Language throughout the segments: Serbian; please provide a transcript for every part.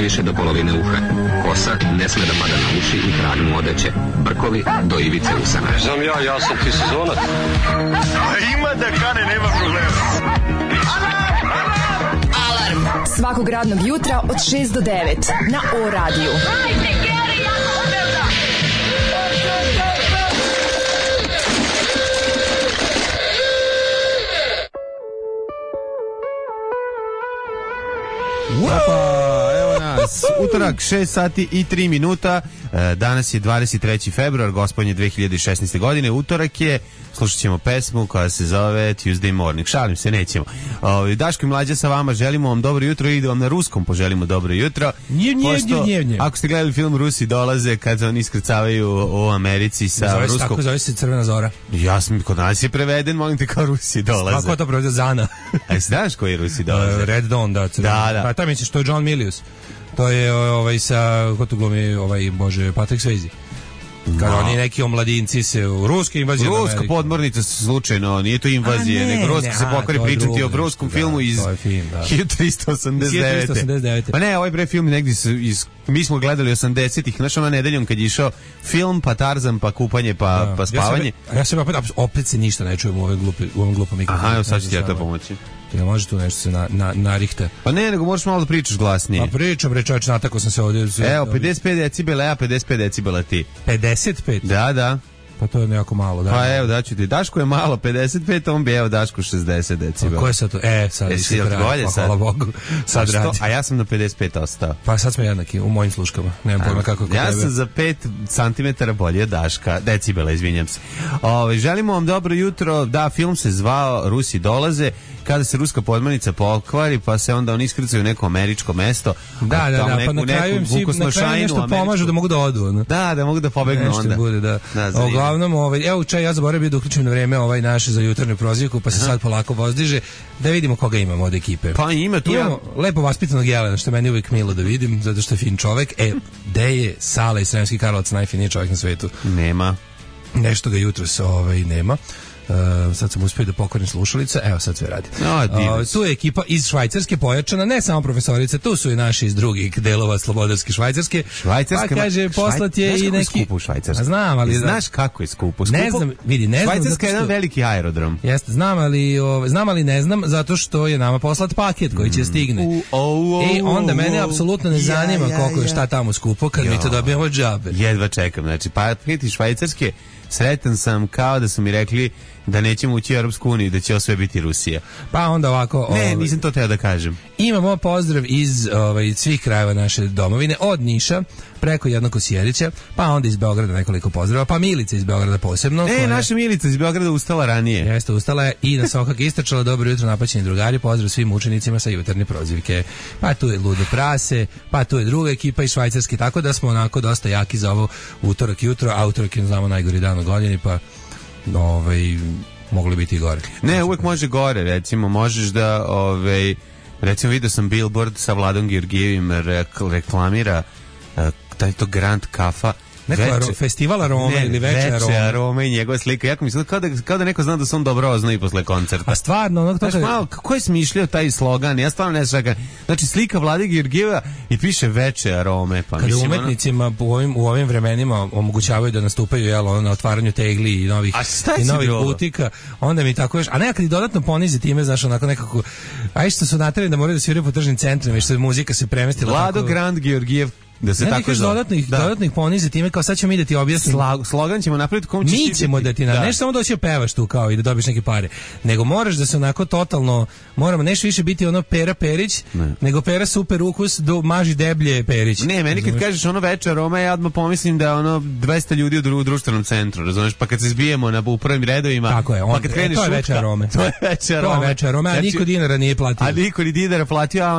više do polovine uha. Kosa ne sme da pada na uši i krag mu odeće. Brkovi do ivice usana. Znam ja sam ti sezonac. Ima da kane, nema problema. Alarm svakog radnog jutra od 6 do 9 na O radiju. Evo nas, utorak 6 sati i 3 minuta, danas je 23. februar, gospodnje 2016. godine, utorak je, slušat ćemo pesmu koja se zove Tuesday Morning, šalim se, nećemo. Daško i Mlađa sa vama, želimo vam dobro jutro i da vam na ruskom poželimo dobro jutro. Ako ste gledali film Rusi dolaze, kad oni iskrcavaju u Americi sa ruskom... Tako zove se Crvena zora. Ja sam, kod nas je preveden, molim te, kao Rusi dolaze. Kako to prevede? Zana. A znaš koji Rusi dolaze? Red Dawn, da. Da. Pa taj misliš, to je John Milius. To je sa, ko to glumi, Patrick Swayze. Kad oni neki omladinci se u ruske invazije. Ruska podmornica slučajno, nije to invazija, nego Ruska se pokvari pričati o ruskom filmu iz 1389. Pa ne, ovaj bre film negdje mi smo gledali 80-ih, znaš ona nedeljom kad je išao film, pa Tarzan, pa kupanje, pa spavanje. Ja se opet se ništa ne čujem u ovom glupom mikrofonu. Aha, evo sad ću ti ja to pomoći. Jel može tu nešto se narihta? Pa ne, nego možeš malo da pričaš glasnije. Pa pričam, bre čovječ, natakao sam se ovdje. Evo, 55 decibela, ja 55 decibela ti. 55? Da. Pa to je nekako malo, da. Pa evo, daću ti. Daško je malo 55, on bi evo Daško 60 decibela. A ko je sad to? Sad si bolje sad. Hvala Bogu. Sad radi. A ja sam na 55 ostao. Pa sad smo jednaki u mojim sluškama. Nemam pojma kako je kod tebe. Ja sam za 5 cm bolje od Daška. Decibela, izvinjam se. Želimo vam dobro jutro. Da, film se zvao Rusi dolaze. Kada se ruska podmornica pokvari, pa se onda oni iskrcaju u neko američko mesto. Da, pa na kraju im nešto pomažu da mogu da odu. Ne? Da mogu da pobegnu onda. Bude, da. Uglavnom, evo čaj, ja zaboravio da uključim na vreme ovaj naš za jutarnju prozivku, pa se sad polako vozdiže, da vidimo koga imamo od ekipe. Pa imamo lepo vaspitanog Jelena, što meni uvijek milo da vidim, zato što je fin čovek. Gde je Sala iz Sremskih Karlovaca, najfiniji čovjek na svetu? Nema. Nešto ga jutros nema. Sad sam uspio da pokvarim slušalice, evo sad sve radi. Tu je ekipa iz Švajcarske pojačana, ne samo profesorice, tu su i naši iz drugih delova slobodarske Švajcarske. Pa kaže, poslat je i neki... Skupo u Švajcarskoj. Znam, ali... Znaš kako je skupo? Ne znam. Švajcarska je jedan veliki aerodrom. Jeste, znam, ali ne znam, zato što je nama poslat paket koji će stigne. Onda mene apsolutno ne zanima koliko je šta tamo skupo, kad mi to dobijemo džabe. Jedva čekam, znači, paket iz Švajcarske, sretan sam kao da su mi rekli da nećemo ući u Europsku uniju, da će ovo sve biti Rusija. Pa onda ovako... Ne, nisam to teo da kažem. Imamo pozdrav iz svih krajeva naše domovine, od Niša, preko jednog Kosjerića, pa onda iz Beograda nekoliko pozdrava, pa Milica iz Beograda posebno. Naša Milica iz Beograda ustala ranije. Jeste, ustala je i na sokak istračala. Dobro jutro, napaćeni drugari, pozdrav svim učenicima sa jutarnje prozivke. Pa tu je Ludo Prase, pa tu je druga ekipa iz Švajcarske, tako da smo onako dosta jaki za ovo utorak jutro, a utorak je, znamo, najgori dan u godini, pa mogli biti i gore. Ne, uvek može gore, recimo, možeš da, recimo vidio sam billboard sa Vladom Georgijevim reklamira taj to Grand Kafa. Festival arome ili veče arome i njegova slika. Jako mislim, kao da neko zna da se on dobro oznoji posle koncerta. A stvarno, kako je smišljao taj slogan? Ja stvarno ne znam. Znači, slika Vlade Georgijeva i piše veče arome. Pa kada umetnicima u ovim vremenima omogućavaju da nastupaju na otvaranju tegli i novih butika, onda mi tako još, a nekad i dodatno ponizi time, znaš, onako nekako, a što su naterali da moraju da sviraju po tržnim centrima i što muzika se premestila. Vlado Grand Georgijev. Da se tako dodatnih ponizi time, kao sad ćemo mi da ti objasnim. Slogan ćemo napraviti kom ćeš mi ćemo da ti ne samo doći da pevaš tu kao i da dobiješ neke pare, nego moraš da se onako totalno, moramo nešto više biti ono Pera Perić, nego Pera super ukus do maži deblje Perić. Ne, meni kad kažeš ono veče aroma, ja odmah pomislim da ono 200 ljudi u društvenom centru, razumeš, pa kad se zbijemo u prvim redovima, tako je, pa kad kreneš to je veče arome. To je veče arome, a niko dinara nije platio. A niko ni dinara platio, a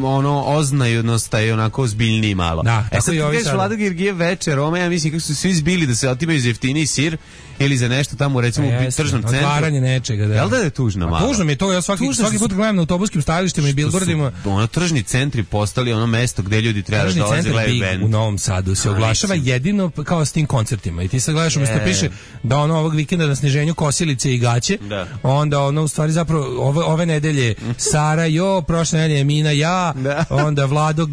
ono oznajnost je onako zbilja ozbiljniji malo. Da, sad ti kažeš Vlado Georgijev veče, Roma, ja mislim kako su svi zbili da se otimaju za jeftiniji sir ili za nešto tamo recimo u tržnom centru. Otvaranje nečega, da. Jel da je tužno malo? Tužno mi je to, ja svaki put gledam na autobuskim stajalištima i billboardima. Ono tržni centri postali ono mesto gde ljudi treba da dolaze gledaju bend. U Novom Sadu se oglašava jedino kao s tim koncertima. I ti sad gledaš umesto piše da ono ovog vikenda na sniženju kosilice i gaće, onda ono u stvari zapravo ove nedelje Sara prošle nedelje Mina onda Vlado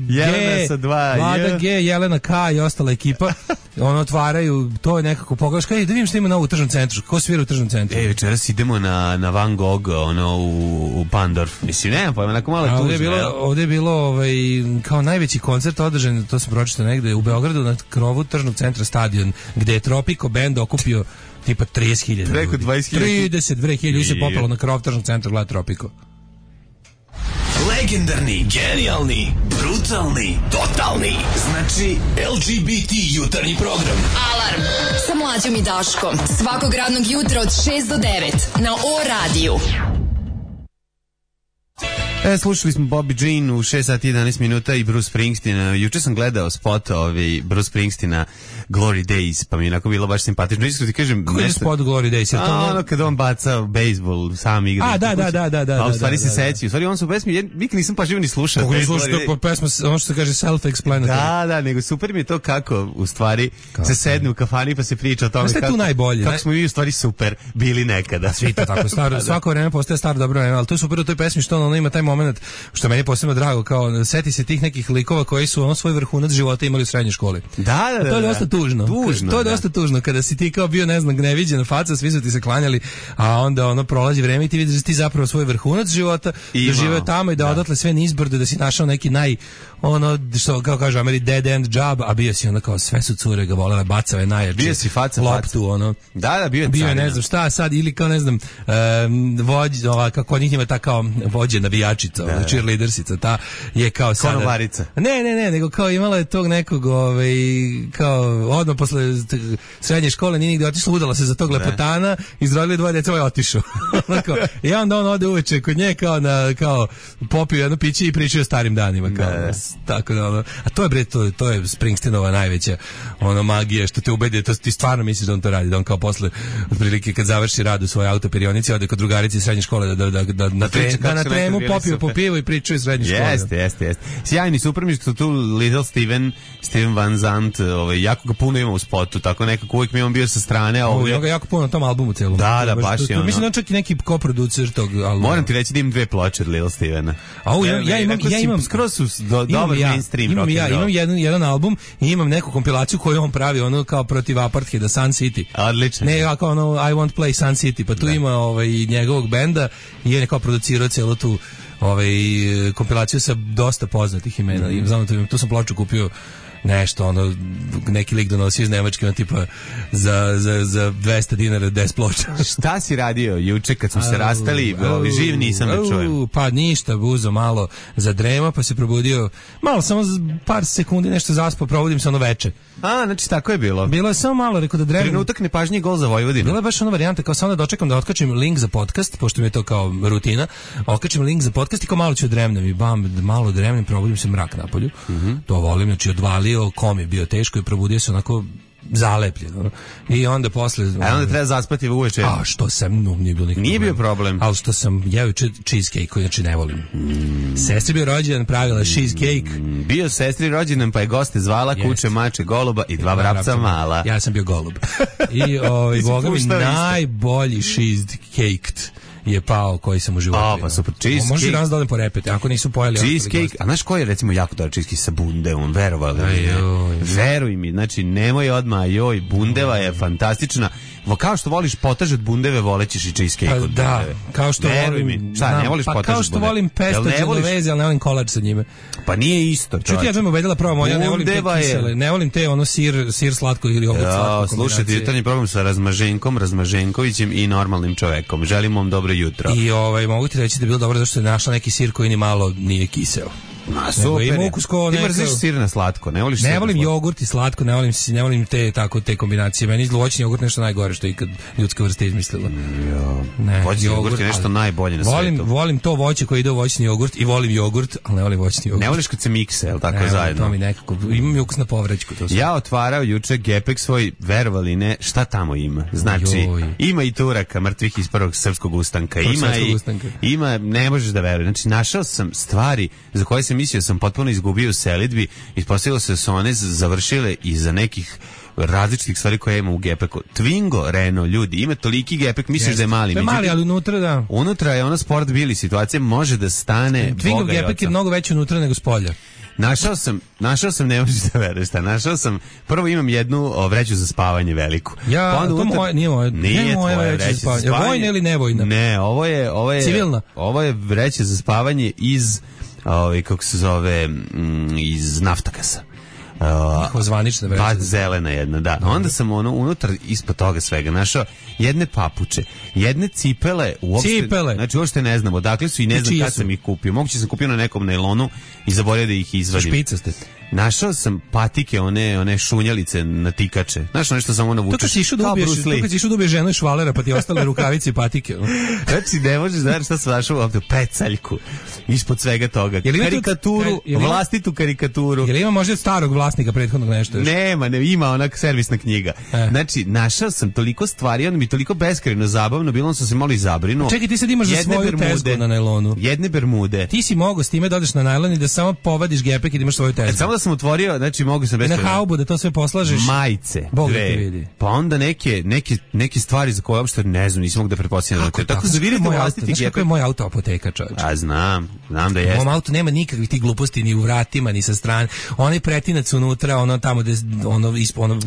G, Jelena K i ostala ekipa. Ono otvaraju, to je nekako pogledaš, da vidim što ima na ovu tržnom centru, ko svira u tržnom centru. Večeras idemo na Van Gogh, ono u Pandorf. Mislim, nema pojma, onako malo tužno. Ovdje je bilo kao najveći koncert održan, to sam pročitao negde, u Beogradu na krovu tržnog centra Stadion, gde je Tropico band okupio tipa 30.000. Preko 20.000. 32.000 se popalo na krov tržnog centra gleda Tropico. Legendarni, genijalni, brutalni, totalni. Znači LGBT jutarnji program. Alarm sa Mlađom i Daškom. Svakog radnog jutra od 6 do 9 na O-radiju. Slušali smo Bobby Jean u 6 sati 11 minuta i Bruce Springsteen. Juče sam gledao spot Bruce Springsteena Glory Days, pa mi je onako bilo baš simpatično. Iskreno ti kažem... Koji je spot Glory Days? Ono kad on baca bejsbol, sam igra. Da. A u stvari se seći. U stvari on su pesmi, nikad nisam pažljivo ni slušao. Kako ne slušao po pesma, ono što se kaže self-explanatory. Da, nego super mi je to kako u stvari se sedne u kafani pa se priča o tome kako smo mi u stvari super bili nekada. Svi to tako, svako vreme postaje staro dobro vreme, ali to je super u toj pesmi što ono ima taj moment što meni je posebno drago, kao seti se tih nekih likova koji su svoj vrhunac života imali u srednjoj školi. Da. To je dosta tužno. To je dosta tužno kada si ti kao bio neviđena faca, svi su ti se klanjali, a onda prolazi vreme i ti vidiš da ti zapravo svoj vrhunac života doživeo tamo i da odatle sve nizbrdo, da si našao neki što kao kažu Ameri dead end job, a bio si kao sve su cure ga volele, bacave najjače. Bio si faca loptu, Da, bio je ne znam šta sad, ili kao ne znam kako njih ima ta kao vođe navijačica, cheerleadersica, ta je kao sada... Konobarica. Ne, nego kao imala je tog nekog, kao odmah posle srednje škole nije nigde otišla, udala se za tog lepotana, izrodili 2 djece, otišao. I onda on ode uveče kod nje kao popio jedno piće i pričao o starim danima. Tako da, a to je Springsteenova najveća magija, što te ubedi, to ti stvarno misliš da on to radi, da on kao posle otprilike kad završi rad u svojoj autoperionici ode kod drugarice iz srednje škole da na tremu popio po pivu i pričaju iz srednje škole. Jeste. Sjajni, super mi što tu Little Steven Van Zandt, jako ga puno ima u spotu, tako nekako uvijek mi on bio sa strane. Ima ga jako puno na tom albumu celom. Da, baš je ono. Mislim da on čak i neki koproducer tog albuma. Moram ti reći da imam 2 ploče od Little Stevena. Ja imam skroz su dobar mainstream. Imam jedan album i imam neku kompilaciju koju on pravi, kao protiv apartheida, Sun City. Odlično. Ne, kao I won't play Sun City, pa tu ima i njegovog benda i on je kao producirao celu tu kompilaciju sa dosta poznatih imena. I znam, tu sam ploču kupio nešto, neki lik donosio iz Nemačke, tipa za 200 dinara 10 ploča. Šta si radio juče kad smo se rastali? Živ nisam da čujem. Pa ništa, buzo malo za drema, pa se probudio, malo, samo par sekundi nešto zaspao, probudim se veče. Znači tako je bilo. Bilo je samo malo, rekao da dremam. Trenutak nepažnji, gol za Vojvodinu. Bila je baš varijanta, kao samo da dočekam da otkačim link za podcast, pošto mi je to kao rutina, otkačim link za podcast i kao malo ću dremnem i malo dremnem, probudim se mrak napolju. To volim, znači odvalio, kom je bio teško i probudio se onako zalepljeno. I onda posle... A onda treba zaspati uveče. A što sam, nije bilo nikakav Nije bio problem. Ali što sam jeo cheesecake, koji znači ne volim. Sestri bio rođendan, pravila cheesecake. Bio sestri rođendan, pa je goste zvala kuće, mače, goluba i 2 vrapca mala. Ja sam bio golub. I boga mi najbolji cheesecake je pao koji sam u životu. Pa super, cheesecake. Može danas da odem po repete, ako nisu pojeli. Cheesecake, a znaš koji je recimo jako dobar cheesecake sa bundevom, verovali. Veruj mi, znači nemoj odmah, bundeva je fantastična. Kao što voliš potaž od bundeve, volećeš i cheesecake od bundeve. Da, kao što volim... Šta, ne voliš potaž od bundeve? Kao što volim pesto genovese, ali ne volim kolač sa njime. Pa nije isto. Čuti, ja sam ubedila probamo, ja ne volim te kisele, ne volim te sir slatko ili jogurt slatko. Slušajte, jutarnji program sa Razmaženkovićem i normalnim čovekom. Želim vam dobro jutro. I mogu ti reći da je bilo dobro zašto je našla neki sir koji ni malo nije kiseo. Super. Ima ukus ko ti mrziš sir na slatko, ne voliš? Ne volim jogurt i slatko, ne volim te kombinacije. Meni voćni jogurt nešto najgore što je ikad ljudska vrsta izmislila. Voćni jogurt je nešto najbolje na svetu. Volim to voće koje ide u voćni jogurt i volim jogurt, ali ne volim voćni jogurt. Ne voliš kad se mikse, el tako zajedno. To mi nekako imam ukus na povraćku to. Ja otvarao juče gepek svoj, verovali ne, šta tamo ima? Znači, ima i Turaka, mrtvih iz prvog srpskog ustanka. Ima, ne možeš da veruješ. Znači, našao sam stvari za koje sam mislio sam potpuno izgubio u selidbi, ispostavilo se da su one završile iza nekih različitih stvari koje ima u gepeku. Twingo, Renault, ljudi, ima toliki gepek, misliš da je mali. To je mali, ali unutra da. Unutra je ono sport bili situacija, može da stane Twingo gepek je mnogo veći unutra nego spolja. Našao sam, ne možeš da veruješ, prvo imam jednu vreću za spavanje veliku. Nije moja vreća za spavanje. Je vojna ili nevojna? Ne, ovo je civilna. Ovo je vreća za spavanje iz, kako se zove, iz Naftakasa. Zvanična vreća. Pa zelena jedna, da. Onda sam unutar ispod toga svega našao jedne papuče, jedne cipele, znači uopšte ne znam odakle su i ne znam kad sam ih kupio. Moguće sam kupio na nekom nailonu i zaboravio da ih izvadim. Špicaste. Našao sam patike, one šunjalice na tikače. Znaš nešto samo ono vučeš. To kad si išao da ubiješ ženu i švalera pa ti ostale rukavice i patike. Znači ne možeš da šta sam našao ovdje, pecaljku ispod svega toga. Karikaturu, vlastitu karikaturu. Jel ima možda starog vlasnika prethodnog nešto još? Nema, ima onak servisna knjiga. Znači našao sam toliko stvari, ono mi toliko beskrajno zabavno, bilo sam se malo i zabrinuo. Čekaj, ti sad imaš za svoju tezgu na nailonu. Jedne bermude. Ti si mogao s time da odeš na nailon i da samo povadiš gepek i da imaš svoju tezgu. Samo da sam otvorio, znači mogu sam na haubu da to sve poslažeš. Majice, Bog te vidi. Pa onda neke stvari za koje uopšte ne znam, nisam mogu da pretpostavljam. Tako zavirite vlastiti gepek. Kako je moj auto apoteka, čovječe? A znam da jeste. U mom autu nema nikakvih tih gluposti ni u vratima, ni sa strane. Onaj pretinac unutra, ono tamo gde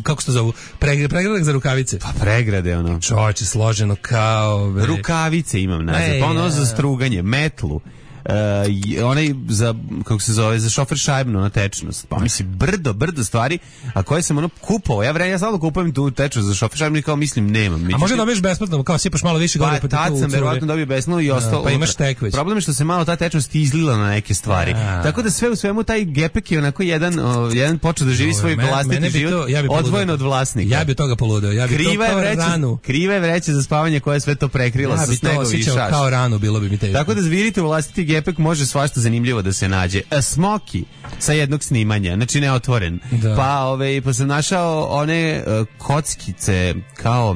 kako se to zovu, pregradak za rukavice. Pa pregrade ono. Čovječe, složeno kao rukavice imam nazad. Pa ono za struganje, metlu. Onaj za, kako se zove, za šofer šajbno na tečnost. Pa mislim, brdo stvari, a koje sam ono kupovao. Ja samo kupujem tu tečnost za šofer šajbno i kao mislim nemam. A može dobiješ besplatno, kao sipaš malo više gore. Pa tad sam verovatno dobio besplatno i ostalo. Pa imaš tek već. Problem je što se malo ta tečnost izlila na neke stvari. Tako da sve u svemu taj gepek je onako jedan počeo da živi svoj vlastiti život odvojen od vlasnika. Ja bi od toga poludeo. Ja bi krive vreće za spavanje koje sve to prekrilo sa snegovi šaš. Kao ranu, bilo bi mi teško. Tako da zvirite u vlastiti gepek može svašta zanimljivo da se nađe. Smoki sa jednog snimanja, znači neotvoren. Da. Pa sam našao one kockice kao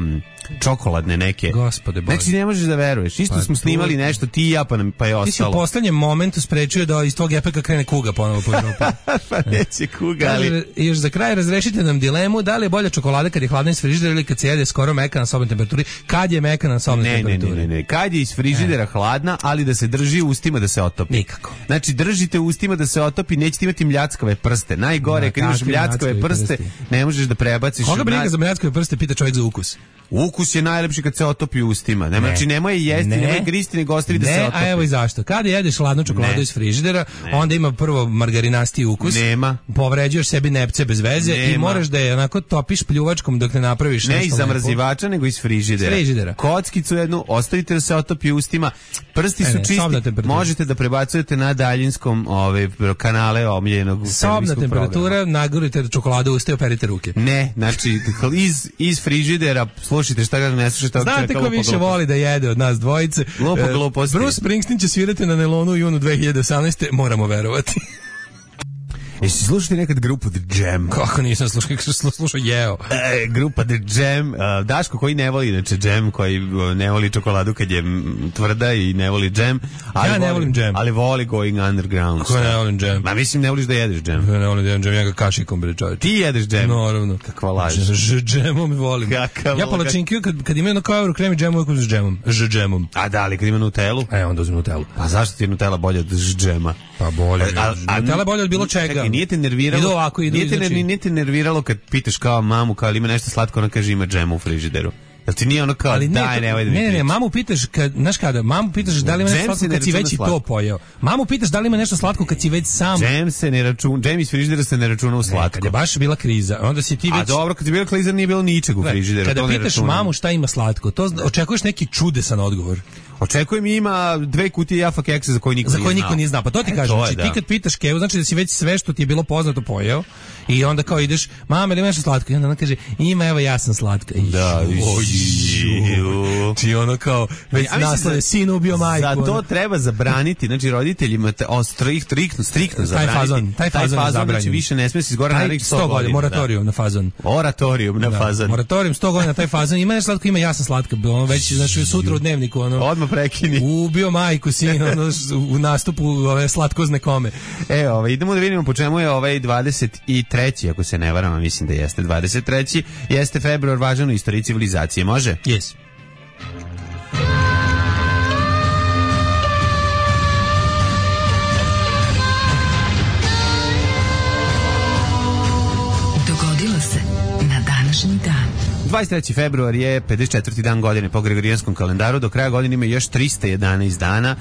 čokoladne neke. Gospode Bože. Znači ne možeš da veruješ. Isto smo snimali nešto ti i ja pa je ostalo. Ti si u poslednjem momentu sprečio da iz tvog gepeka krene kuga ponovo po Evropi. Pa neće kuga, ali... I još za kraj razrešite nam dilemu da li je bolja čokolada kad je hladna iz frižidera ili kad se jede skoro meka na sobnoj temperaturi. Kad je meka na sobnoj temperaturi? Ne. Kad je iz frižidera hladna, ali da se drži u ustima da se otopi. Nikako. Znači držite u ustima da se otopi, nećete imati mljackave prste. Najgore kad imaš mljackave prste, ne možeš da prebaciš. Koga briga za mljackave prste, pita čovjek za ukus. Ukus je najlepši kad se otopi u ustima. Znači nemoj jesti, nemoj gristi, nego ostavi da se otopi. A evo i zašto. Kada jedeš hladnu čokoladu iz frižidera, onda ima prvo margarinasti ukus. Nema. Povređuješ sebi nepce bez veze i moraš da je onako topiš pljuvačkom dok ne napraviš nešto. Ne iz zamrzivača, nego iz frižidera. Kockicu jednu ostavite da se otopi u ustima. Prsti su čisti. Možete da prebacujete na daljinskom kanale omiljenog sobna temperatura, nagurite čokoladu u usta i operite ruke. Ne, znači iz frižidera slušajte šta ga ne slušajte. Znate ko više voli da jede od nas dvojice? Gluposti. Bruce Springsteen će svirati na Nelonu u junu 2018. Moramo verovati. Jesi slušati nekad grupu The Jam? Kako nisam slušao Jeo. Grupa The Jam. Daško koji ne voli inače Jam, koji ne voli čokoladu kad je tvrda i ne voli Jam. Ja ne volim Jam. Ali voli Going Underground. Ko ne volim Jam? Ma mislim ne voliš da jedeš Jam. Ne volim da jedem Jam, ja ga kašikom bre čovječe. Ti jedeš Jam? Naravno. Kakva laž. Džemom volim. Ja palačinkiju kad ima jedno kao euro krem i džemu uvijek uz džemom. A da, ali kad ima Nutellu? Onda uzim Nutellu. Pa zašto ti je Nutella bolja od džema? Pa bolje. Nutella je bolja od bilo čega. Nije te nerviralo kad pitaš kao mamu, kao ili ima nešto slatko, ona kaže ima džema u frižideru. Jel ti nije ono kao, ali daj, nemoj da mi ne, mamu pitaš, znaš kada, mamu pitaš da li ima nešto slatko kad si već i to pojeo. Mamu pitaš da li ima nešto slatko kad si već sam. Džem iz frižidera se ne računa u slatko. Kad je baš bila kriza, onda si ti već... A dobro, kad je bila kriza nije bilo ničeg u frižideru. Kada pitaš mamu šta ima slatko, to očekuješ neki čudesan odgovor. Očekujem ima 2 kutije Jaffa keksa za koje niko nije znao. Pa to ti kažem, znači ti kad pitaš Kevu, znači da si već sve što ti je bilo poznato pojeo i onda kao ideš, mama, ili ima nešto slatko? I onda ona kaže, ima, evo ja sam slatka. Da, ti ono kao, već naslove, sin ubio majku. Za to treba zabraniti, znači roditeljima striktno zabraniti. Taj fazon je zabranjen. Znači više ne smije se izgora narednih 100 godina. Moratorijum na fazon. Oratorijum na fazon. Moratorium 100 godina taj fazon. Ima nešto slatko, ima ja sam slatka. Već, znači, sutra u dnevniku, odmah prekini. Ubio majku, sin, u nastupu ove slatkozne kome. Idemo da vidimo po čemu je 23. ako se ne varam, mislim da jeste 23. Jeste februar, važan u istoriji civilizacije, može? Yes. Dogodilo se na današnji dan. 23. februar je 54. dan godine po gregorijanskom kalendaru, do kraja godine ima još 311 dana.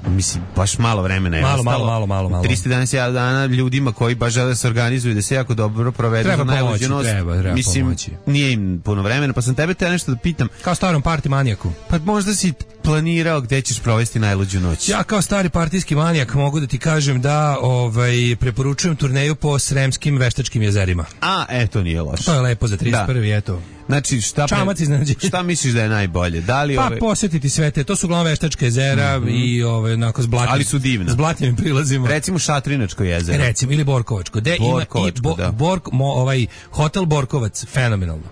Mislim, baš malo vremena je ostalo. Malo. 311 dana ljudima koji baš žele da se organizuju, da se jako dobro provedu za najluđu noć. Treba mislim, pomoći. Nije im puno vremena, pa sam tebe te nešto da pitam. Kao starom party manijaku. Pa možda si planirao gde ćeš provesti najluđu noć. Ja kao stari partijski manijak mogu da ti kažem da preporučujem turneju po Sremskim veštačkim jezerima. To nije loše. To je lepo za 31. eto. Znači, šta misliš da je najbolje? Da li posjetiti sve te, to su uglavnom veštačka jezera i onako s blatnim, ali su divna. S blatnim prilazima. Recimo Šatrinačko jezero. Recimo, ili Borkovačko. Hotel Borkovac, fenomenalno.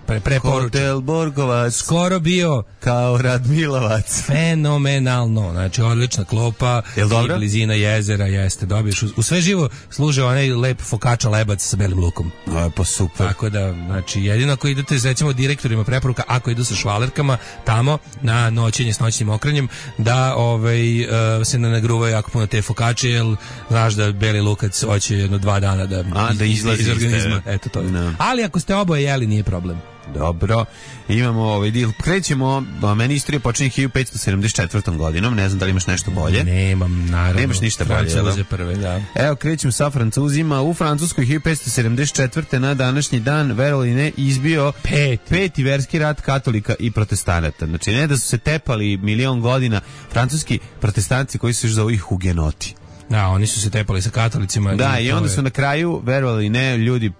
Hotel Borkovac. Skoro bio kao Radmilovac. Fenomenalno. Znači, odlična klopa. Jel dobro? I blizina jezera, jeste. Dobiješ u sve živo služe onaj lep fokača lebac sa belim lukom. Pa super. Tako da, znači, jedino ako idete, recimo, direktorima preporuka, ako idu sa švalerkama tamo na noćenje s noćnim okrenjem, da se ne nagruvaju jako puno te fokače, jer znaš da beli lukac hoće 2 dana da izlazi iz organizma. Eto to. No. Ali ako ste oboje jeli, nije problem. Dobro, imamo krećemo, meni istorija počinje 1574. godinom, ne znam da li imaš nešto bolje. Nemam, naravno. Nemaš ništa bolje. Francuze prve, da. Evo, krećemo sa Francuzima. U Francuskoj 1574. na današnji dan, verovali ne, izbio peti verski rat katolika i protestanata. Znači, ne da su se tepali milion godina francuski protestanci koji se zovu hugenoti. Da, oni su se tepali sa katolicima. Da, i onda su na kraju, verovali ne, ljudi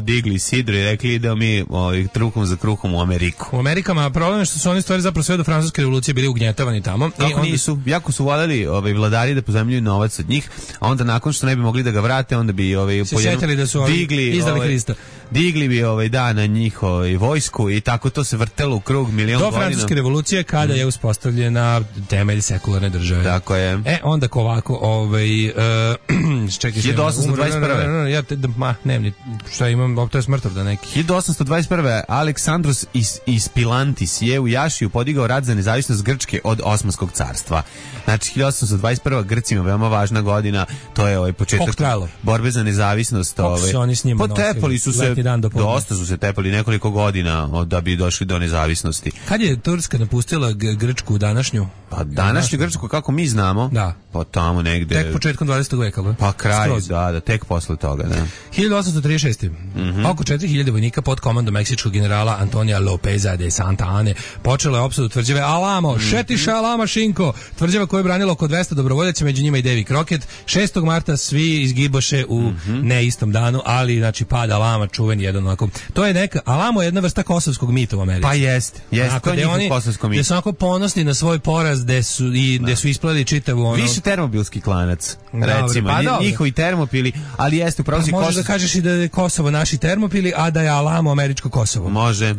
digli sidro i rekli da mi trukom za kruhom u Ameriku. U Amerikama problem je što su oni stvari zapravo sve do francuske revolucije bili ugnjetavani tamo. Kako nisu? Jako su voljeli vladari da pozajmljuju novac od njih, a onda nakon što ne bi mogli da ga vrate, onda bi se sjetili da su izdali Hrista. Digli bi na njih vojsku i tako to se vrtelo u krug milion godina. Do francuske revolucije kada je uspostavljena temelj sekularne države. Tako je. Onda ovako, čekaj, 1821. Nemam šta imam, to je smrtov da neki. 1821. Aleksandros iz Pilantis je u Jašiju podigao rat za nezavisnost Grčke od Osmanskog carstva. Znači 1821. Grcima veoma važna godina, to je početak borbe za nezavisnost. Potepali su se, dosta su se tepali nekoliko godina da bi došli do nezavisnosti. Kad je Turska napustila Grčku današnju? Pa današnju Grčku kako mi znamo, da. Pa tamo negde. Tek početkom 20. veka, ali? Pa kraj, da, tek posle toga, da. 1836. Oko 4000 vojnika pod komandom meksičkog generala Antonija Lopeza de Santa Ane počelo je opsadu tvrđave Alamo, Šetiša Alama Šinko, tvrđava koju je branilo oko 200 dobrovoljaca, među njima i Davy Crockett. 6. marta svi izgiboše u neistom danu, ali znači pad Alama čuven jedan onako. To je neka, Alamo je jedna vrsta kosovskog mita u Americi. Pa jest, to je njihov kosovsko mit. Gde su onako ponosni na svoj poraz, gde su isplali čitavu ono... Više termobilski klanac, recimo. Pa njihovi termopili, ali jeste upravo si možeš da kažeš i da je Kosovo naši termopili, a da je Alamo američko Kosovo. Može.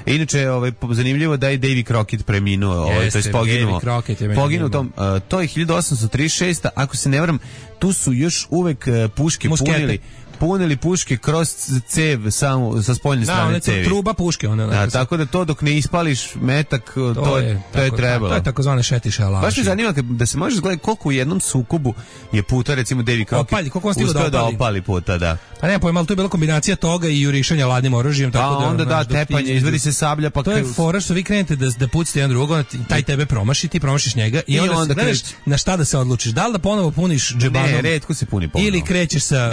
Inače, zanimljivo da je Davy Crockett preminuo, to je poginuo tom. To je 1836. Ako se ne varam, tu su još uvek puške punili. punili puške kroz cev samo sa spoljne strane cevi. Da, truba puške. Tako da to dok ne ispališ metak, to je trebalo. To je takozvane šetiše laži. Baš me zanima da se može gledati koliko u jednom sukobu je puta, recimo Davy Crockett uspeo da opali puta, da. Pa ne pojma, ali to je bila kombinacija toga i jurišanja ladnim oružjem. Pa onda tepanje, izvedi se sablja. To je fora što vi krenete da pucite jedan drugog, taj tebe promaši, ti promašiš njega i onda gledaš na šta da se odlučiš. Da li da ponovo puniš džebanom? Ne, retko se puni ponovo. Ili krećeš sa...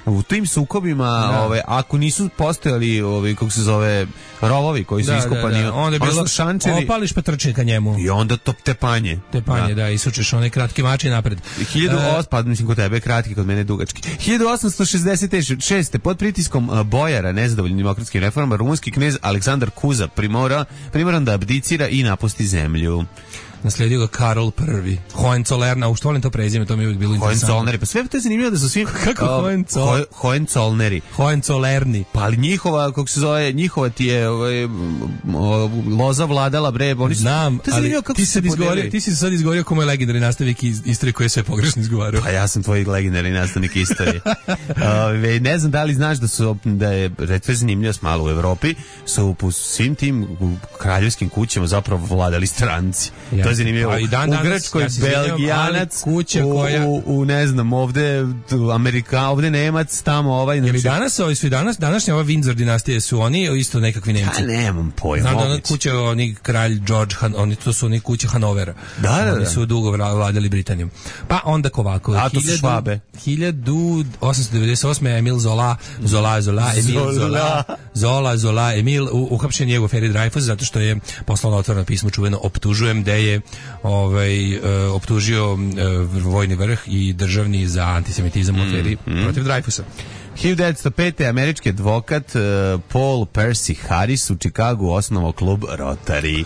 U tim sukobima, ako nisu postojali, kako se zove, rovovi koji su iskopani, onda je bilo šančevi, opališ pa trči ka njemu. I onda to tepanje. Da, isučeš one kratke mače napred. 1800, mislim kod tebe kratki, kod mene dugački. 1866. pod pritiskom bojara nezadovoljnim demokratskim reformama, rumunski knez Aleksandar Kuza primoran da abdicira i napusti zemlju. Naslijedio ga Karol I. Hohenzollern, u što volim to prezime, to mi je uvijek bilo interesantno. Hohenzollerneri, pa sve to je zanimljivo da su svi... Kako Hohenzollerneri? Hohenzollerni. Pa ali njihova ti je loza vladala, bre, oni su... Znam, ali ti si sad izgovorio ko moj legendarni nastavnik istorije koji je sve pogrešno izgovarao. Pa ja sam tvoj legendarni nastavnik istorije. Ne znam da li znaš da je retve zanimljivost malo u Evropi, su po svim tim kraljevskim kućama zapravo vladali stranci. To je zanimljivo. U Grčkoj Belgijanac, u ne znam, ovde Amerika, ovde Nemac, tamo ovaj... Ili današnja ova Windsor dinastije su oni isto nekakvi Nemci. Ja nemam pojma. Znam da kuća, oni kralj George, to su oni kuće Hanovera. Da. Oni su dugo vladali Britanijom. Pa onda ovako. A to su Švabe. 1898. Emil Zola, Emil, uhapšen je u aferi Dreyfus zato što je poslao otvoreno pismo čuveno optužujem, gde je optužio vojni vrh i državni za antisemitizam u aferi protiv Dreyfusa. 1905. američki advokat Paul Percy Harris u Čikagu osnovao klub Rotary.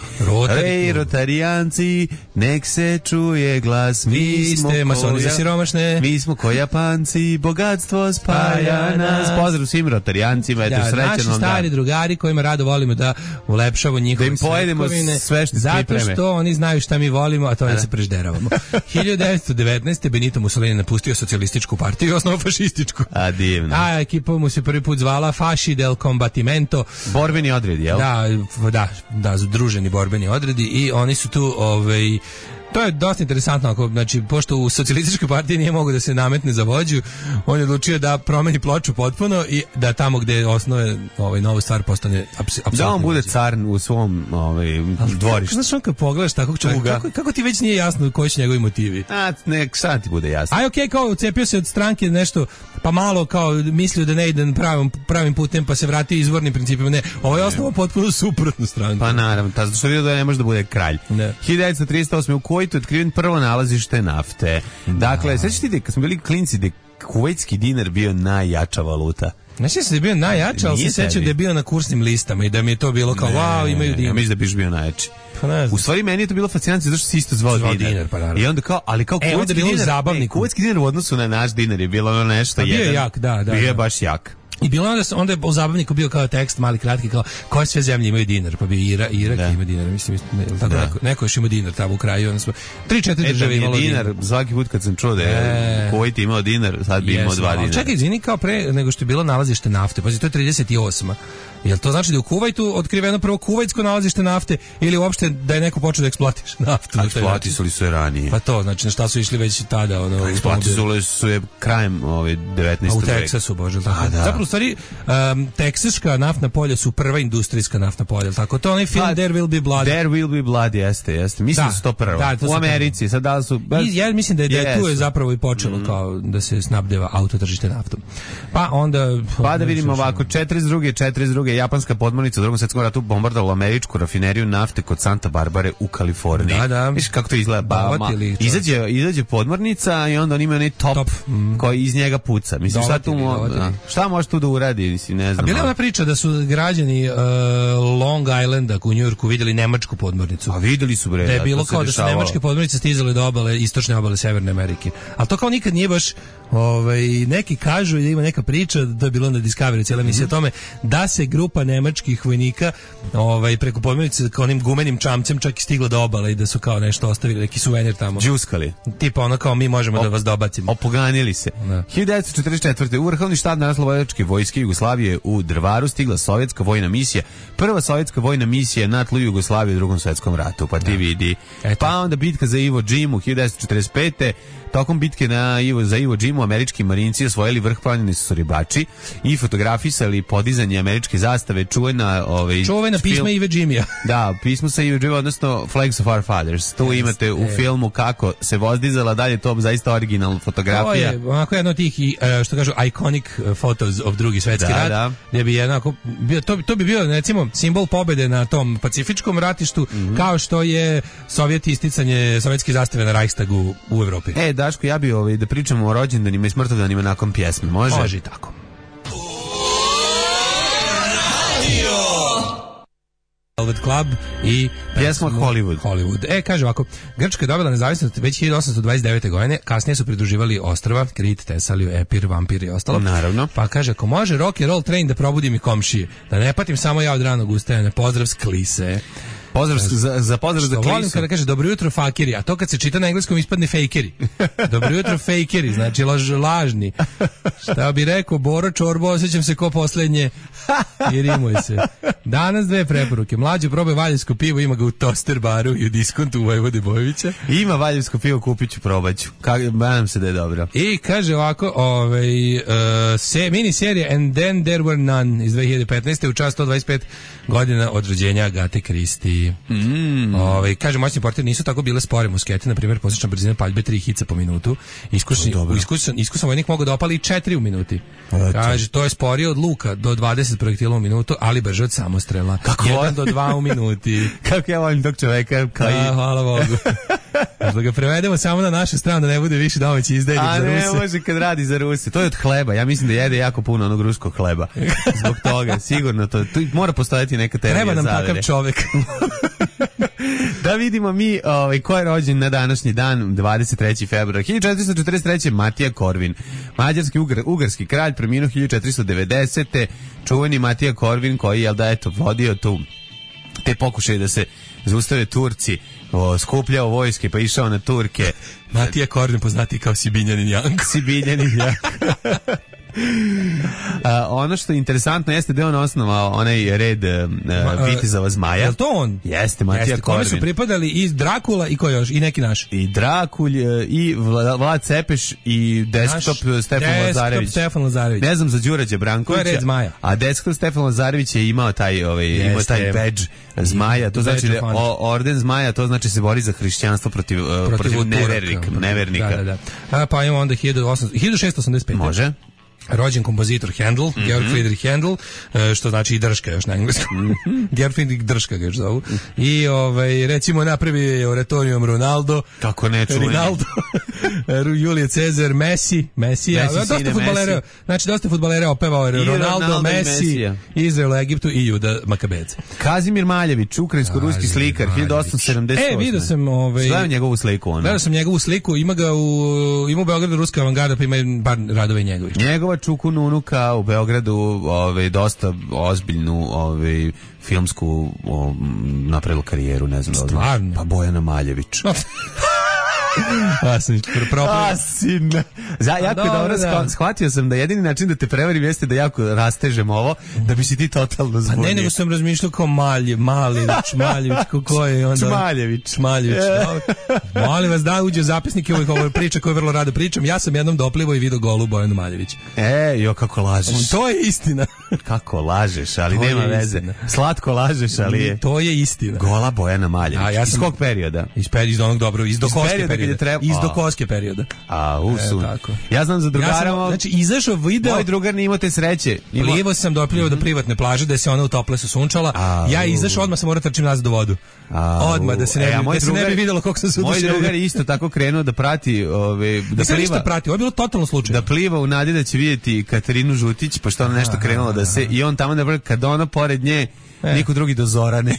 Ej, rotarijanci, nek se čuje glas, vi ste masoni za siromašne. Mi smo ko Japanci, bogatstvo spaja nas. Pozdrav svim rotarijancima, eto srećan vam dan. Naši stari drugari kojima rado volimo da ulepšamo njihove svetkovine. Da im pojedemo sve što se pripreme. Zato što oni znaju šta mi volimo, a to je da se prežderavamo. 1919. Benito Mussolini napustio socijalističku partiju i osnovao fašističku. A divno. A ekipa mu se prvi put zvala Fasci del Combattimento. Borbeni odredi, jel? Da, združeni borbeni odredi i oni su tu, to je dosta interesantno, znači, pošto u socijalističkoj partiji nije mogo da se nametne za vođu, on je odlučio da promeni ploču potpuno i da tamo gde osnove novu stvar postane apsolutno. Da on bude car u svom dvorištu. Znaš, on kad pogledaš takvog čovjeka, kako ti već nije jasno koji su njegovi motivi? Sad ti bude jasno. Okej, kao ucepio se od stranke nešto, pa malo kao mislio da ne ide pravim putem, pa se vratio izvornim principima. Ne, ovo je osnovo potpuno suprotnu stranku. Pa naravno, zato što vidio da ne može da bude kralj. 1938. u Kuvajtu je otkriven prvo nalazište nafte. Dakle, sećate ti kad smo bili klinci da kuvajtski dinar bio najjača valuta. Ne sjećam se da je bio najjača, ali se sjećam da je bio na kursnim listama i da mi je to bilo kao wow, imaju dinar. Ja mislim da biš bio najjači. U stvari meni je to bilo fascinantno zato što se isto zvao dinar. I onda kao, ali kao kuvajtski dinar u odnosu na naš dinar je bilo nešto jedan. Bio je jak, da. Bio je baš jak. I bilo onda je u zabavniku bio kao tekst mali kratki kao koje sve zemlje imaju dinar, pa bi Irak ima dinar, mislim tako neko još ima dinar tamo u kraju, onda smo 3-4 države imalo dinar. Svaki put kad sam čuo da je Kuvajt imao dinar, sad bi imao 2 dinara. Čekaj, izvini, kao pre nego što je bilo nalazište nafte, pazi, to je 38. Jel to znači da je u Kuvajtu otkriveno prvo kuvajtsko nalazište nafte ili uopšte da je neko počeo da eksploatiše naftu? Eksploatisali su je ranije. Pa to, znači na šta su išli već tada? Eksploatisali su je krajem 19. veka. U Teksasu, bože, tako. Zapravo, u stvari, teksaška naftna polja su prva industrijska naftna polja, tako? To je onaj film There Will Be Blood. There Will Be Blood, jeste. Mislim da su to prva. U Americi, sad da su... Ja mislim da je tu je zapravo i počelo kao da se snabdeva autotržište naftom. Pa onda... Pa da vidimo ovako, 42. japanska podmornica u Drugom svjetskom ratu bombardovala američku rafineriju nafte kod Santa Barbare u Kaliforniji. Da. Viš kako to izgleda? Izađe podmornica i onda on ima onaj top. Koji iz njega puca. Mislim, šta može tu da uradi? Mislim, ne znam. A bila je ona priča da su građani Long Islanda u Njujorku vidjeli nemačku podmornicu. A vidjeli su, bre. Da je bilo kao da su nemačke podmornice stizale do obale, istočne obale Severne Amerike. Ali to kao nikad nije baš, neki kažu da ima neka priča, da je bilo na Discovery cijela emisija o tome, da se grupa nemačkih vojnika preko podmornice kao onim gumenim čamcem čak i stigla do obale i da su kao nešto ostavili, neki suvenir tamo. Džuskali. Tipa ono kao mi možemo da vas dobacimo. Opoganili se. Da. 1944. u Vrhovni štab Narodnooslobodilačke vojske Jugoslavije u Drvaru stigla sovjetska vojna misija. Prva sovjetska vojna misija na tlu Jugoslavije u Drugom svetskom ratu. Pa ti vidi. Pa onda bitka za Iwo Džimu 1945. Tokom bitke za Iwo Džimu američki marinci osvojili vrh, planjeni su ribači i fotografisali podizanje američke zastave, čuvena pisma Iwo Džimija. Da, pismo sa Iwo Džima, odnosno Flags of Our Fathers. Tu imate u filmu kako se vozdizala, dalje to zaista originalna fotografija. To je onako jedno od tih, što kažu, iconic photos of Drugi svetski rat, gdje bi jednako, to bi bio, recimo, simbol pobede na tom pacifičkom ratištu, kao što je Sovjet isticanje sovjetske zastave na Reichstagu u Evropi. Daško, ja bi da pričamo o rođendanima i smrtodanima nakon pjesme, može? Može i tako. Velvet Club i pjesma Hollywood. Kaže ovako, Grčka je dobila nezavisnost već 1829. godine, kasnije su pridruživali ostrva, Krit, Tesaliju, Epir, Vampir i ostalo. Naravno. Pa kaže, ako može rock and roll train da probudim i komšije, da ne patim samo ja od ranog ustajanja, pozdrav s Klise. Pozdrav za Klisu. Volim kada kaže dobro jutro fakiri, a to kad se čita na engleskom ispadne fejkeri. Dobro jutro fejkeri, znači lažni. Šta bi rekao Boro Čorbo, osjećam se ko poslednje i rimuj se. Danas dve preporuke. Mlađo probaj valjevsko pivo, ima ga u Toster baru i u diskontu u Vojvode Bojovića. Ima valjevsko pivo, kupit ću, probaću. Nadam se da je dobro. I kaže ovako, mini serija And Then There Were None iz 2015. u čast 125 godina od rođenja Agate Kristi. Kaže, moćni portir nisu tako bile spore muskete, na primjer prosječna brzina paljbe 3 hica po minutu. Iskusan vojnik mogu da opali 4 u minuti. Kaže, to je sporije od luka do 20 projektila u minutu, ali brže od samostrela. 1 do 2 u minuti. Kako ja volim tog čoveka. Hvala Bogu. Da ga prevedemo samo na našu stranu, da ne bude više domaći izdajnik za Ruse. A ne može kad radi za Ruse. To je od hleba. Ja mislim da jede jako puno onog ruskog hleba. Zbog toga, sigurno to. Tu mora postojati neka teorija zavere. Treba nam takav čovek. Da vidimo mi ko je rođen na današnji dan, 23. februar 1443. Matija Korvin, mađarski ugarski kralj, preminuo 1490. Čuveni Matija Korvin koji je vodio te pokušaje da se zaustave Turci, skupljao vojske pa išao na Turke. Matija Korvin poznati kao Sibinjanin Janko. Ono što je interesantno jeste da je on osnovao onaj red vitezova zmaja. Je li to on? Jeste, Matija Korvin. Kome su pripadali i Drakula i ko još? I neki naš? I Drakulj, i Vlad Cepeš, i Desktop Stefan Lazarević. Ne znam za Đurađa Brankovića. To je red zmaja. A Desktop Stefan Lazarević je imao taj badge zmaja. To znači orden zmaja, to znači se bori za hrišćanstvo protiv nevernika. Da. Pa imamo onda 1685. Može. Rođen kompozitor Handel, Georg Friedrich Handel, što znači i drška još na engleskom. Georg Friedrich drška ga još zovu. I recimo napravio je oratorijum Ronaldo. Kako ne čujem. Ronaldo. Julije Cezar, Messi, dosta fudbalera. Znači dosta fudbalera opevao Ronaldo, Messi, Izrael, Egiptu i Juda Makabedze. Kazimir Maljević, ukrajinsko-ruski slikar, 1878. Vidio sam Gledam njegovu sliku. Gledao sam njegovu sliku, ima u Beogradu ruska avangarda, pa ima par radove njegovih. Njegova Čukun unuka u Beogradu dosta ozbiljnu filmsku napravila karijeru, ne znam da li znaš. Pa Bojana Maljević. Jako je dobro, shvatio sam da jedini način da te prevarim jeste da jako rastežem ovo, da bi si ti totalno zbunio. A ne, nego sam razmišljao kao Maljević, ko je onda? Čmaljević. Molim vas da uđe zapisnike ovih priča koje vrlo rado pričam. Ja sam jednom doplivao i video golu Bojanu Maljević. Kako lažeš. To je istina. Kako lažeš, ali nema veze. Slatko lažeš, ali je. To je istina. Gola Bojana Maljević. Iz kog perioda? Iz onog dobro, iz Dokovske perioda. Iz Dokovske perioda. Ja znam za drugara. Znači, izašao video. Moj drugar nije imao te sreće. Doplivao do privatne plaže, da se ona u Toplesu sunčala. Ja izašao, odmah sam morao trčim nazad do vodu. Odmah, da se ne bi vidjelo kako sam se udušio. Moj drugar je isto tako krenuo da prati, da pliva. Ovo je bilo totalno slučajno. Da pliva u nadi da će vidjeti Katarinu Žutić, pošto ona nešto krenula da se, i on tamo kad ona pored nje, niko drugi do Zorane.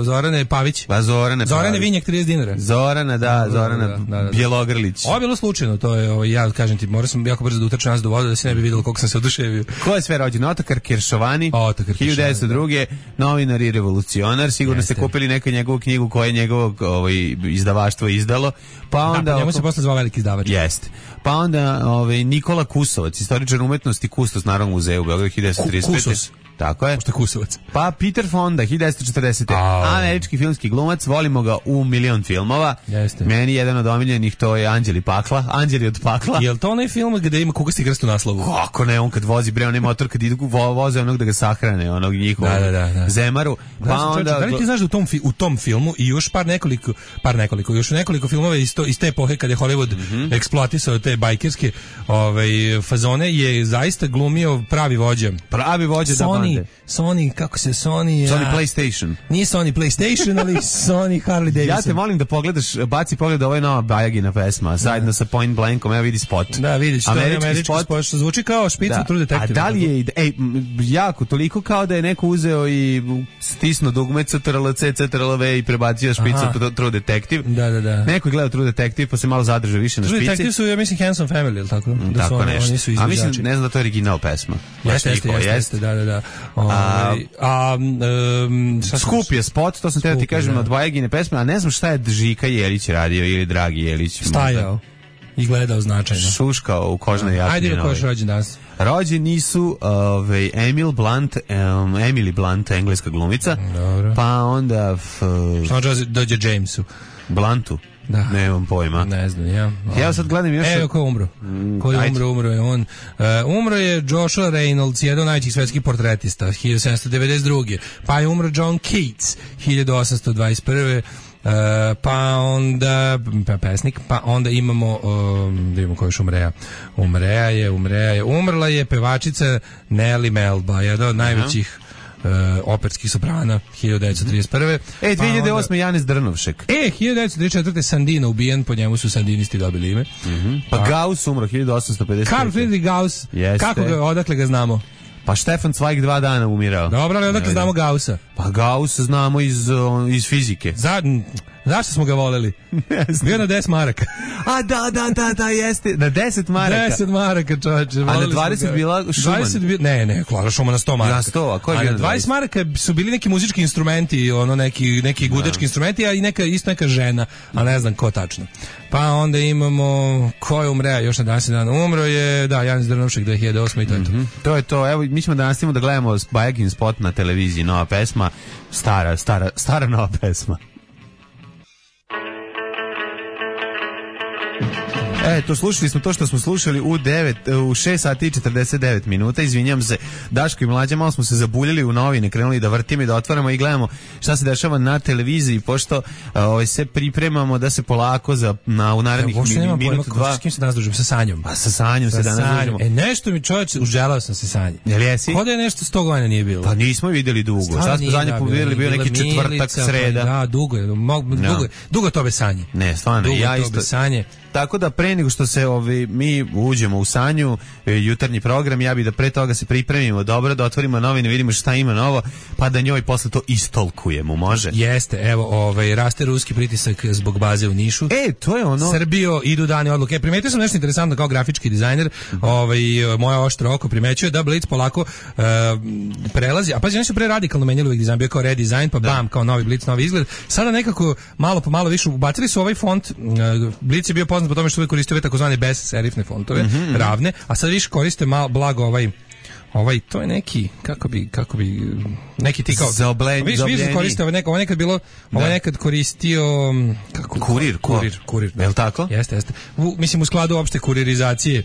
Zorane Pavić. Pa Zorane Vinjak 30 dinara. Zorana Bjelogrlić. Ovo je bilo slučajno, to je, ja kažem ti, morao sam jako brzo da utrčem nas do vode da se ne bi vidjelo koliko sam se oduševio. Ko je sve rođen? Otakar Keršovani, 1902. Novinar i revolucionar, sigurno ste kupili neku njegovu knjigu koje je njegovo izdavaštvo izdalo. Pa onda po njemu se posle zvao veliki izdavač. Jeste. Pa onda Nikola Kusovac, istoričar umetnosti, kustos Narodnog muzeja u Beogradu 1935. Kusos. Tako je. Pošto Kusovac. Pa Peter Fonda, 1940. Američki filmski glumac, volimo ga u milion filmova. Jeste. Meni jedan od omiljenih to je Anđeli od pakla. Jel to onaj film gde ima kugasti krst u naslovu? Kako ne, on kad vozi onaj motor, kad idu voze onog da ga sahrane, onog njihovog Zemaru. Pa onda... Da li ti znaš da u tom filmu i još još nekoliko filmova iz te epohe kad je Hollywood eksploatisao te bajkerske fazone je zaista glumio pravi vođa. Sony, kako se Sony PlayStation. Nije Sony PlayStation, ali Sony Harley Davidson. Ja te molim da pogledaš, baci pogled, ovo je nova Bajagina pesma, zajedno sa Point Blankom, evo vidi spot. Da, vidiš, to je američki spot, što zvuči kao špica True Detective. A da li je, jako, toliko kao da je neko uzeo i stisnuo dugme CTRL-V i prebacio špicu True Detective. Da. Neko je gledao True Detective pa se malo zadržao više na špici. True Detective su, ja mislim, Handsome Family, ili tako? Tako nešto. A mislim, ne znam da to je original pesma. Jeste, da. Skup je spot, to sam teo ti kažem od Bajagine pesme, a ne znam šta je Žika Jelić radio ili Dragi Jelić. Stajao i gledao značajno. Šuškao u kožnoj jakni. Ajde, ko je rođen danas? Rođeni su Emily Blunt, engleska glumica. Dobro. Pa onda... Samo dođe Jamesu. Bluntu? Da. Nemam pojma. Ne znam, ja. Ja sad gledam još... Evo ko je umro. Umro je on. Umro je Joshua Reynolds, jedan od najvećih svetskih portretista, 1792. Pa je umro John Keats, 1821. Pa onda pesnik, pa onda imamo da imamo ko još umreja. Umrla je pevačica Nellie Melba, jedna od najvećih operskih soprana, 1931. 2008. Janis Drnovšek. 1934. Sandino ubijen, po njemu su sandinisti dobili ime. Pa Gauss umro 1850. Karl Friedrich Gauss. Kako ga, odakle ga znamo? Pa Stefan Zweig 2 dana umirao. Dobro, ali odakle znamo Gaussa? Pa Gauss znamo iz fizike. Zašto smo ga voleli? Bio na 10 maraka. A da, jeste. Na 10 maraka. 10 maraka, čovječe. A na 20 bila Schumann? Ne, Klara Schumann na 100 maraka. Na 100, a ko je bio na 20 maraka su bili neki muzički instrumenti, neki gudački instrumenti, a i neka žena, a ne znam ko tačno. Pa onda imamo, ko je umreja još na današnji dan? Umro je, Janis Drnovšek 2008. i to je to. To je to. Evo, mi ćemo da nastavimo da gledamo Bajagin spot na televiziji, nova pesma, stara nova pesma. To slušali smo to što smo slušali u 6 sati i 49 minuta. Izvinjam se, Daško i Mlađa, malo smo se zabuljili u novine, krenuli da vrtimo i da otvaramo i gledamo šta se dešava na televiziji, pošto se pripremamo da se polako u narednih minutu, dva... S kim se danas družimo? Sa Sanjom. Pa sa Sanjom se danas družimo. Nešto mi čovječ, uželao sam se Sanji. Jel jesi? Kod je nešto 100 godina nije bilo. Pa nismo vidjeli dugo. Sad smo zadnje vidjeli, bio neki četvrtak, sreda. Da, dugo to bez Sanje. Ne, stvarno, ja isto. Tako da pre nego što se mi uđemo u Sanju, jutarnji program, ja bih da pre toga se pripremimo dobro, da otvorimo novine, vidimo šta ima novo, pa da njoj posle to istolkujemo, može? Jeste, evo, raste ruski pritisak zbog baze u Nišu. To je ono... Srbijo, idu dani odluke. Primetio sam nešto interesantno kao grafički dizajner, moje oštro oko primećuje da Blitz polako prelazi, a pazi, oni su pre radikalno menjali uvijek dizajn, bio kao redesign, pa bam, kao novi Blitz, novi izgled. Sada nekako malo po malo više ubacili su ovaj font, Blitz je bio poznat po tome što uvijek koristio takozvane bez-serifne fontove, ravne, a sad više koriste blago ovaj, to je neki, kako bi, neki ti kao... Više koriste, ovo nekad bilo, ovo nekad koristio... Kurir. Je li tako? Jeste. Mislim, u skladu opšte kuririzacije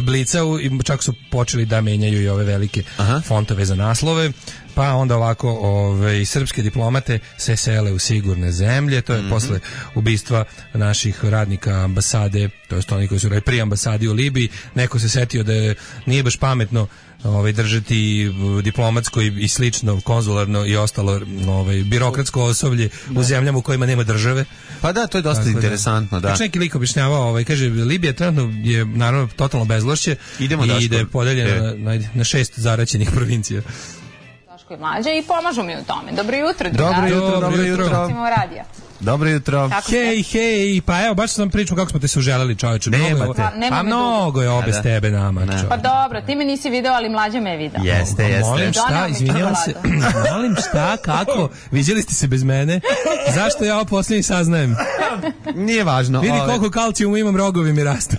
Blica, čak su počeli da menjaju i ove velike fontove za naslove, pa onda ovako srpske diplomate se sele u sigurne zemlje, to je posle ubistva naših radnika ambasade, to je oni koji su pri ambasadi u Libiji, neko se setio da nije baš pametno držati diplomatsko i slično, konzularno i ostalo birokratsko osoblje u zemljama u kojima nema države. Pa da, to je dosta interesantno, da. Znači neki lik objašnjavao, kaže, Libija trenutno je naravno totalno bezvlašće i da je podeljena na 6 zaraćenih provincija. Daško i Mlađa i pomažu mi u tome. Dobro jutro, drugari. Dobro jutro. Radija. Dobro jutro. Hej, pa evo, baš sam pričao kako smo te se uželeli, čoveče. Pa mnogo je obe s tebe nama. Pa dobro, ti me nisi video, ali Mlađa me je video. Jeste. Molim šta, izvinjavam se. Molim šta, kako? Viđeli ste se bez mene? Zašto ja ovo posljednji saznajem? Nije važno. Vidi koliko kalcijuma imam, rogovi mi rastu.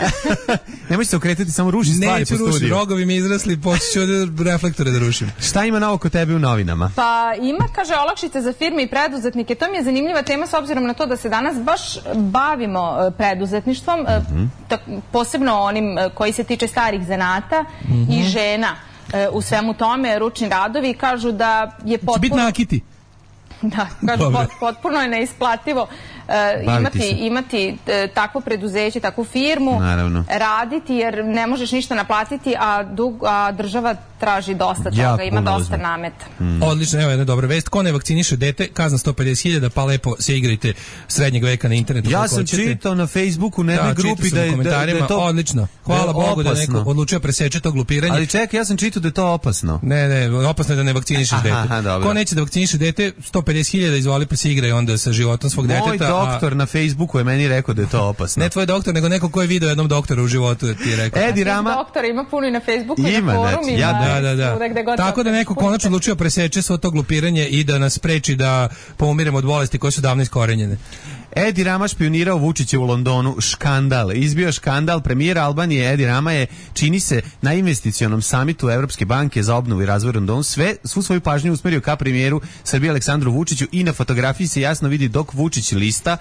Nemoj se okretati, samo ruši stvari po studiju. Neću rušiti, rogovi mi izrasli, počet ću reflektore da rušim. Šta ima novo kod tebe u novinama? Pa ima, kaže, olakšice za firme i preduzetnike. To mi je zanimljiva tema s obzirom na to da se danas baš bavimo preduzetništvom, posebno onim koji se tiče starih zanata i žena u svemu tome, ručni radovi, kažu da je potpuno... Će biti nakiti. Da, kažu, potpuno je neisplativo imati takvo preduzeće, takvu firmu, raditi jer ne možeš ništa naplatiti, a država traži dosta toga, ima dosta nameta. Odlično, evo jedna dobra vest. Ko ne vakciniše dete, kazna 150.000, pa lepo se igrajte srednjeg veka na internetu. Ja sam čitao na Facebooku u jednoj grupi da je to odlično. Hvala Bogu da neko odlučio preseče to glupiranje. Ali čekaj, ja sam čitao da je to opasno. Ne, opasno je da ne vakcinišeš dete. Ko neće da vakciniše dete, 150.000 izvoli pa se igraj onda sa životom svog deteta. Moj doktor na Facebooku je meni rekao da je to opasno. Ne tvoj doktor, nego neko ko je video jednom doktoru u životu ti je rekao. Edi Rama. Doktora ima puno i na Facebooku i na forumima. Da. Tako da neko konačno odlučio preseče svo to glupiranje i da nas spreči da poumiremo od bolesti koje su davno iskorenjene. Edi Rama špionirao Vučića u Londonu, škandal. Izbio škandal. Premijer Albanije Edi Rama je, čini se, na investicionom samitu Evropske banke za obnovu i razvoj Londonu svu svoju pažnju usmerio ka premijeru Srbije Aleksandru Vučiću i na fotografiji se jasno vidi dok Vučić lista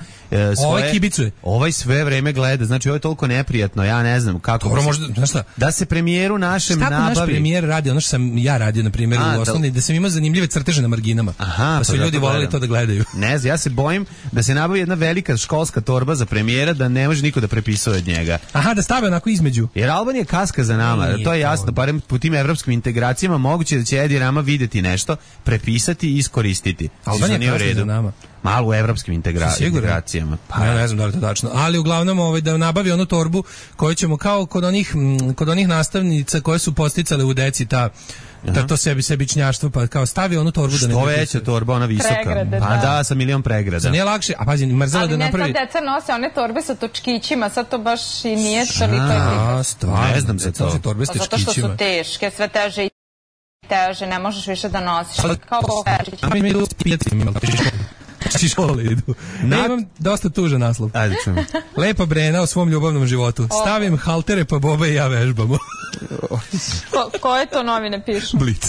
ovaj kibicuje. Ovaj sve vreme gleda. Znači ovo je toliko neprijatno, ja ne znam kako. Dobro, možda, znaš šta? Da se premijeru našem nabavi. Šta naš premijer radi? Ono što sam ja radio na primjer u osnovni, da sam imao zanimljive crteže na marginama. Pa su ljudi voleli to da gledaju. Ne znam, ja se bojim da se nabavi jedna velika školska torba za premijera da ne može niko da prepisuje od njega. Aha, da stave onako između. Jer Albanija kaska za nama, to je jasno, barem po tim evropskim integracijama moguće da će Edi Rama vidjeti nešto, prepisati i iskoristiti. Albanija kaska za nama. Malo u evropskim integracijama. Pa ja ne znam da li to tačno. Ali uglavnom da nabavi onu torbu koju ćemo kao kod onih nastavnica koje su posticale u deci to sebičnjaštvo, pa kao stavi onu torbu da ne... Što veća torba, ona visoka. Pregrade, pa da, sa milion pregrada. Za nije lakše, a pazi, mrzela da napravi... Ali ne, sad deca nose one torbe sa točkićima, sad to baš i nije toliko... Stvarno, ne znam za to. Zato što su teške, sve teže i teže, ne možeš više da nosiš. Kao Božić. A mi idu škole idu. Imam dosta tužan naslov. Ajde čujemo. Lepa Brena o svom ljubavnom životu. Stavim haltere pa Boba i ja vežbamo. Koje to novine pišu? Blic.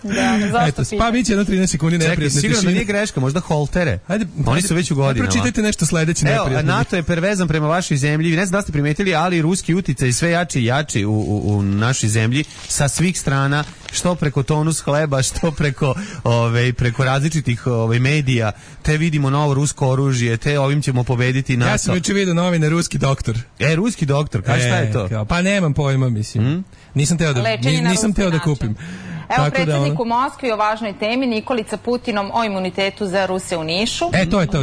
Da, zašto pa bit će jedno 13 sekundi neprijatne tišine. Sigurno da nije greška, možda holtere. Oni su već u godinama. Pročitajte nešto sledeće neprijatno. Evo, NATO je pervezan prema vašoj zemlji. Ne znam da ste primetili, ali ruski uticaj sve jači i jači u našoj zemlji sa svih strana, što preko Tonus hleba, što preko različitih medija. Te vidimo novo rusko oružje, te ovim ćemo pobediti NATO. Ja sam juče vidio novine Ruski doktor. Ruski doktor, šta je to? Pa nemam pojma, mislim. Nisam teo da kupim. Evo predsjednik u Moskvi o važnoj temi, Nikolica Putinom o imunitetu za Ruse u Nišu.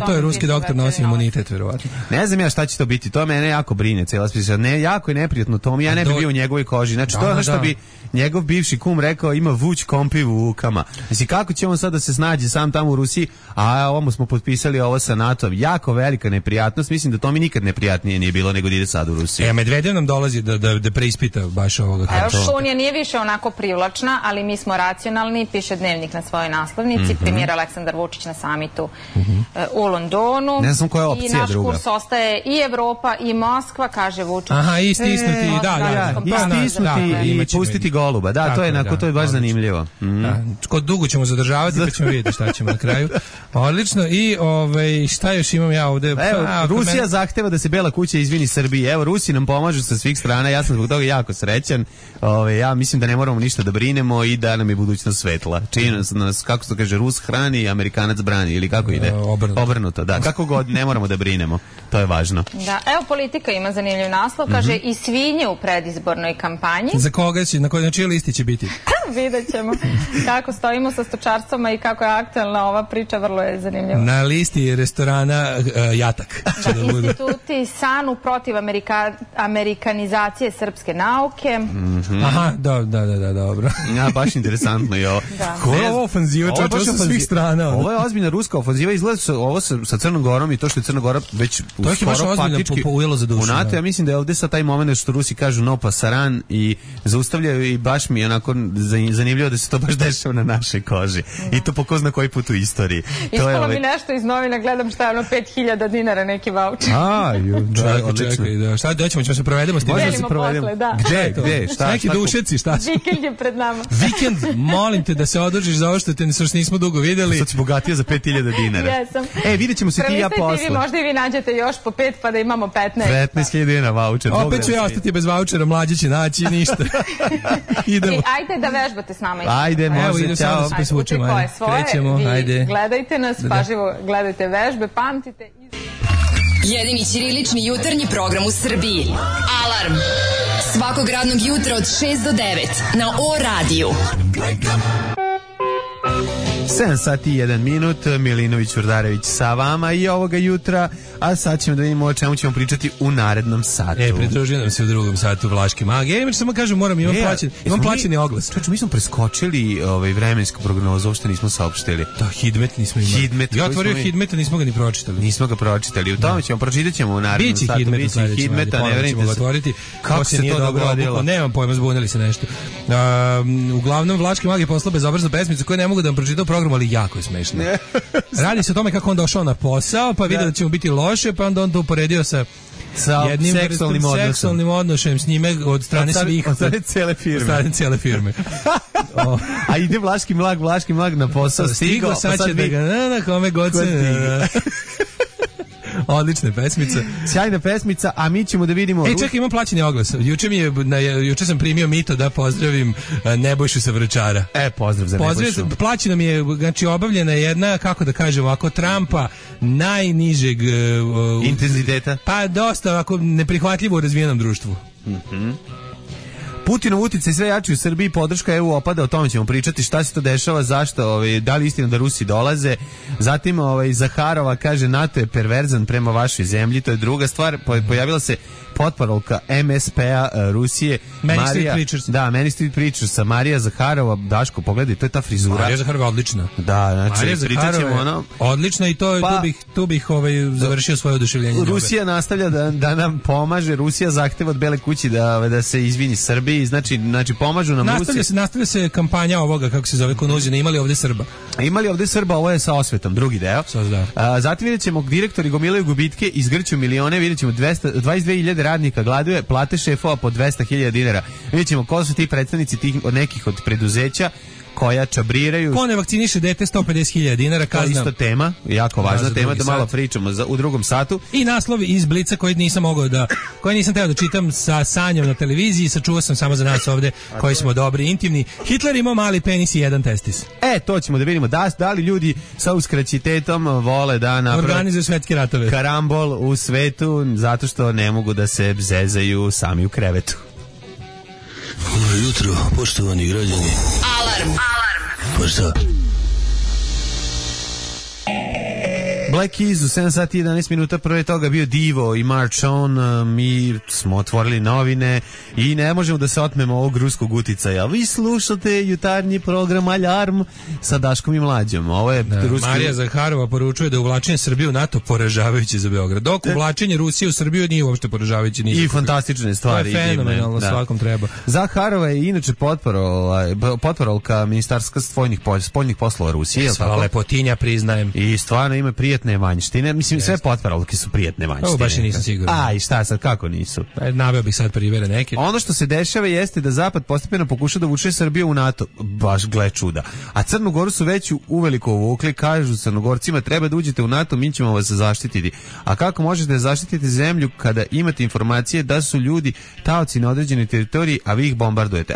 To je ruski doktor, nosi imunitet, verovatno. Ne znam ja šta će to biti, to mene jako brine, cijela priča. Jako je neprijatno to, ja ne bi bio u njegovoj koži. Znači to je ono što bi njegov bivši kum rekao, ima vuć kompiv u ukama. Znači kako će on sad da se snađe sam tamo u Rusiji, a ovo smo potpisali ovo sa NATO-om. Jako velika neprijatnost, mislim da to mi nikad neprijatnije nije bilo nego da ide sad u Rusiji. Medvedev nam dolazi da preispita baš ovoga. Unija nije više onako privlačna, ali mi smo racionalni, piše Dnevnik na svojoj naslovnici, premijer Aleksandar Vučić na samitu u Londonu. Ne znam koja je opcija druga. I naš kurs ostaje i Evropa i Moskva, kaže Vučić. Aha, i stisnuti, i pustiti goluba. Da, to je baš zanimljivo. Kod dugo ćemo zadržavati, pa ćemo vidjeti šta ćemo na kraju. Odlično. I šta još imam ja ovde? Evo, Rusija zahteva da se Bela kuća izvini Srbiji. Evo, Rusi nam pomažu sa svih strana. Ja sam zbog toga jako srećan. Ja mislim da ne moramo ništa da brinemo i da nam je budućnost svetla. Čini nas, kako se kaže, Rus hrani, Amerikanac brani, ili kako ide? Obrnuto, da. Kako god, ne moramo da brinemo. To je važno. Da, evo Politika ima zanimljiv naslov, kaže i svinje u predizbornoj kampanji. Za koga će, na čijoj listi će biti? Vidjet ćemo kako stojimo sa stočarstvom i kako je aktualna ova priča, vrlo je zanimljiva. Na listi restorana Jatak. Instituti SANU protiv amerikanizacije srpske nauke. Aha, da, dobro. Ja, baš baš interesantno je ovo. Ko je ovo ofanziva, čovječ, sa svih strana. Ovo je ozbiljna ruska ofanziva, izgleda ovo sa Crnom Gorom i to što je Crna Gora već skoro faktički u NATO. Ja mislim da je ovde sa taj moment što Rusi kažu no pasaran i zaustavljaju i baš mi je onako zanimljivo da se to baš dešava na našoj koži. I to po ko zna koji put u istoriji. Ispalo mi nešto iz novina, gledam šta je ono 5000 dinara neki vaučer. Čekaj, da. Šta ćemo se provedemo s tim? Delimo posle, da. Gde? Šta? Neki dušeci, šta? Vikend je pred nama. Vikend, molim te da se održiš za ovo što nismo dugo videli. Sad si bogatija za 5000 dinara. Jesam. Vidjet ćemo se ti i ja posle. Možda i vi nađete još po 5 pa da imamo 15. 15.000 dinara vaučer. Opet ću ja ostati bez vaučera, mlađe će naći ništa. Idemo. Ajde da vežbate s nama. Ajde, može, ćao. Krećemo, ajde. Gledajte nas, pažljivo gledajte vežbe, pamtite. Jedini ćirilični jutarnji program u Srbiji. Alarm. Svakog radnog jutra od 6 do 9 na O-radiju. 7 sati i 1 minut, Milinović Vrdarević sa vama i ovoga jutra, a sad ćemo da vidimo o čemu ćemo pričati u narednom satu. Pridružio nam se u drugom satu Vlaški mag. Samo kažem, imam plaćeni oglas. Mi smo preskočili vremensku prognozu, uopšte nismo saopštili. Da, Hidmet nismo imali. Ja otvorio Hidmeta, nismo ga ni pročitali. Nismo ga pročitali, u tome pročitat ćemo u narednom satu. Biće Hidmeta, ne verinite se. Kako se to dogodilo? Nemam pojma, zbunili se nešto. Uglavnom, Vlaški mag je poslao bezobraznu pesmicu koju ne mogu da vam pročitam program, ali jako je smešno. Radi se o tome kako on došao na posao, pa vidio da će mu biti loše, pa onda on to uporedio sa jednim seksualnim odnošajem s njime od strane svih. Od strane cijele firme. A ide Vlaški mlag na posao. Stigo, sad će da ga na kome god se... Odlična pesmica. Sjajna pesmica, a mi ćemo da vidimo... Čekaj, imam plaćeni oglas. Juče sam primio mito da pozdravim Nebojšu sa Vračara. Pozdrav za Nebojšu. Plaćena mi je, znači obavljena jedna, kako da kažem, ovako Trumpa najnižeg... intenziteta? Pa dosta ovako neprihvatljivo u razvijenom društvu. Putinov uticaj sve jači u Srbiji, podrška EU opada, o tome ćemo pričati, šta se to dešava, zašto, da li istina da Rusi dolaze. Zatim Zaharova kaže NATO je perverzan prema vašoj zemlji, to je druga stvar. Pojavila se potparolka MSP-a Rusije. Many Street Preachersa, Marija Zaharova. Daško, pogledaj, to je ta frizura. Marija Zaharova odlična. Da, znači, pričat ćemo ono... Odlična i tu bih završio svoje oduševljenje. Rusija nastavlja da nam pomaže, Rusija zahteva od Bele kući da se izvini Srbiji, znači pomažu nam Rusija. Nastavlja se kampanja ovoga, kako se zove, konuzina, imali ovde Srba, ovo je sa osvetom, drugi deo. Zatim vidjet ćemo direktori gomilaju gubitke, izgrću milione, vidjet ćemo 22.000 radnika gladuje, plate šefova po 200.000 dinara. Vidjet ćemo ko su ti predstavnici nekih od preduzeća koja čabriraju. Ko ne vakciniše dete, 150.000 dinara kazna. To je isto tema, jako važna tema, da malo pričamo u drugom satu. I naslovi iz Blica koji nisam teo da čitam sa Sanjom na televiziji, sačuvao sam samo za nas ovde koji smo dobri, intimni. Hitler imao mali penis i jedan testis. To ćemo da vidimo da li ljudi sa uskraćitetom vole da naprave organizuju svetske ratove. Karambol u svetu zato što ne mogu da se zezaju sami u krevetu. Dobro jutro, poštovani građani. Alarm. Pa šta? Black Keys u 7 sati i 11 minuta, prve toga bio Divo i March On. Mi smo otvorili novine i ne možemo da se otmemo ovog ruskog uticaja. Vi slušate jutarnji program Alarm sa Daškom i Mlađom. Ovo je ruski... Marija Zaharova poručuje da uvlačenje Srbije u NATO poražavajuće za Beograd. Dok uvlačenje Rusije u Srbiju nije uopšte poražavajuće. I fantastične stvari. To je fenomenalno, svakom treba. Zaharova je inače potparolka Ministarstva spoljnih poslova Rusije. Sva lepotinja, priznajem. I stvarno ima prijatne vanjštine. Mislim, sve potparolke su prijatne vanjštine. Ovo baš i nisam siguran. I šta sad, kako nisu? Naveo bih sad primere neke. Ono što se dešava jeste da Zapad postepeno pokuša da uvuče Srbiju u NATO. Baš gle čuda. A Crnu Goru su već uveliko uvukli, kažu Crnogorcima treba da uđete u NATO, mi ćemo vas zaštititi. A kako možete zaštititi zemlju kada imate informacije da su ljudi taoci na određenoj teritoriji, a vi ih bombardujete?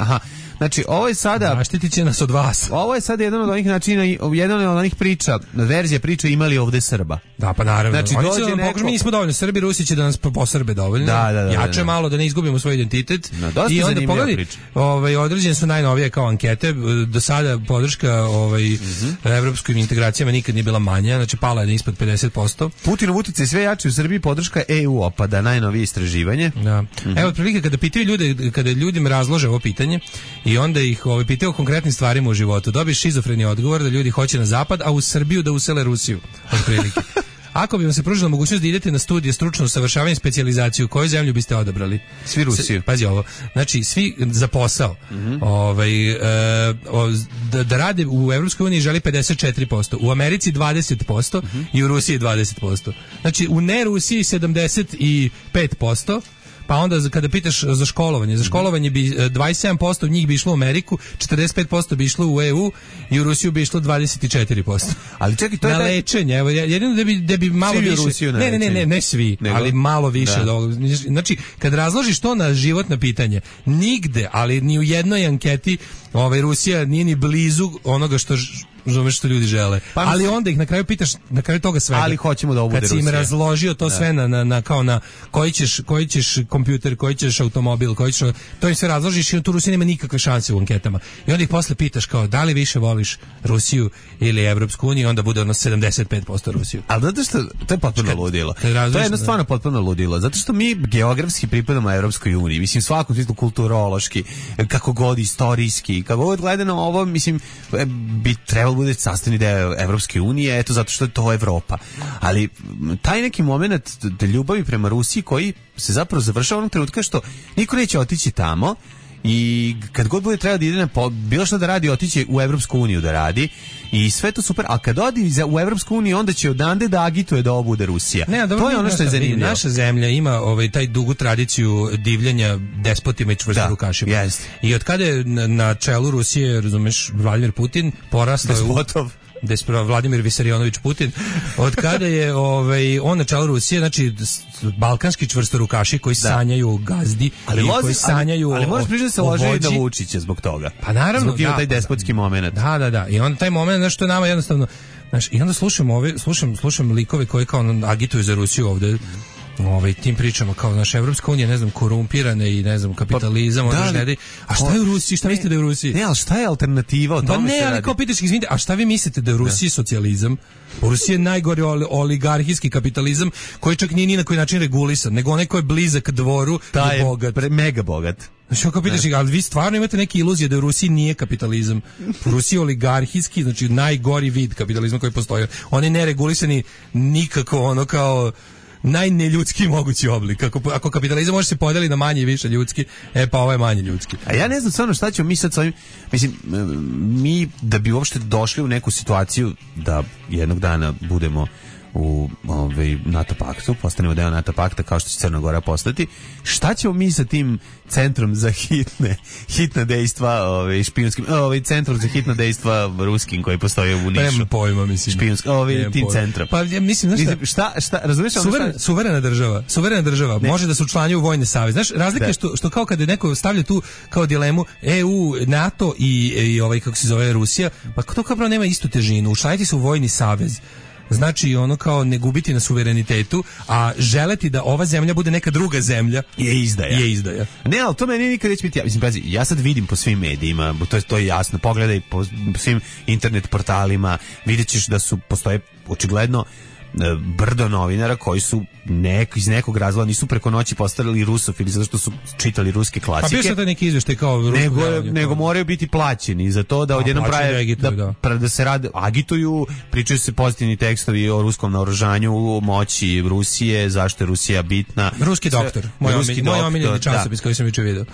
Znači, ovo je sada... Zaštitit će nas od vas. Ovo je sada jedan od onih načina, jedan od onih priča, verzija priče imali ovde Srba. Da, pa naravno. Znači, oni će nam mi nismo dovoljno Srbi, Rusi će da nas posrbe dovoljno. Jače malo da ne izgubimo svoj identitet. I onda pogledaj, određene su najnovije kao ankete. Do sada podrška evropskim integracijama nikad nije bila manja, znači pala je ispod 50%. Putinov uticaj sve jači u Srbiji, podrška EU opada, najnovije istraživanje. Da. Evo otprilike kada pitaju ljude, kada ljudima razlože ovo pitanje i onda ih pitaju o konkretnim stvarima u životu, dobiješ šizofreni odgovor da ljudi hoće na zapad, a u Srbiju da usele Rusiju. Otprilike. Ako bi vam se pružila mogućnost da idete na studije stručno usavršavanje i specijalizaciju, koju zemlju biste odabrali? Svi Rusiju. Pazi ovo. Znači, svi za posao. Da rade u Evropskoj uniji želi 54%, u Americi 20% i u Rusiji 20%. Znači, u ne Rusiji 75%. Pa onda kada pitaš za školovanje bi 27% njih bi išlo u Ameriku, 45% bi išlo u EU i u Rusiju bi išlo 24%. Ali čekaj, to je na lečenje, evo jedino da bi malo više. Rusiju ne svi, ali malo više od ovoga. Znači, kad razložiš to na životno pitanje, nigde, ali ni u jednoj anketi Rusija nije ni blizu onoga što razumeš što ljudi žele. Ali onda ih na kraju pitaš, na kraju toga svega. Ali hoćemo da ovo bude Rusija. Kad si im razložio to sve na koji ćeš kompjuter, koji ćeš automobil, to im sve razložiš i tu Rusija nema nikakve šanse u anketama. I onda ih posle pitaš kao da li više voliš Rusiju ili Evropsku uniju, onda bude 75% Rusiju. Ali zato što to je potpuno ludilo. To je jednostavno potpuno ludilo. Zato što mi geografski pripadamo Evropskoj uniji. Mislim, svakom smislu kulturološki, kako god istorijski, kako god gledano ovo, mislim, bi trebalo bude sastavni deo Evropske unije, eto zato što je to Evropa. Ali taj neki moment ljubavi prema Rusiji koji se zapravo završava onog trenutka što niko neće otići tamo i kad god bude treba da ide bilo što da radi, otići u Evropsku uniju da radi i sve to super, a kad odi u Evropsku uniju onda će odande da agituje da ovo bude Rusija. To je ono što je zanimljivo. Naša zemlja ima taj dugu tradiciju divljenja despotima i čvrstorukašima. Yes. I od kada je na čelu Rusije, razumeš, Vladimir Putin porastao despotov. Vladimir Visarionović Putin, od kada je on na čelu Rusije, znači balkanski čvrstorukaši koji sanjaju o gazdi, koji sanjaju ali moraš priznati da se lože i na Vučića zbog toga. Pa naravno, zbog taj despotski moment. Da. I on taj moment, znači što je nama jednostavno, znači i onda slušam likove koji kao agituju za Rusiju ovde. Tim pričama kao naša Evropska unija, ne znam, korumpirane i ne znam, kapitalizam, a šta je u Rusiji, šta mislite da je u Rusiji? Ne, ali šta je alternativa? O tome se radi. Ali kao pitaš, izvinite, a šta vi mislite da je u Rusiji socijalizam? U Rusiji je najgori oligarhijski kapitalizam koji čak nije ni na koji način regulisan, nego onaj koji je blizak dvoru i bogat. Mega bogat. Znači, ako pitaš, ali vi stvarno imate neke iluzije da u Rusiji nije kapitalizam. U Rusiji je oligarhijski, znači najgori vid kapitalizma koji postoji. On je neregulisani nikako kao najneljudski mogući oblik. Ako kapitalizam može se podeliti na manje i više ljudski, pa ovo je manje ljudski. A ja ne znam stvarno šta ćemo mi sad s ovim, mislim, mi da bi uopšte došli u neku situaciju da jednog dana budemo u NATO paktu, postanemo deo NATO pakta kao što će Crna Gora postati, šta ćemo mi sa tim centrom za hitna dejstva, špijunskim, centrom za hitna dejstva ruskim koji postoji u Nišu? Prema pojma, mislim. Špijunski, tim centrom. Pa ja mislim, šta, razumiješ? Suverena država može da se učlanjuje u vojne savez. Znaš, razlika je što kao kada neko stavlja tu kao dilemu EU, NATO i kako se zove Rusija, pa to kao nema istu težinu. Učlaniti se u vojni savez znači kao ne gubiti na suverenitetu, a želeti da ova zemlja bude neka druga zemlja je izdaja. Ne, ali to meni nikad neće biti. Mislim, pazi, ja sad vidim po svim medijima, to je jasno, pogledaj po svim internet portalima, vidjet ćeš da postoje očigledno brdo novinara koji su iz nekog razloga nisu preko noći postali rusofili zato što su čitali ruske klasike. Pa bio sad neki izveštaj kao nego moraju biti plaćeni za to da odjednom prave da se rade, agituju, pričaju se pozitivni tekstovi o ruskom naoružanju, moći Rusije, zašto je Rusija bitna. Ruski doktor, moj omiljeni časopis koji sam jučer video.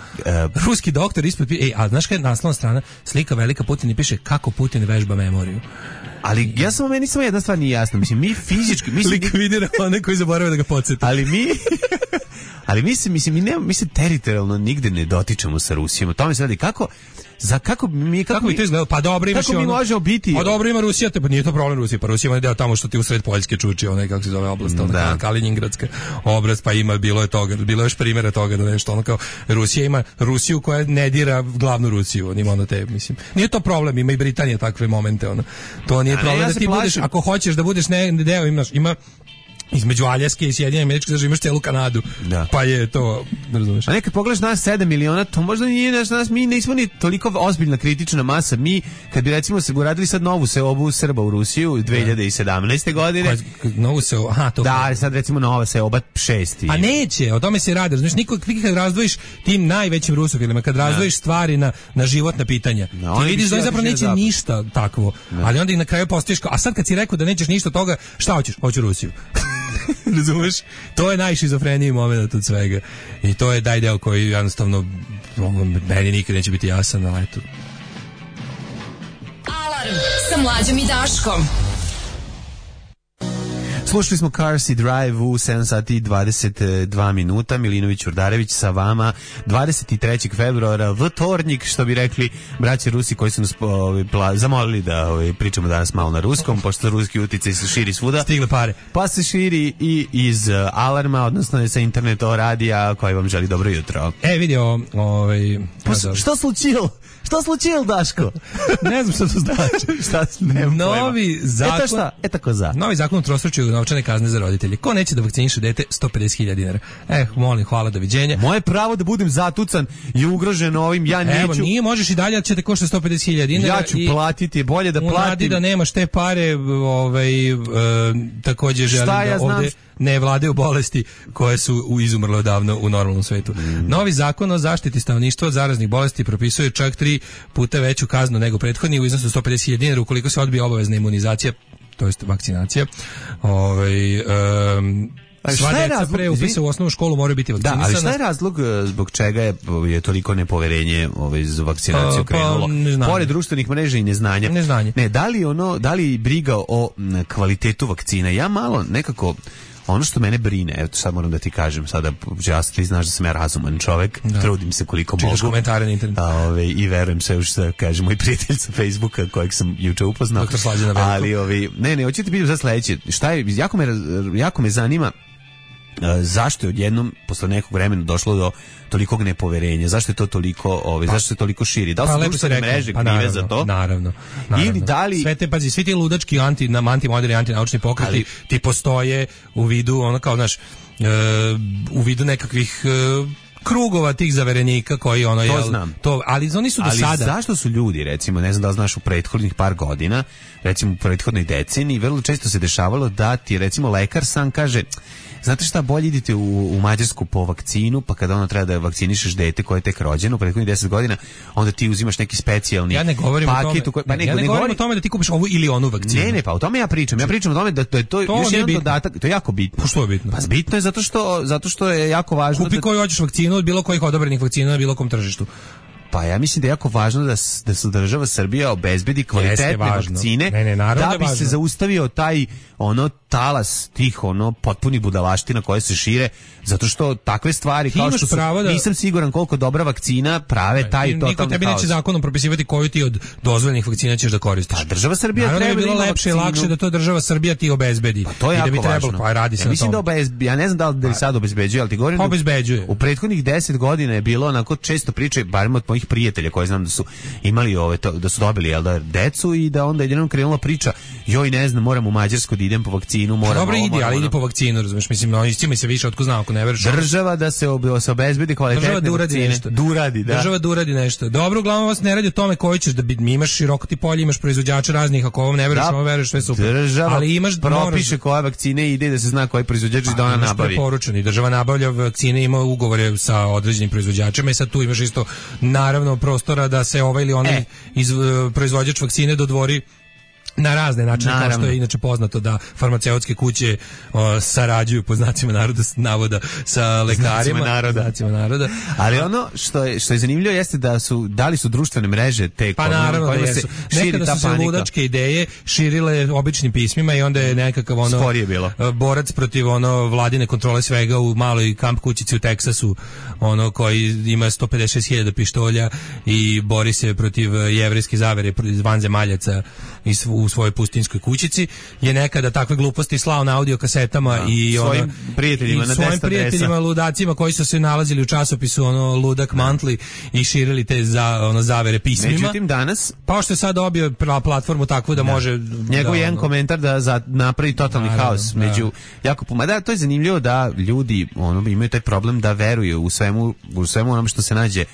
Ruski doktor ispod, a znaš kada je naslovna strana, slika velika Putin i piše kako Putin vežba memoriju. Ali meni samo jedna stvar nije jasna. Mislim, mi fizički... Likvidira one koji zaborave da ga podsjeti. Ali Ali mi se teritorijalno nigde ne dotičemo sa Rusijom. O tome se radi kako mi to izgleda? Pa dobro imaš kako mi možemo biti. Pa dobro ima Rusija, pa nije to problem Rusije. Pa Rusija ima deo tamo što ti u sred Poljske čuči, onaj kako se zove oblast, ona Kaliningradska oblast, pa bilo je još primjera toga da nešto ono kao Rusija ima Rusiju koja ne dira glavnu Rusiju, on ima ono te, mislim. Nije to problem, ima i Britanija takve momente, ono. To nije problem da ti budeš, ako hoćeš da budeš deo, ima između Aljaske i Sjedinjenih Američkih Država imaš celu Kanadu. Da. Pa je to, razumeš. A nekad pogledaš nas 7 miliona, to možda nije nas, mi nismo ni toliko ozbiljna kritična masa. Mi, kad bi recimo se uradili sad novu seobu Srba u Rusiju 2017. godine. Novu seobu, to. Da, sad recimo nova seoba 6. A neće, o tome se radi. Znaš, kad razdvojiš tim najvećim rusofilima, kad razdvojiš stvari na životna pitanja, ti vidiš da zapravo neće ništa takvo. Ali onda i na kraju postaješ a sad kad si rekao da nećeš ništa toga, šta hoćeš? Hoću Rusiju. Razumeš? To je najšizofreniji moment od svega. I to je deo koji jednostavno meni nikad neće biti jasan, ali eto. Alarm sa Mlađom i Daškom. Slušali smo Cars i Drive u 7 sati i 22 minuta. Milinović Urdarević sa vama 23. februara, vtornik, što bi rekli braće Rusi koji su nas zamolili da pričamo danas malo na ruskom, pošto ruski uticaj se širi svuda. Stigle pare. Pa se širi i iz Alarma, odnosno sa interneta radija koji vam želi dobro jutro. Vidio, Što slučilo? Što slučilo, Daško? Ne znam što to znači. Novi zakon. Novi zakon o trostručju novčane kazne za roditelje. Ko neće da vakciniše dete, 150.000 dinara. Molim, hvala, doviđenja. Moje pravo da budem zatucan je ugroženo ovim, ja neću. Evo, nije, možeš i dalje, će te košta 150.000 dinara. Ja ću platiti, bolje da platim. U nadi da nemaš te pare, također želim da ovde ne vladaju bolesti koje su izumrle odavno u normalnom svetu. Novi zakon o zaštiti stanovništva od zaraznih bolesti propisuje čak 3 puta veću kaznu nego prethodni u iznosu 150.000 dinara ukoliko se odbije obavezna imunizacija, to jest vakcinacija. Sva deca pre upisa u osnovnu školu moraju biti vakcinisana. Da, ali šta je razlog zbog čega je toliko nepoverenje za vakcinaciju krenulo? Pored društvenih mreža i neznanja. Ne, da li briga o kvalitetu vakcina? Ja malo nekako ono što mene brine, evo sad moram da ti kažem sada, ti znaš da sam ja razuman čovek, trudim se koliko mogu. Čitaš komentare na internetu. I verujem sve što kaže moj prijatelj sa Facebooka kojeg sam juče upoznao. Doktor Slađana Veliko. Ali ne, hoću ti pitam sad sledeće, šta je, jako me zanima zašto je odjednom posle nekog vremena došlo do tolikog nepoverenja, zašto je to toliko zašto se toliko širi, da li su društvene mreže krive za to? Naravno. Ili da li svi ti ludački antimoderni antinaučni pokreti ti postoje u vidu u vidu nekakvih krugova tih zaverenika koji ali oni su do sada. Ali zašto su ljudi, recimo, ne znam da li znaš, u prethodnih par godina, recimo u prethodnoj deceniji, vrlo često se dešavalo da ti recimo lekar sam kaže, znate šta, bolje idite u Mađarsku po vakcinu, pa kada treba da vakcinišeš dete koje je tek rođeno u prethodnih 10 godina, onda ti uzimaš neki specijalni paket. Ja ne govorim o tome da ti kupiš ovu ili onu vakcinu. Ne, pa o tome ja pričam. Ja pričam o tome da je to još jedan dodatak, to je jako bitno. Što je bitno? Pa bitno je zato što je jako važno. Kupi koju hoćeš vakcinu od bilo kojih odobrenih vakcina na bilo kom tržištu. Pa ja mislim da je jako važno da se država Srbija obezbedi kvalitetne vakcine da bi se zaustavio taj talas tih potpuni budalaština koje se šire, zato što takve stvari kao što su, nisam siguran koliko dobra vakcina prave taj totalni niko tebi neće zakonom propisivati koju ti od dozvoljenih vakcina ćeš da koristiš. Pa država Srbija treba bi bilo lepše i lakše da to država Srbija ti obezbedi. Pa to je jako važno. Pa radi se na tome. Ja ne znam da li sad obezbeđuje, ali ti govorim u prethodnih 10 godina je bilo onako često priče, barem od mojih prijatelja koji znam da su imali da su dobili decu i da onda jednom krenula priča, joj ne znam, moram u Mađarsku da idem po vakcinu, moram. Dobro, ali idi po vakcinu, razumeš, mislim, oni s time se više otko znao, ako ne veruješ. Država da se obezbedi kvalitetne vakcine. Država da uradi nešto. Dobro, uglavnom vas ne radi o tome koji ćeš da imaš široko ti polje, imaš proizvođača raznih, ako ovom ne veruješ, ovo veruješ, sve super. Država propiše koje vakcine ide da se zna koji proizvođač da ona nabavi. Preporučeni, država nabavlja vakcine, ima ugovore sa određenim proizvođačima i sad tu imaš isto naravno prostora da se ovaj ili onaj proizvođač vakcine dodvori na razne načine, kao što je inače poznato da farmaceutske kuće sarađuju po znacima navoda sa lekarima, znacima naroda. Ali ono što je zanimljivo jeste da li su društvene mreže te pa naravno da jesu. Nekada su se ludačke ideje širile običnim pismima i onda je nekakav borac protiv vladine kontrole svega u maloj kamp kućici u Teksasu, koji ima 156.000 pištolja i bori se protiv jevrejske zavere vanzemaljaca u svojoj pustinskoj kućici, je nekada takve gluposti slao na audio kasetama i svojim prijateljima ludacima koji su se nalazili u časopisu Ludak Monthly i širili te zavere pismima. Međutim danas, pa što je sad dobio platformu takvu da može njegov jedan komentar da napravi totalni haos među jako to je zanimljivo da ljudi imaju taj problem da veruju u svemu onom što se nađe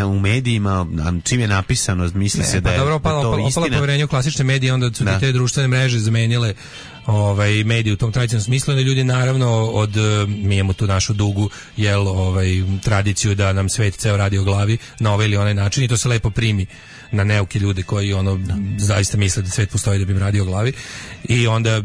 u medijima, čim je napisano, misli se da je to istina. Opala poverenje u klasične medije, onda su te društvene mreže zamenile medije u tom tradicionalnom smislu, da ljudi naravno mi imamo tu našu dugu tradiciju da nam svet ceo radi o glavi na ovaj ili onaj način i to se lepo primi na neuke ljude koji zaista misle da svet postoji da bi im radio o glavi i onda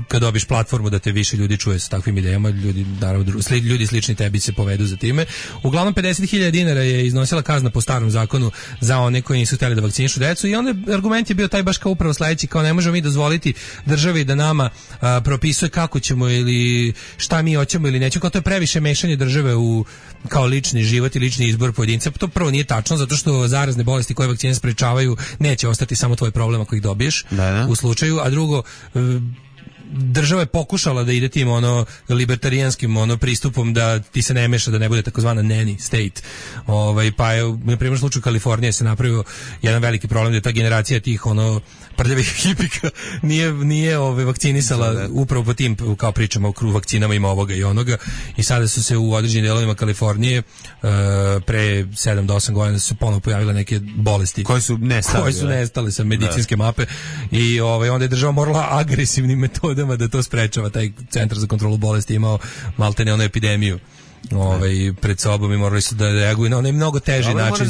kad dobiš platformu da te više ljudi čuje sa takvim idejama, ljudi slični tebi se povedu za time. Uglavnom 50.000 dinara je iznosila kazna po starom zakonu za one koji nisu htjeli da vakcinišu decu i onda argument je bio taj baš kao upravo sledeći, kao ne možemo mi dozvoliti državi da nama propisuje kako ćemo ili šta mi hoćemo ili nećemo, kao to je previše mešanje države u kao lični život i lični izbor pojedinca. To prvo nije tačno, zato što zarazne bolesti koje vakcine sprečavaju neće ostati samo tvoj problem ako ih dobiješ u slučaju, a drugo, država je pokušala da ide tim libertarijanskim pristupom da ti se ne meša, da ne bude takozvana nanny state. Pa je na primjer slučaju Kalifornije se napravio jedan veliki problem da je ta generacija tih prljavih hipika nije vakcinisala upravo po tim kao pričama o vakcinama ima ovoga i onoga i sada su se u određenim delovima Kalifornije pre 7 do 8 godina su se ponovo pojavile neke bolesti koje su nestale sa medicinske mape i onda je država morala agresivnim metodama da to sprečava. Taj centar za kontrolu bolesti imao maltene epidemiju pred sobom i morali su da reaguju na onaj mnogo teži način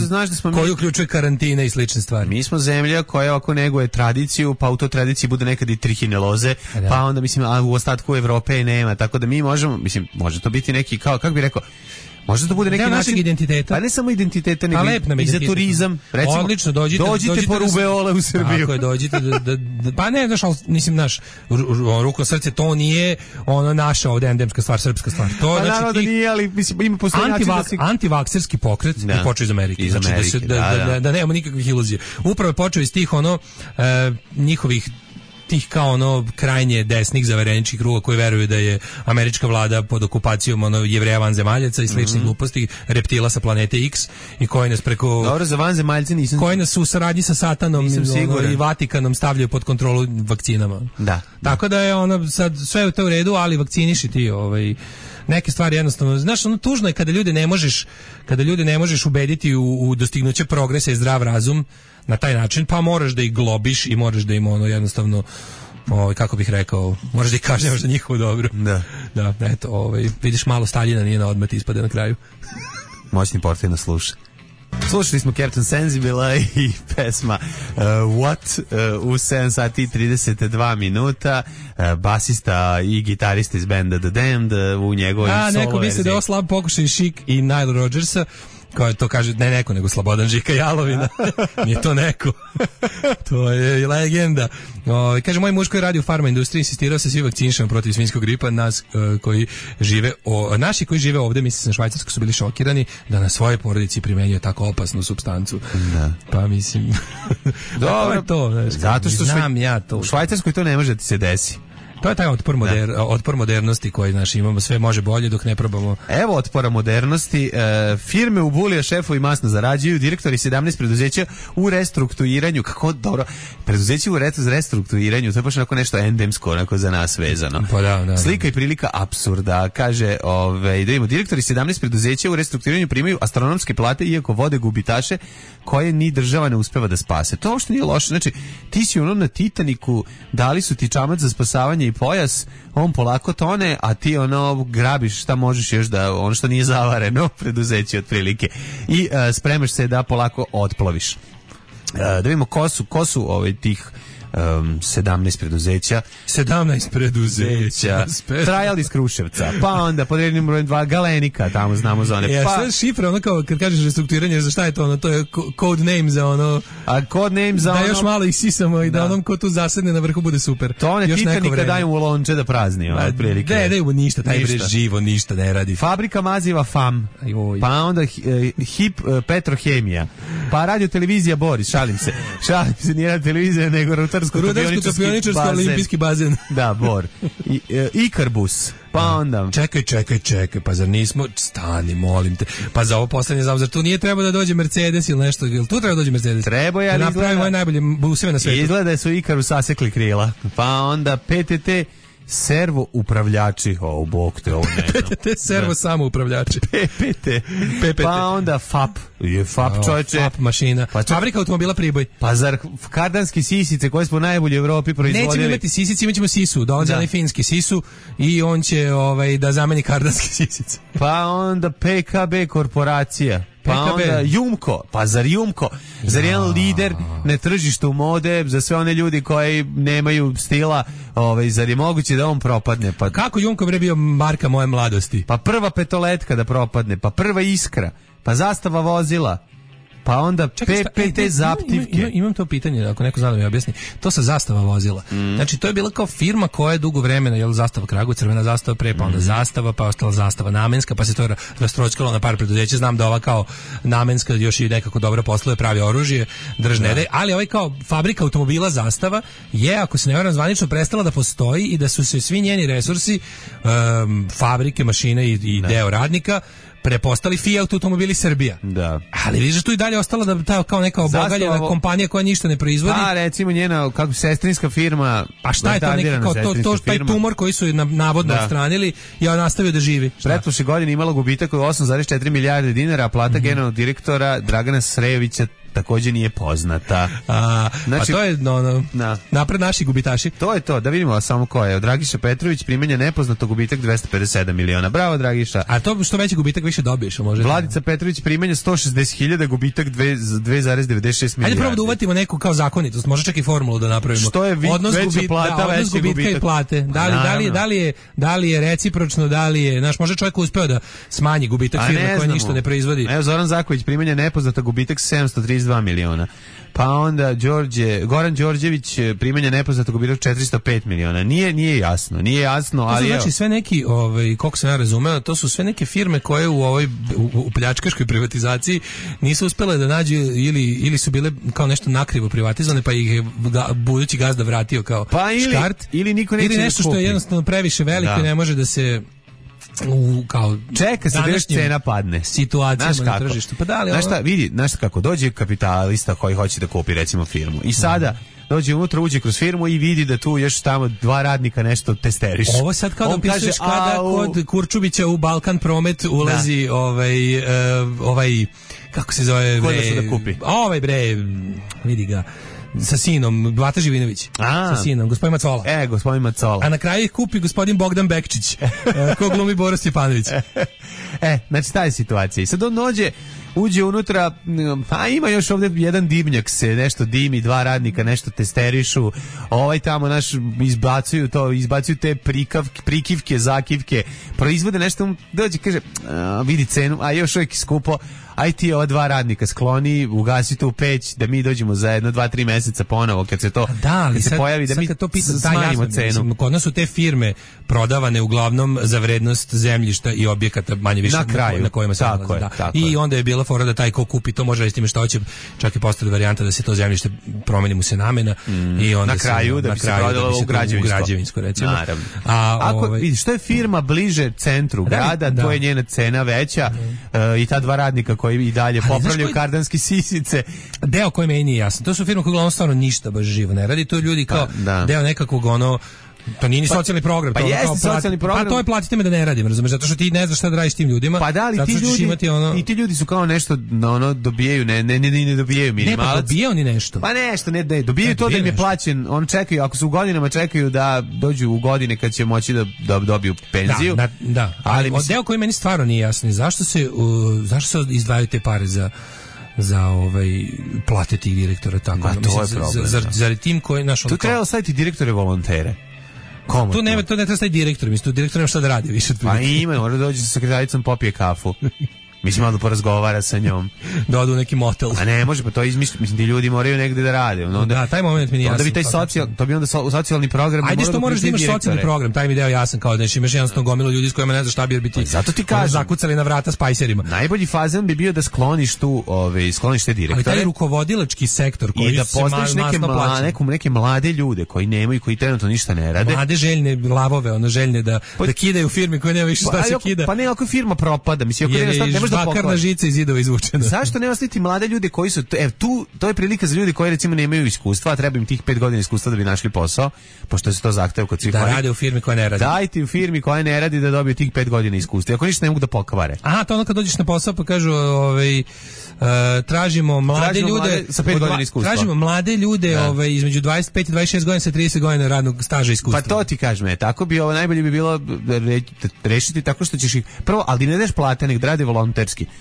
koji uključuje karantine i slične stvari. Mi smo zemlja koja ako neguje tradiciju, pa u toj tradiciji bude nekad i trihineloze, pa onda a u ostatku Evrope nema, tako da mi možemo, može to biti neki kako bi rekao, može to bude neki način identiteta. Pa ne samo identiteta, nego i za turizam. Recimo, odlično, dođite po rubeole u Srbiju. Tako je, dođite pa ne, ruku na srce, to nije naša ovde endemska stvar, srpska stvar. To pa naravno da nije, ali ima postoji način da se... Antivakserski pokret je počeo iz Amerike. Znači da nemamo nikakvih iluzija. Upravo je počeo iz tih njihovih tih kao krajnje desnih zavereničkih kruga koji veruju da je američka vlada pod okupacijom Jevreja vanzemaljaca i sličnih gluposti, reptila sa planete X i koji nas preko... Dobro, za vanzemaljce nisam... Koji nas u saradnji sa Satanom i Vatikanom stavljaju pod kontrolu vakcinama. Da. Tako da je sad sve je to u redu, ali vakciniši ti neke stvari jednostavno, znaš, tužno je kada ljude ne možeš ubediti u dostignuće progresa i zdrav razum na taj način, pa moraš da ih globiš i moraš da im jednostavno kako bih rekao, moraš da ih kažnjavaš za njihovo dobro. Da, eto, vidiš malo Staljina nije na odmet ispade na kraju. Moćni portir nas sluša. Slušali smo Captain Sensibila i pesma What u 7 sati i 32 minuta, basista i gitarista iz benda The Damned u njegovoj solo verziji. Neko misli da je ovo slab pokušaj Chic i Nile Rodgersa, kao to kaže, ne neko, nego Slobodan Žika Jalovina. Nije to neko. To je legenda. Kaže, moj muž koji radi u farma industriji insistirao se svi vakcinišemo protiv svinjskog gripa. Naši koji žive ovde, mislim na Švajcarsku, su bili šokirani da na svoje porodici primenjuje tako opasnu supstancu. Da. Pa mislim... Dobro, to, zato što znam ja to. U Švajcarskoj to ne može da ti se desi. To je taj otpor modernosti koji imamo, sve može bolje dok ne probamo. Evo otpora modernosti. Firme u Bulija šefovi masno zarađuju, direktori 17 preduzeća u restrukturiranju. Kako dobro. Preduzeće u restrukturiranju, to je baš onako nešto endemsko, onako za nas vezano. Pa da. Slika i prilika apsurda. Kaže, da vidimo, direktori 17 preduzeća u restrukturiranju primaju astronomske plate iako vode gubitaše koje ni država ne uspeva da spase. To uopšte nije loše. Znači, ti si na Titaniku, dali su ti čamac za spasavanje i pojas, on polako tone, a ti grabiš šta možeš još da, ono što nije zavareno, preduzeće otprilike. I spremaš se da polako otploviš. Da vidimo ko su tih 17 preduzeća. 17 preduzeća. Trajal iz Kruševca. Pa onda pod rednim brojem 2 Galenika, tamo znamo za one. Pa šta šifra, ono kao kad kažeš restrukturiranje, za šta je to ono? To je code name za ono. A code name za da ono. Još malo isisamo i da onom ko tu zasedne na vrhu bude super. To one Titanika daju u lonče da prazni, otprilike. Ne, ništa, taj bre živo ništa ne radi. Fabrika maziva FAM. Pa onda HIP Petrohemija. Pa radio televizija Boris, šalim se, nije radio televizija nego rudarsko-topioničarski olimpijski bazen. Da, Bor. Ikarbus. Pa onda. Čekaj, pa zar nismo, stani, molim te. Pa za ovo poslednje zar tu nije treba da dođe Mercedes ili nešto, ili tu treba da dođe Mercedes? Treba je, ali napravi moje najbolje buseve na svetu. Izgleda su Ikaru sasekli krila. Pa onda PTT servo upravljači, bog te, ovo ne znam. PTT servo samo upravljači. PPT. Pa onda FAP. FAP, čovječe. FAP mašina. Fabrika automobila Priboj. Pa zar kardanski sisice koje smo najbolje u Evropi proizvodili? Nećemo imati sisice, imat ćemo sisu. Dolazi onaj finski sisu i on će da zameni kardanski sisice. Pa onda PKB korporacija. Pa onda Jumko, pa zar Jumko, zar jedan lider na tržištu mode, za sve one ljudi koji nemaju stila, zar je moguće da on propadne? Pa kako Jumko bre bio marka moje mladosti? Pa prva petoletka da propadne, pa prva Iskra, pa Zastava vozila. Pa onda PPT zaptivke. Imam to pitanje, ako neko zna da mi objasni. To sa Zastava vozila. Znači, to je bila kao firma koja je dugo vremena, Zastava Kragujevac, crvena zastava pre, pa onda Zastava, pa ostala Zastava namenska, pa se to rastročkalo na par preduzeća. Znam da ova kao namenska još i nekako dobro posluje, pravi oružje, držne, ali ovaj kao fabrika automobila Zastava je, ako se ne varam, zvanično prestala da postoji i da su se svi njeni resursi, fabrike, mašine i deo radnika prepostali Fiat automobili Srbija. Da. Ali vidiš tu i dalje ostala da ta kao neka obogaljena kompanija koja ništa ne proizvodi. Pa recimo njena kako sestrinska firma. Pa šta je to neki kao to taj tumor koji su navodno odstranili je nastavio da živi. Pretprošle godine imala gubitak od 8,4 milijarde dinara, a plata generalnog direktora Dragana Srejovića takođe nije poznata. Znači, pa to je napred naši gubitaši. To je to, da vidimo samo ko je. Dragiša Petrović, primanje nepoznato, gubitak 257 miliona. Bravo, Dragiša. A to što veći gubitak više dobiješ, može. Vladica Petrović, primanje 160.000, gubitak 2,96 milijardi. Ajde probamo da uvatimo neku kao zakonitost, može čak i formulu da napravimo. Što je veća plata, odnos gubitka i plate. Da li je recipročno, da li je, može čovjek uspeo da smanji gubitak firme koja ništa ne proizvodi. Evo Zoran Zaković, primanje nepoznato, gubitak 732 miliona. Pa onda Goran Đorđević, primanje nepoznatog, gubitak 405 miliona. Nije jasno, ali znači sve neki, koliko sam ja razumeo, to su sve neke firme koje u ovoj u pljačkaškoj privatizaciji nisu uspele da nađu ili su bile kao nešto nakrivo privatizovane, pa ih je budući gazda vratio kao škart. Ili niko neće ili nešto što je jednostavno previše veliko i ne može da se kao čeka se da cena padne situacijama na tržištu. Pa da li znaš kako dođe kapitalista koji hoće da kupi recimo firmu i sada dođe unutra, uđe kroz firmu i vidi da tu još tamo 2 radnika nešto testerišu. Ovo sad kao da opisuješ kada kod Kurčubića u Balkan Promet ulazi ovaj kako se zove da kupi? Ovaj vidi ga sa sinom, Bata Živinović. Sa sinom, gospodin Macola. Gospodin Macola. A na kraju ih kupi gospodin Bogdan Bekčić, ko glumi Boris Stjepanović. Znači ta je situacija. I sad on uđe unutra, pa ima još ovdje jedan dimnjak se, nešto dimi, 2 radnika, nešto testerišu, tamo izbacuju te prikivke, zakivke, proizvode nešto, dođe, kaže, vidi cenu, a još uvijek skupo, aj ti ova 2 radnika skloni, ugasi tu peć, da mi dođemo za 1-2-3 meseca ponovo, kad se to pojavi, da mi smanjimo cenu. Kod nas su te firme prodavane uglavnom za vrednost zemljišta i objekata manje više na kojima se nalaze. I onda je bila fora da taj ko kupi to može reći što hoće, čak i postoji varijanta da se to zemljište promeni mu se namena i onda na kraju da bi se prodalo u građevinsko recimo. Naravno. Ako vidiš što je firma bliže centru grada, to je njena cena veća i ta 2 radnika koji i dalje popravljaju kardanski sisice. Deo koji meni nije jasan. To su firme koje uglavnom stvarno ništa baš živo ne radi. To ljudi kao deo nekakvog pa nije ni socijalni program. Pa jeste socijalni program. Pa to je platite me da ne radim, razumeš, zato što ti ne znaš šta da radiš tim ljudima. Pa da li ti ljudi su kao nešto dobijaju, ne dobijaju minimalac. Ne, pa dobijaju oni nešto. Pa nešto, ne, dobijaju to da im je plaćen, on čekaju, ako su u godinama čekaju da dođu u godine kad će moći da dobiju penziju. Da. Ali deo koji meni stvarno nije jasno, zašto se izdvajaju te pare za plate tih direktora tako. Ma, to je problem. Zar tim koji naš tu treba staviti direktore volontere. Tu ne treba staviti direktor, mislim, tu direktor nema šta da radi više. Pa ima, mora da dođe sa sekretaricom, popije kafu. Mislim, malo da porazgovara sa njom. Da odu u neki motel. A ne, može, pa to izmišljati. Mislim, ti ljudi moraju negde da rade. Da, taj moment mi nije jasan. Onda bi taj to bi onda socijalni program. Ajde što moraš da imaš socijalni program, taj mi deo jasan, kao da imaš jednostavno gomilu ljudi s kojima ne znaš šta bi biti. Zato ti kažem. Zakucali na vrata spajserima. Najbolji fazan bi bio da skloniš te direktore. Ali taj rukovodilački sektor koji da postaviš neke mlade ljude koji nemaju, koji trenutno ništa ne rade. Mlade željne lavove, željne da kidaju u firmi koje nema više šta se kida. Pa ne, ako firma propada, mislim, ako ne možeš da bakarna žica iz zidova izvučena. Zašto ne ostaviti mlade ljude koji su to je prilika za ljude koji recimo nemaju iskustva, a treba im tih 5 godina iskustva da bi našli posao, pošto se to zahteva kod svih. Da rade u firmi koja ne radi. Dajte u firmi koja ne radi da dobiju tih 5 godina iskustva. Ako ništa ne mogu da pokvare. Aha, to ono kad dođeš na posao pa kažu tražimo mlade ljude sa 5 godina iskustva. Tražimo mlade ljude između 25 i 26 godina sa 30 godina radnog staža iskustva. Pa to ti kažem, tako bi najbolje bi bilo rešiti tako što ćeš ih prvo, ali ne daš plate, nek rade volonterski.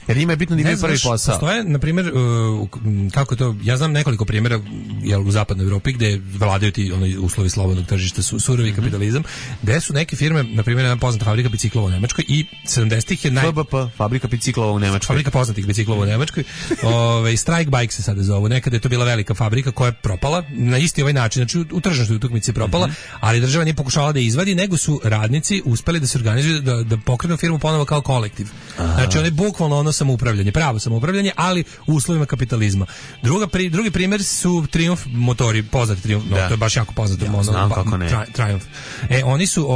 Jer njima je bitno da imaju prvi posao. Postoje, na primjer, kako to, ja znam nekoliko primjera u zapadnoj Evropi gde vladaju ti uslovi slobodnog tržišta, surovi kapitalizam, gde su neke firme, na primjer, jedna poznata fabrika biciklova u Nemačkoj i 70-ih je FBP, fabrika biciklova u Nemačkoj. Fabrika poznatih biciklova u Nemačkoj. Strike Bike se sada zovu. Nekada je to bila velika fabrika koja je propala na isti ovaj način, znači u tržišnoj utakmici je propala, ali država nije pokušavala da je izvadi, nego su radnici uspeli da se organizuju da pokrenu firmu ponovo kao kolektiv. Znači, ono je bukvalno samoupravljanje, pravo samoupravljanje, ali u uslovima kapitalizma. Drugi primjer su Triumph motori, poznati Triumph, to je baš jako poznato. Znam kako ne. Triumph. Oni su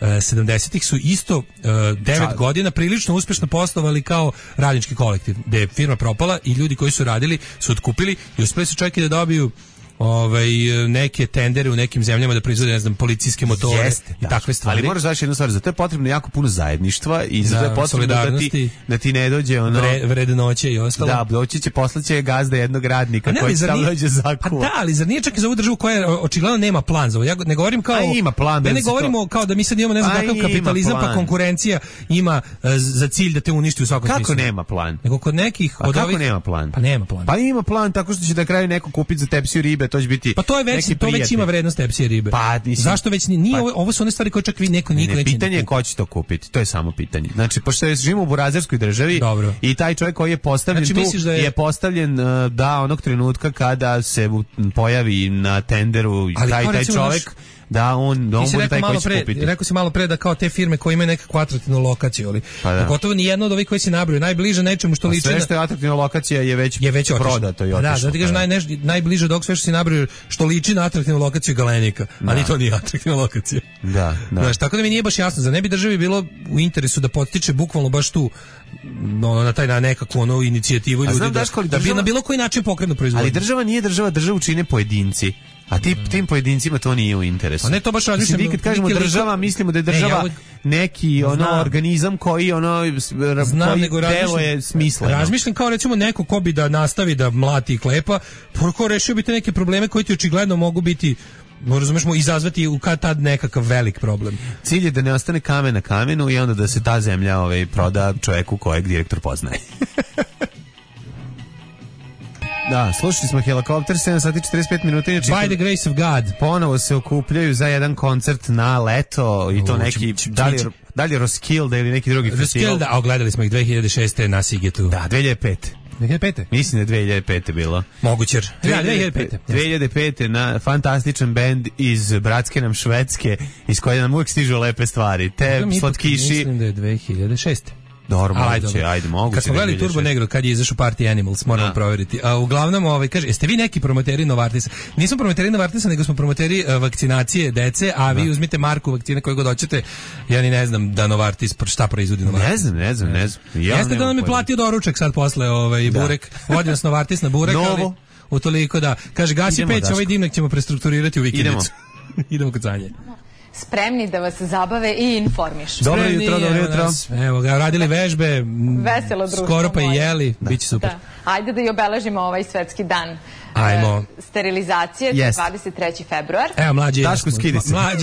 70-ih su isto 9 godina prilično uspešno poslovali kao radnički kolektiv, gde je firma propala i ljudi koji su radili su otkupili i uspeli su čak i da dobiju neke tendere u nekim zemljama da proizvode, ne znam, policijske motore i takve stvari. Ali moraš znaš jednu stvar, za to je potrebno jako puno zajedništva i za to je potrebno da ti ne dođe vrednoće i ostalo. Da, doći će, poslaće gazda jednog radnika koji će tamo dođe zakuva. Pa da, ali zar nije čak i za ovu državu koja očigledno nema plan za ovo? Ja ne govorim kao... ima plan. Ne govorimo kao da mi sad imamo ne znam kakav kapitalizam, pa konkurencija ima za cilj da te uništi u svakom smislu. Kako nema plan? Nego kod nekih od ovih... nema plan? Pa nema plan. Pa ima plan tako što će na kraju neko kupiti za tepsiju ribe, to će biti. Pa to je već ima vrednost tepsije ribe. Pa, zašto već nije ovo su one stvari koje čak neko neće. Pitanje je ko će to kupiti. To je samo pitanje. Znači, pošto živimo u burazerskoj državi i taj čovjek koji je postavljen je postavljen onog trenutka kada se pojavi na tenderu taj čovjek da on bude taj koji će kupiti. Rekao si malo pre da kao te firme koje imaju nekakvu atraktivnu lokaciju, ali pogotovo ni jedna od ovih koji se nabraju najbliže nečemu što liči sve što je atraktivna lokacija je već prodato i otišlo. Da ti kažeš najbliže dok sve što se nabraju što liči na atraktivnu lokaciju Galenika, ali to nije atraktivna lokacija. Da. Znaš, tako da mi nije baš jasno, za ne bi državi bilo u interesu da podstiče bukvalno baš tu na nekakvu inicijativu ljudi da bi na bilo koji način pokrenu proizvodnju. Ali država nije državu čine pojedinci. A tim pojedincima to nije u interesu. A ne to baš razmišljam. Mi kad kažemo država, mislimo da je država neki organizam koji deluje smisleno. Razmišljam kao recimo neko ko bi da nastavi da mlati i klepa, ko rešio bi te neke probleme koji ti očigledno mogu biti razumijemo izazvati u tad nekakav velik problem. Cilj je da ne ostane kamen na kamenu i onda da se ta zemlja proda čovjeku kojeg direktor poznaje. Da, slušali smo Helikopter, 7 sati 45 minuta. By the grace of God. Ponovo se okupljaju za jedan koncert na leto i to neki, da li Roskilde ili neki drugi festival. Roskilde, a gledali smo ih 2006. na Sigetu. Da, 2005. 2005. Mislim da je 2005. bilo. Moguće. 2005. 2005. na fantastičan bend iz bratske nam Švedske, iz koje nam uvijek stižu lepe stvari. Te slatkiši. Mislim da je 2006. Dobro, ajde, mogu. Kad smo gledali Turbo Negro, kad je izašao Party Animals, moramo provjeriti. A uglavnom, kaže, jeste vi neki promoteri Novartisa? Nismo promoteri Novartisa, nego smo promoteri vakcinacije dece, a vi uzmite marku vakcine koje god hoćete. Ja ni ne znam da Novartis, šta proizvodi Novartis. Ne znam. Jeste da nam je platio doručak sad posle burek. Vodi nas Novartis na burek, ali utoliko da. Kaže, gasi peć, ovaj dimnak ćemo prestrukturirati u vikendicu. Idemo kod Sanje. Spremni da vas zabave i informišu. Dobro jutro. Evo ga, radili vežbe, veselo društvo skoro pa i jeli, biće super. Ajde da i obeležimo ovaj svetski dan sterilizacije, Jest. 23. februar. Evo, mlađe Daško,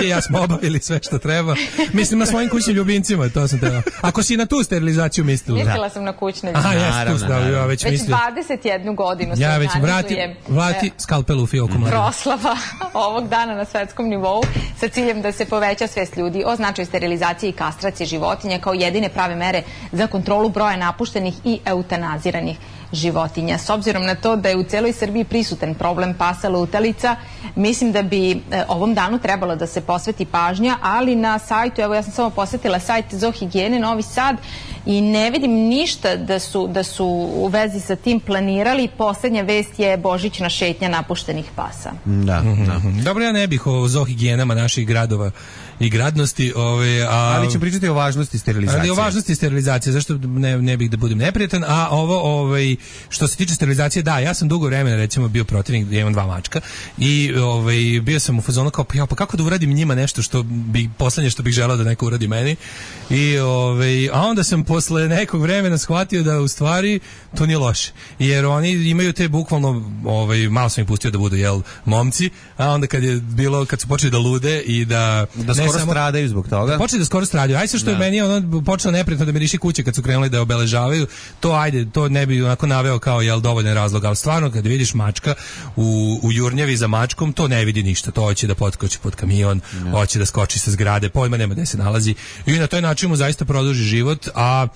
i ja smo obavili sve što treba. Mislim na svojim kućnim ljubimcima, to sam teo. Ako si na tu sterilizaciju mislila. Mislila sam na kućne Aha, ljubimce. jes, tu stavio, ja već mislio. Već 21 godinu se Ja već organizujem vrati skalpelu u fioku mlađe. proslava ovog dana na svetskom nivou sa ciljem da se poveća svest ljudi o značaju sterilizacije i kastracije životinja kao jedine prave mere za kontrolu broja napuštenih i eutanaziranih životinja. S obzirom na to da je u celoj Srbiji prisutan problem pasa lutalica, mislim da bi ovom danu trebalo da se posveti pažnja, ali na sajtu, evo ja sam samo posjetila sajt Zoohigijene Novi Sad i ne vidim ništa da su u vezi sa tim planirali. Poslednja vest je božićna šetnja napuštenih pasa. Da. Dobro, ja ne bih o zoohigijenama naših gradova i gradnosti, ali ću pričati o važnosti sterilizacije. Ali o važnosti sterilizacije, zašto ne bih da budem neprijatan, a ovo što se tiče sterilizacije, da, ja sam dugo vremena recimo bio protivnik, ja imam 2 mačka i bio sam u fazonu kao pa kako da uradim njima nešto što bi poslednje što bih želeo da neko uradi meni. I a onda sam posle nekog vremena shvatio da u stvari to nije loše. Jer oni imaju te bukvalno malo sam ih pustio da budu momci, a onda kad su počeli da lude i da skoro stradaju zbog toga. Počeli da skoro stradaju. Ajde što je meni počelo neprijatno da mi riši kuće kad su krenuli da obeležavaju. To ne bi onako naveo kao dovoljan razlog, ali stvarno kad vidiš mačka u jurnjavi za mačkom, to ne vidi ništa. To hoće da potkoči pod kamion, hoće da skoči sa zgrade, pojma nema gde se nalazi. I na taj način mu zaista produži život, a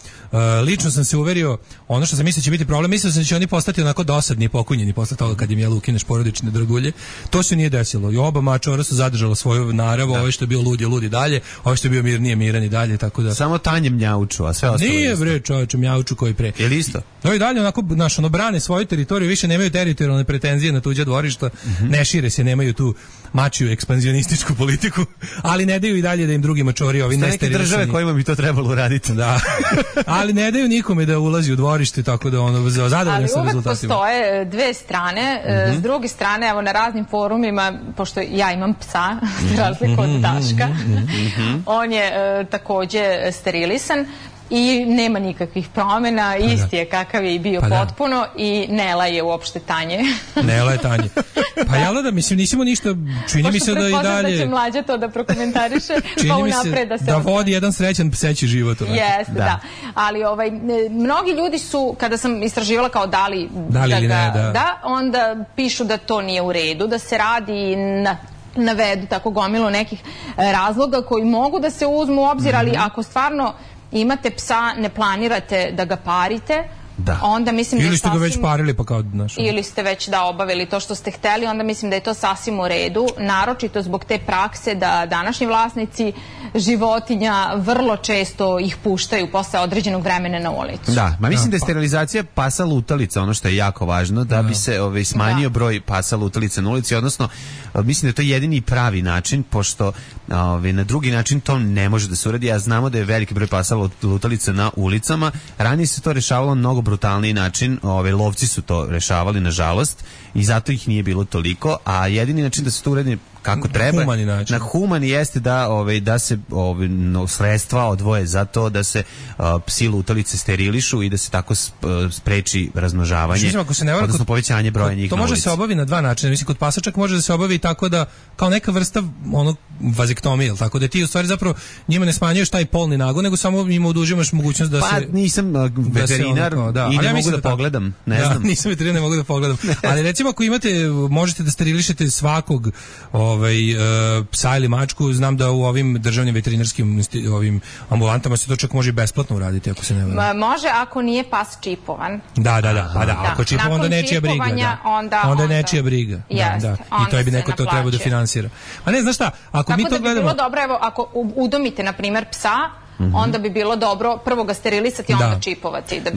lično sam se uverio, ono što sam mislio će biti problem, mislio sam da će oni postati onako dosadni i pokunjeni posle toga kad im ukineš porodične dragulje. To se nije desilo. I oba mačora su zadržala svoju naravu, ovaj što je bio lud i dalje, ovaj što je bio miran i dalje, tako da. Samo Tanje mjauču, a sve ostalo. Nije bre, čoveče, mjauču koji pre. Je li isto? No i dalje onako brane svoju teritoriju, više nemaju teritorijalne pretenzije na tuđa dvorišta, ne šire se, nemaju tu mačiju ekspanzionističku politiku, ali ne daju i dalje da im drugi mačori ovi neke države kojima bi to trebalo uraditi. Da. Ali ne daju nikome da ulazi u dvorište, tako da zadovoljni su rezultatima. Ali uvek postoje dve strane. S druge strane, evo na raznim forumima, pošto ja imam psa, za razliku od Daška, on je takođe sterilisan i nema nikakvih promjena, isti je kakav je i bio potpuno i Nela je uopšte Tanje. Nela je Tanje. Pa jel da, mislim, nisimo ništa, čini mi se da i dalje. Da će mlađa to da prokomentariše, pa unapred da se da vodi jedan srećan pseći život. Jeste, da. Ali mnogi ljudi su, kada sam istraživala kao da li ili ne, da, onda pišu da to nije u redu, da se radi navedu tako gomilu nekih razloga koji mogu da se uzmu u obzir, ali ako stvarno imate psa, ne planirate da ga parite, onda mislim da je ili ste ga već parili pa kao ili ste već obavili to što ste hteli, onda mislim da je to sasvim u redu, naročito zbog te prakse da današnji vlasnici životinja vrlo često ih puštaju posle određenog vremena na ulicu. Da, mislim da je sterilizacija pasa lutalica ono što je jako važno, da bi se smanjio broj pasa lutalica na ulici, odnosno mislim da je to jedini pravi način, pošto na drugi način to ne može da se uradi, a znamo da je veliki broj pasa lutalica na ulicama. Ranije se to rešavalo na mnogo brutalniji način, lovci su to rešavali nažalost i zato ih nije bilo toliko, a jedini način da se to uradi kako treba, na humani jeste da se sredstva odvoje za to da se psi lutalice sterilišu i da se tako spreči razmnožavanje, odnosno povećanje broja njih na ulici. To može se obavi na dva načina. Mislim, kod pasa čak može da se obavi tako da, kao neka vrsta vazektomije, tako da ti u stvari zapravo njima ne smanjuješ taj polni nagon, nego samo im odužimaš mogućnost da se... Pa nisam veterinar i ne mogu da pogledam, ne znam. Nisam veterinar, ne mogu da pogledam. Ali recimo ako možete da sterilišete svakog psa ili mačku, znam da u ovim državnim veterinarskim ovim ambulantama se to čak može i besplatno uraditi ako se ne varam. Može ako nije pas čipovan. Da. Ako je čipovan, onda nečija briga. Onda je nečija briga. I to je bi neko to trebao da finansira. A ne, znaš šta, ako mi to gledamo... Tako da bi bilo dobro, evo, ako udomite, na primjer, psa, onda bi bilo dobro prvo ga sterilisati i onda čipovati da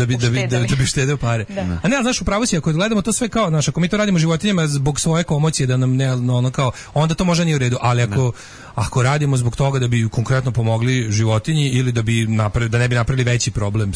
biste da bi štedeo pare. A ne, znaš, upravo si, ako gledamo to sve kao, znaš, ako mi to radimo životinjama zbog svoje komocije da nam ne ono kao, onda to možda nije u redu, ali ako radimo zbog toga da bi konkretno pomogli životinji ili da ne bi napravili veći problem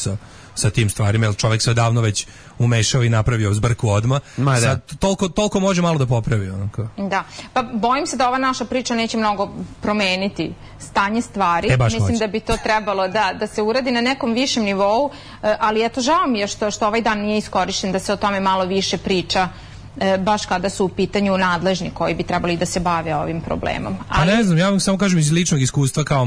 sa tim stvarima, jer čovjek se odavno već umešao i napravio zbrku odmah. Sad, toliko može malo da popravi. Onako. Da, pa bojim se da ova naša priča neće mnogo promeniti stanje stvari. Mislim da bi to trebalo da se uradi na nekom višem nivou, ali eto, žao mi je što ovaj dan nije iskorišten da se o tome malo više priča, baš kada su u pitanju nadležni koji bi trebali da se bave ovim problemom. Pa ne znam, ja vam samo kažem iz ličnog iskustva kao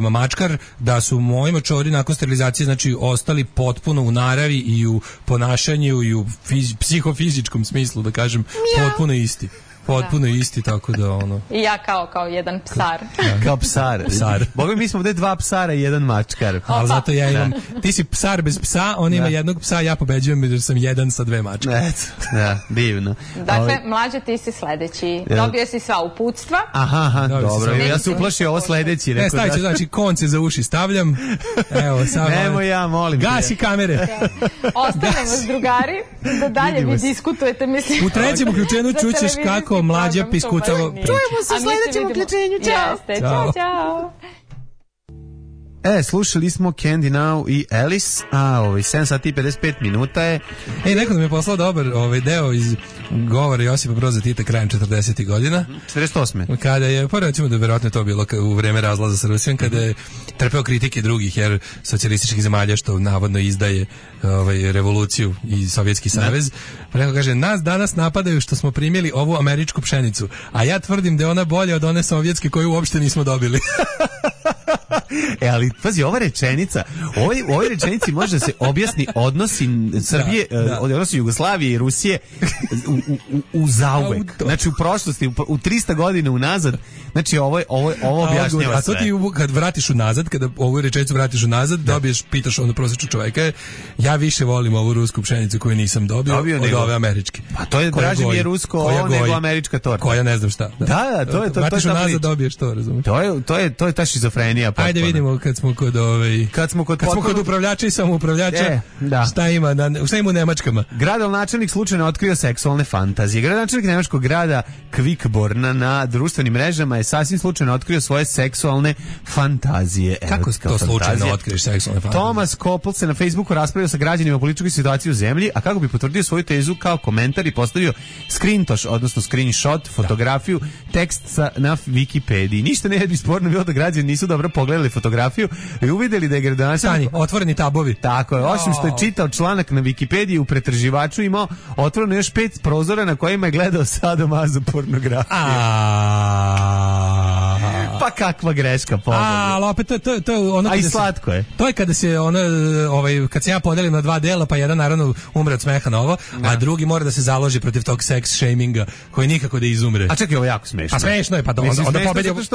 mačkar, da su moji mačori nakon sterilizacije znači ostali potpuno u naravi i u ponašanju i u psihofizičkom smislu, da kažem, potpuno isti. Potpuno isti, tako da ono... I ja kao jedan psar. Kao psar. Boga mi smo ovdje 2 psara i 1 mačkar. Ali zato ja imam... Ti si psar bez psa, on ima jednog psa, ja pobeđujem jer sam 1 sa 2 mačke. Da, divno. Dakle, Mlađe, ti si sledeći. Dobio si sva uputstva. Aha, dobro. Ja se uplašio ovo sledeći. Ne, stavit ću, znači, konce za uši stavljam. Evo, samo... Nemo ja, molim. Gasi kamere. Ostavljamo vas, drugari, da dalje vi diskutujete, mislim. U trećem uključenju čućeš kako Mlađa piskutava. Čujemo se u sledećem uključenju. Ćao. Ćao. Slušali smo Candy Now i Alice, 7 sati i 55 minuta je. Neko da mi je poslao dobar deo iz govora Josipa Broza Tita krajem 40. godina. 48. Kada je, pa recimo da verovatno to bilo u vreme razlaza sa Rusijom, kada je trpeo kritike drugih, jer socijalističkih zemalja što navodno izdaje revoluciju i Sovjetski savez. Pa neko kaže, nas danas napadaju što smo primili ovu američku pšenicu, a ja tvrdim da je ona bolja od one sovjetske koju uopšte nismo dobili. Ali pazi, ova rečenica, u ovoj rečenici može da se objasni odnosi Srbije, odnosi Jugoslavije i Rusije u zauvek. Znači u prošlosti, u 300 godina unazad. Znači ovo objašnjava sve. A to ti kad vratiš unazad, kada ovu rečenicu vratiš unazad, dobiješ, pitaš ono prosječnog čoveka, ja više volim ovu rusku pšenicu koju nisam dobio od ove američke. Pa to je draže mi je rusko ovo nego američka torta. Koja ne znam šta. Da, to je to. Vratiš unazad, dobiješ to, razumiješ. To je ta šizofrenija. Ajde vidimo kad smo kod upravljača i samoupravljača, šta ima u Nemačkama. Gradonačelnik slučajno otkrio seksualne fantazije. Gradonačelnik nemačkog grada Kvikborna na društvenim mrežama je sasvim slučajno otkrio svoje seksualne fantazije. Kako to slučajno otkriješ seksualne fantazije? Thomas Koppel se na Facebooku raspravio sa građanima o političkoj situaciji u zemlji, a kako bi potvrdio svoju tezu kao komentar i postavio screenshot, fotografiju, tekst na Wikipediji. Ništa ne bi sporno bilo da građani nisu dobro pogledali fotografiju i uvidjeli da je gradonačelnik... otvoreni tabovi. Tako je, osim što je čitao članak na Wikipediji, u pretraživaču imao otvoreno još 5 prozora na kojima je gledao sadomazo pornografiju. Pa kakva greška, pogled. Ali opet to je ono... A i slatko je. To je kada se kad se ja podelim na 2 dela, pa jedan naravno umre od smeha na ovo, a drugi mora da se založi protiv tog sex shaminga koji nikako da izumre. A čekaj, ovo je jako smešno. A smešno je, pa onda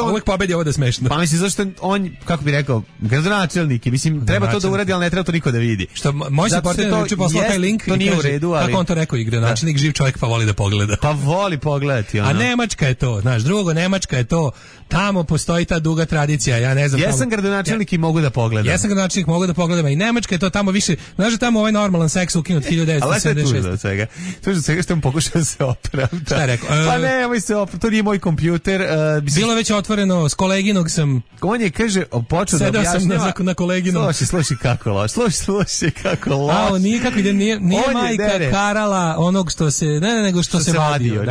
uvijek pobedi ovo da je smešno. Pa mislim, zašto on, kako bi rekao, gradonačelnik, mislim, treba to da uradi, ali ne treba to niko da vidi. Što moj se portir juče poslao taj link, to nije u redu, ali... Kako on to rekao, i gradonačelnik živ čovjek pa voli da pogleda. Pa voli pogledati, ono. A Nemačka je to, znaš, Nemačka je to, tamo postoji ta duga tradicija, ja ne znam. Jesam gradonačelnik i mogu da pogledam. Jesam gradonačelnik, mogu da pogledam, i Nemačka je to tamo više, znaš da tamo ovaj normalan seks ukinut 1976. Ali to je tužno od svega. Tužno od svega što mu pokušao da se opravda. Šta je rekao? Pa nemoj se opravda, to nije moj kompjuter. Bilo već otvoreno, s koleginog sam... On je, kaže, počeo da objašnjava... Sedao sam na koleginom. Slušaj kako loš. Slušaj kako loš. A, nije kako ide, nije majka karala onog što se, nego što se vadio.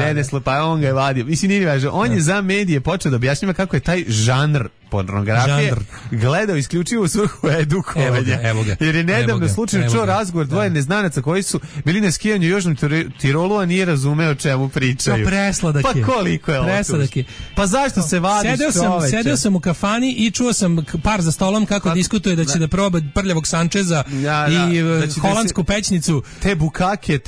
Pa on ga je vadio. Mislim, nije važno. On je za medije počeo da objašnjava kako je taj žanr pornografije gledao isključivo u svrhu edukovanja. Evo ga. Jer je nedavno slučajno čuo razgovor dvoje neznanaca koji su bili na skijanju u Južnom Tirolu, a nije razumeo o čemu pričaju. Pa presladak je. Pa koliko je ovo? Presladak je. Pa zašto se vadiš, čoveče? Sedeo sam u kafani i čuo sam par za stolom kako diskutuje da će da proba prljavog Sančeza i holandsku pećnicu. Te bukake,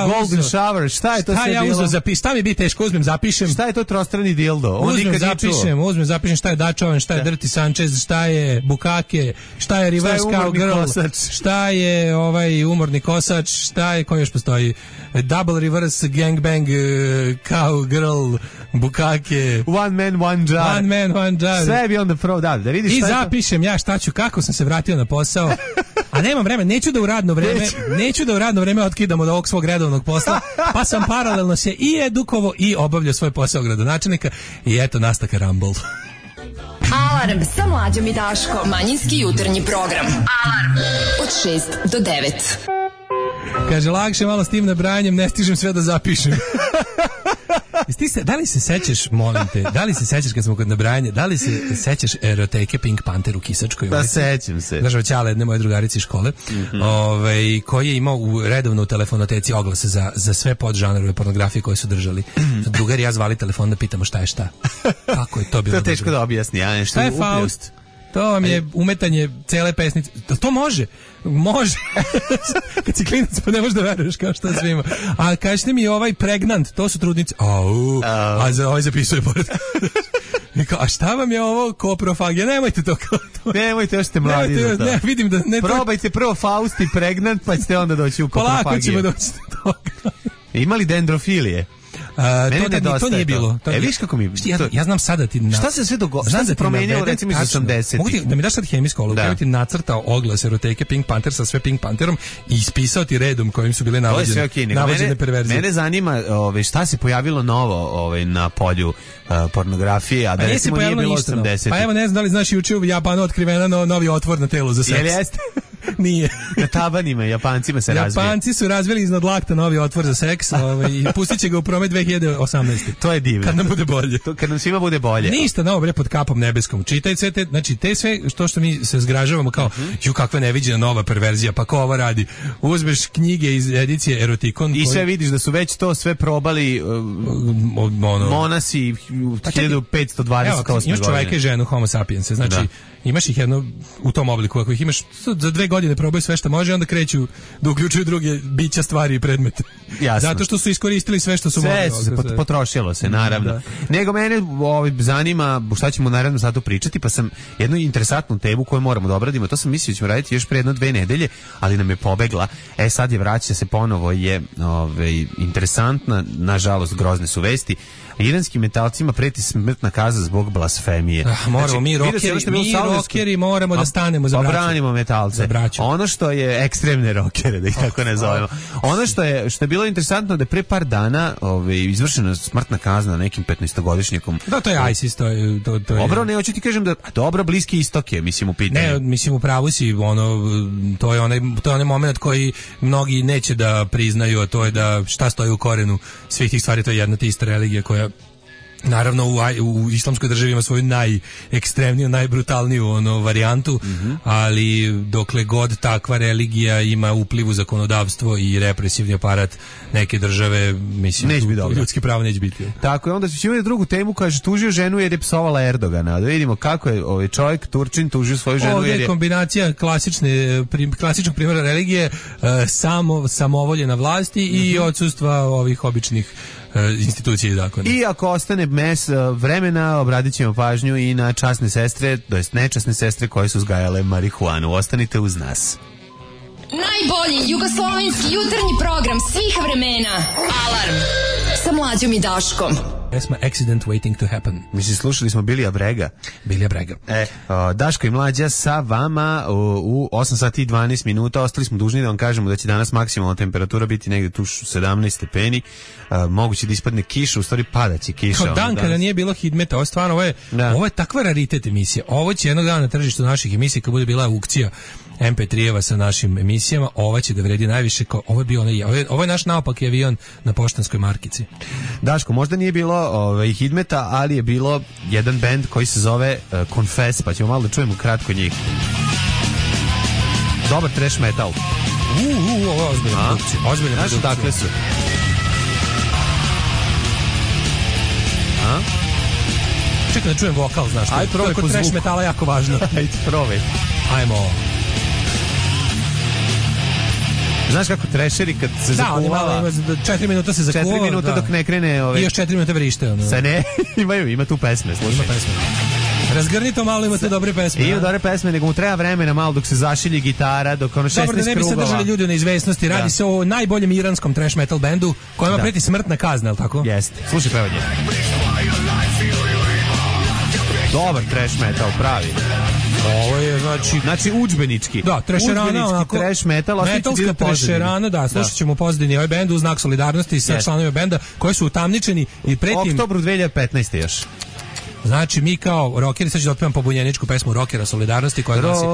golden shower, šta je to sve bilo? Šta mi bi teško, uzmem, zapišem. Šta je to trostrani dildo? Uzmem, zapišem šta je Dačovan, šta je Dirty Sanchez, šta je Bukake, šta je Reverse Cowgirl, šta je umorni kosač, šta je, koji još postoji, Double Reverse Gangbang, Cowgirl, Bukake, One Man, One Jar. Sve bi onda pro, da vidiš šta je to. I zapišem ja šta ću, kako sam se vratio na posao. A A nemam vremena, neću da u radno vreme otkidam od ovog svog redovnog posla, pa sam paralelno se i edukovao i obavljao svoj posao gradonačelnika i eto nastaka Rumble. Alarm sa Mlađom i Daškom. Manjinski jutarnji program. Alarm od 6 do 9. Kaže, lakše malo s tim nabrajanjem, ne stižem sve da zapišem. Da li se sećaš, molim te, da li se sećaš kad smo kod nabrajanja, da li se sećaš eroteke Pink Panther u Kisačkoj? Da, sećam se. Znaš, ćale jedne moje drugarice iz škole, koji je imao redovno u telefonoteci oglase za sve podžanrove pornografije koje su držali. Drugar i ja zvali telefon da pitamo šta je šta. Kako je to bilo? To je teško da objasni, ja nešto. Šta je Faust? To vam je umetanje cele pesnice. To može. Može. Kad si klinac pa ne možeš da veruješ kao što svima. A kažete mi ovaj pregnant, to su trudnice. Ovaj zapisuje pored. A šta vam je ovo koprofagija? Nemojte to kao to. Nemojte, još ste mladi za to. Ne, vidim da ne. Probajte prvo Faust i pregnant, pa ćete onda doći u koprofagiju. Polako ćemo doći do toga. Imali dendrofilije? To nije bilo. Viš kako mi... Ja znam sada ti... Šta se sve dogodilo? Šta se promenilo recimo iz 80-ih? Mogu ti da mi daš sad hemijsku ologu, ja ti nacrtao oglas eroteke Pink Panther sa sve Pink Pantherom i ispisao ti redom kojim su bile navođene perverzije. Mene zanima šta se pojavilo novo na polju pornografije, a da recimo nije bilo 80-ih. Pa evo, ne znam da li znaš, juče u Japanu otkrivena novi otvor na telu za seks. Jel jeste? Nije. Na tabanima, Japancima se razvije. Japanci su razvili iznad lakta novi otvor za seks i pustit će ga u promet 2018. To je divno. Kad nam bude bolje. Kad nam svima bude bolje. Ništa novo bre pod kapom nebeskom. Čitaj sve te, znači te sve što mi se zgražavamo kao ju kakva neviđena nova perverzija, pa ko ovo radi? Uzmeš knjige iz edicije Erotikon i sve vidiš da su već to sve probali monasi 1528 godine. Imaš čoveka i ženu Homo sapiens, znači imaš ih jedno u tom obliku, ako ih imaš za 2 godine probaju sve što može, onda kreću da uključuju druge bića, stvari i predmete. Jasno. Zato što su iskoristili sve što su mogli. Sve potrošilo se, naravno. Nego mene zanima šta ćemo naravno sad pričati, pa sam jednu interesantnu temu koju moramo da obradimo, to sam mislio da ćemo raditi još pre 1-2 nedelje, ali nam je pobegla. Sad je vraća se ponovo, je interesantna, nažalost grozne su vesti. Iranskim metalcima preti smrtna kazna zbog blasfemije. Moramo mi rokeri moramo da stanemo za braću. Obranimo metalce. Ono što je ekstremne rokere, da ih tako nazovemo. Ono što je bilo interesantno da pre par dana izvršena smrtna kazna nekim 15-godišnjakom. Da, to je ISIS, to je. Dobro, ne hoću ti kažem da dobro Bliski istok je, mislim u pitanju. Ne, mislim u pravu si, to je onaj moment koji mnogi neće da priznaju, a to je da šta stoji u korenu svih tih stvari, to je jedna te ista religija koja naravno u islamskoj državi ima svoju najekstremniju, najbrutalniju varijantu, ali dokle god takva religija ima upliv u zakonodavstvo i represivni aparat neke države, mislim, ljudski pravo neće biti. Tako je, onda ćemo imati drugu temu, kaže, tužio ženu jer je psovala Erdogana. Da vidimo kako je ovaj čovjek, Turčin, tužio svoju ženu jer je... Ovdje je kombinacija klasičnog primjera religije, samovolje na vlasti i odsustva ovih običnih institucije i zakona. I ako ostane vremena, obradit ćemo pažnju i na časne sestre, to jest nečasne sestre koje su uzgajale marihuanu. Ostanite uz nas. Najbolji jugoslovenski jutarnji program svih vremena. Alarm sa Mlađom i Daškom. Pesma Accident Waiting to Happen. Mislim, slušali smo Bilija Brega. Daško i Mlađa sa vama u 8 sati i 12 minuta. Ostali smo dužni da vam kažemo da će danas maksimalna temperatura biti negde tu 17 stepeni. Moguće da ispadne kiša, u stvari padaće kiša. Kao dan kada nije bilo hidmeta, ovo je takva raritet emisija. Ovo će jednog dana na tržištu naših emisija, kad bude bila aukcija MP3-eva sa našim emisijama, ova će da vredi najviše. Ovo je naš naopaki avion na poštanskoj markici. Daško, možda nije bilo hidmeta, ali je bilo jedan bend koji se zove Confess, pa ćemo malo da čujemo kratko njih. Dobar trash metal. Ovo je ozbiljna produkcija. Znaš odakle su? Čekaj da čujem vokal, znaš. Ajde, probaj po zvuku. Trash metala jako važno. Ajde, probaj. Ajmo. Znaš kako trešeri kad se zakuvala... 4 minuta se zakuvala. 4 minuta dok ne krene... I još 4 minuta vrište. Sa ne, ima tu pesme, slušaj. Ima pesme. Razgrni to malo, ima tu dobre pesme. Ima dobre pesme, nego mu treba vremena malo dok se zašilji gitara, dok ono 16 krugova. Dobro, da ne bi se držali ljudi u neizvesnosti. Radi se o najboljem iranskom trash metal bendu kojima preti smrtna kazna, je li tako? Jeste. Slušaj pevanje. Dobar trash metal, pravi. Ovo je, znači udžbenički. Da, trešerana, onako, trash metal, metalska trešerana, da, slušat ćemo pozadini ovaj bend u znak solidarnosti sa članovima benda koji su utamničeni i pretim... Oktobru 2015. još. Znači, mi kao rockeri, sad ću da otpevam pobunjeničku pesmu rockera solidarnosti koja glasi: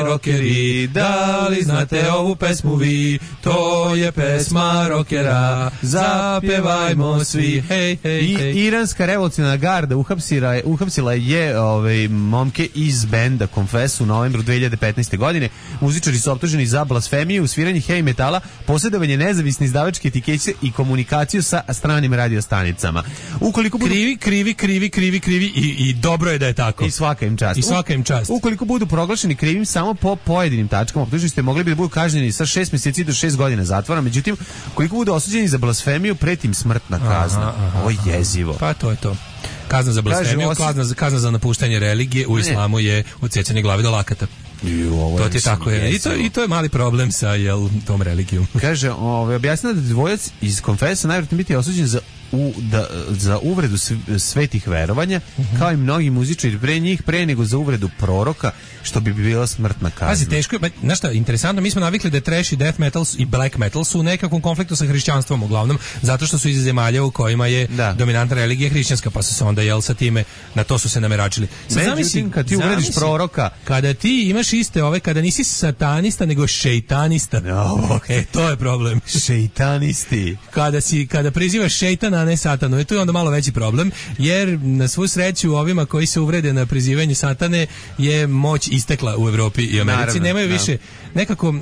Rockeri, da li znate ovu pesmu vi? To je pesma rockera, zapjevajmo svi, hej, hej, hej. Iranska revolucionarna garda uhapsila je momke iz benda Confess u novembru 2015. godine. Muzičari su optuženi za blasfemiju, sviranje heavy metala, posjedovanje nezavisne izdavačke etikete i komunikaciju sa stranim radiostanicama. Ukoliko budu... Krivi i dobro je da je tako. I svaka im čast. Ukoliko budu proglašeni krivim samo po pojedinim tačkama, optuženi ste mogli bi da budu kažnjeni sa 6 mjeseci do 6 godina zatvora. Međutim, koliko budu osuđeni za blasfemiju, pretim smrtna kazna. Ovo je jezivo. Pa to je to. Kazna za blasfemiju, kazna za napuštanje religije u islamu je odsecanje glave do lakata. To ti je tako je. I to je mali problem sa tom religijom. Kaže, objasnila da dvojac iz Confessa najvjerojatnije biti osuđen za uvredu svetih verovanja, kao i mnogi muzičari pre nego za uvredu proroka, što bi bila smrtna kazna. Pazi, teško je, znaš šta, interesantno, mi smo navikli da trash i death metal i black metal su u nekakvom konfliktu sa hrišćanstvom uglavnom, zato što su iz zemalja u kojima je dominantna religija hrišćanska, pa su se onda sada na to su se nameračili. Međutim, kad ti uvrediš proroka, kada ti imaš iste kada nisi satanista nego šejtanista, to je problem. Šejtanisti. Kada prizivaš šejtana, a ne satanu, to je onda malo veći problem, jer na svu sreću ovima koji se uvrede na prizivanje satane je moć istekla u Evropi i Americi. Naravno, nemaju više nekako,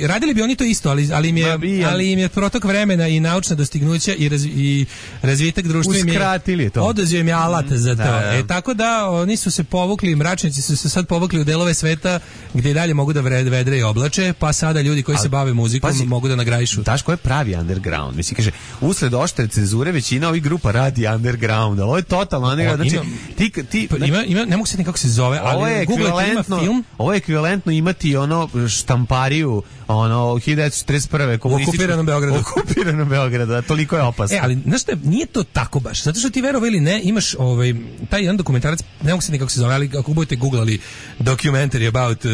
radili bi oni to isto, ali im je protok vremena i naučna dostignuća i razvitak društva im je oduzeo im je alat za to. Tako da oni su se povukli, mračnici su se sad povukli u delove sveta gdje i dalje mogu da vedre i oblače, pa sada ljudi koji se bave muzikom mogu da nagrajišu. Daš ko je pravi underground? Mislim, kaže, usled oštre cenzure većina ovih grupa radi underground, ali ovo je totalno underground. Ne mogu se nikako se zove, ali Google ima film. Ovo je ekvivalentno imati štampariju 1941. u okupiranom Beogradu, toliko je opasno. Ali znaš šta, nije to tako baš, zato što ti verovo ili ne, imaš taj jedan dokumentarac, ne mogu se nikako se zove, ali ako budete googlali documentary about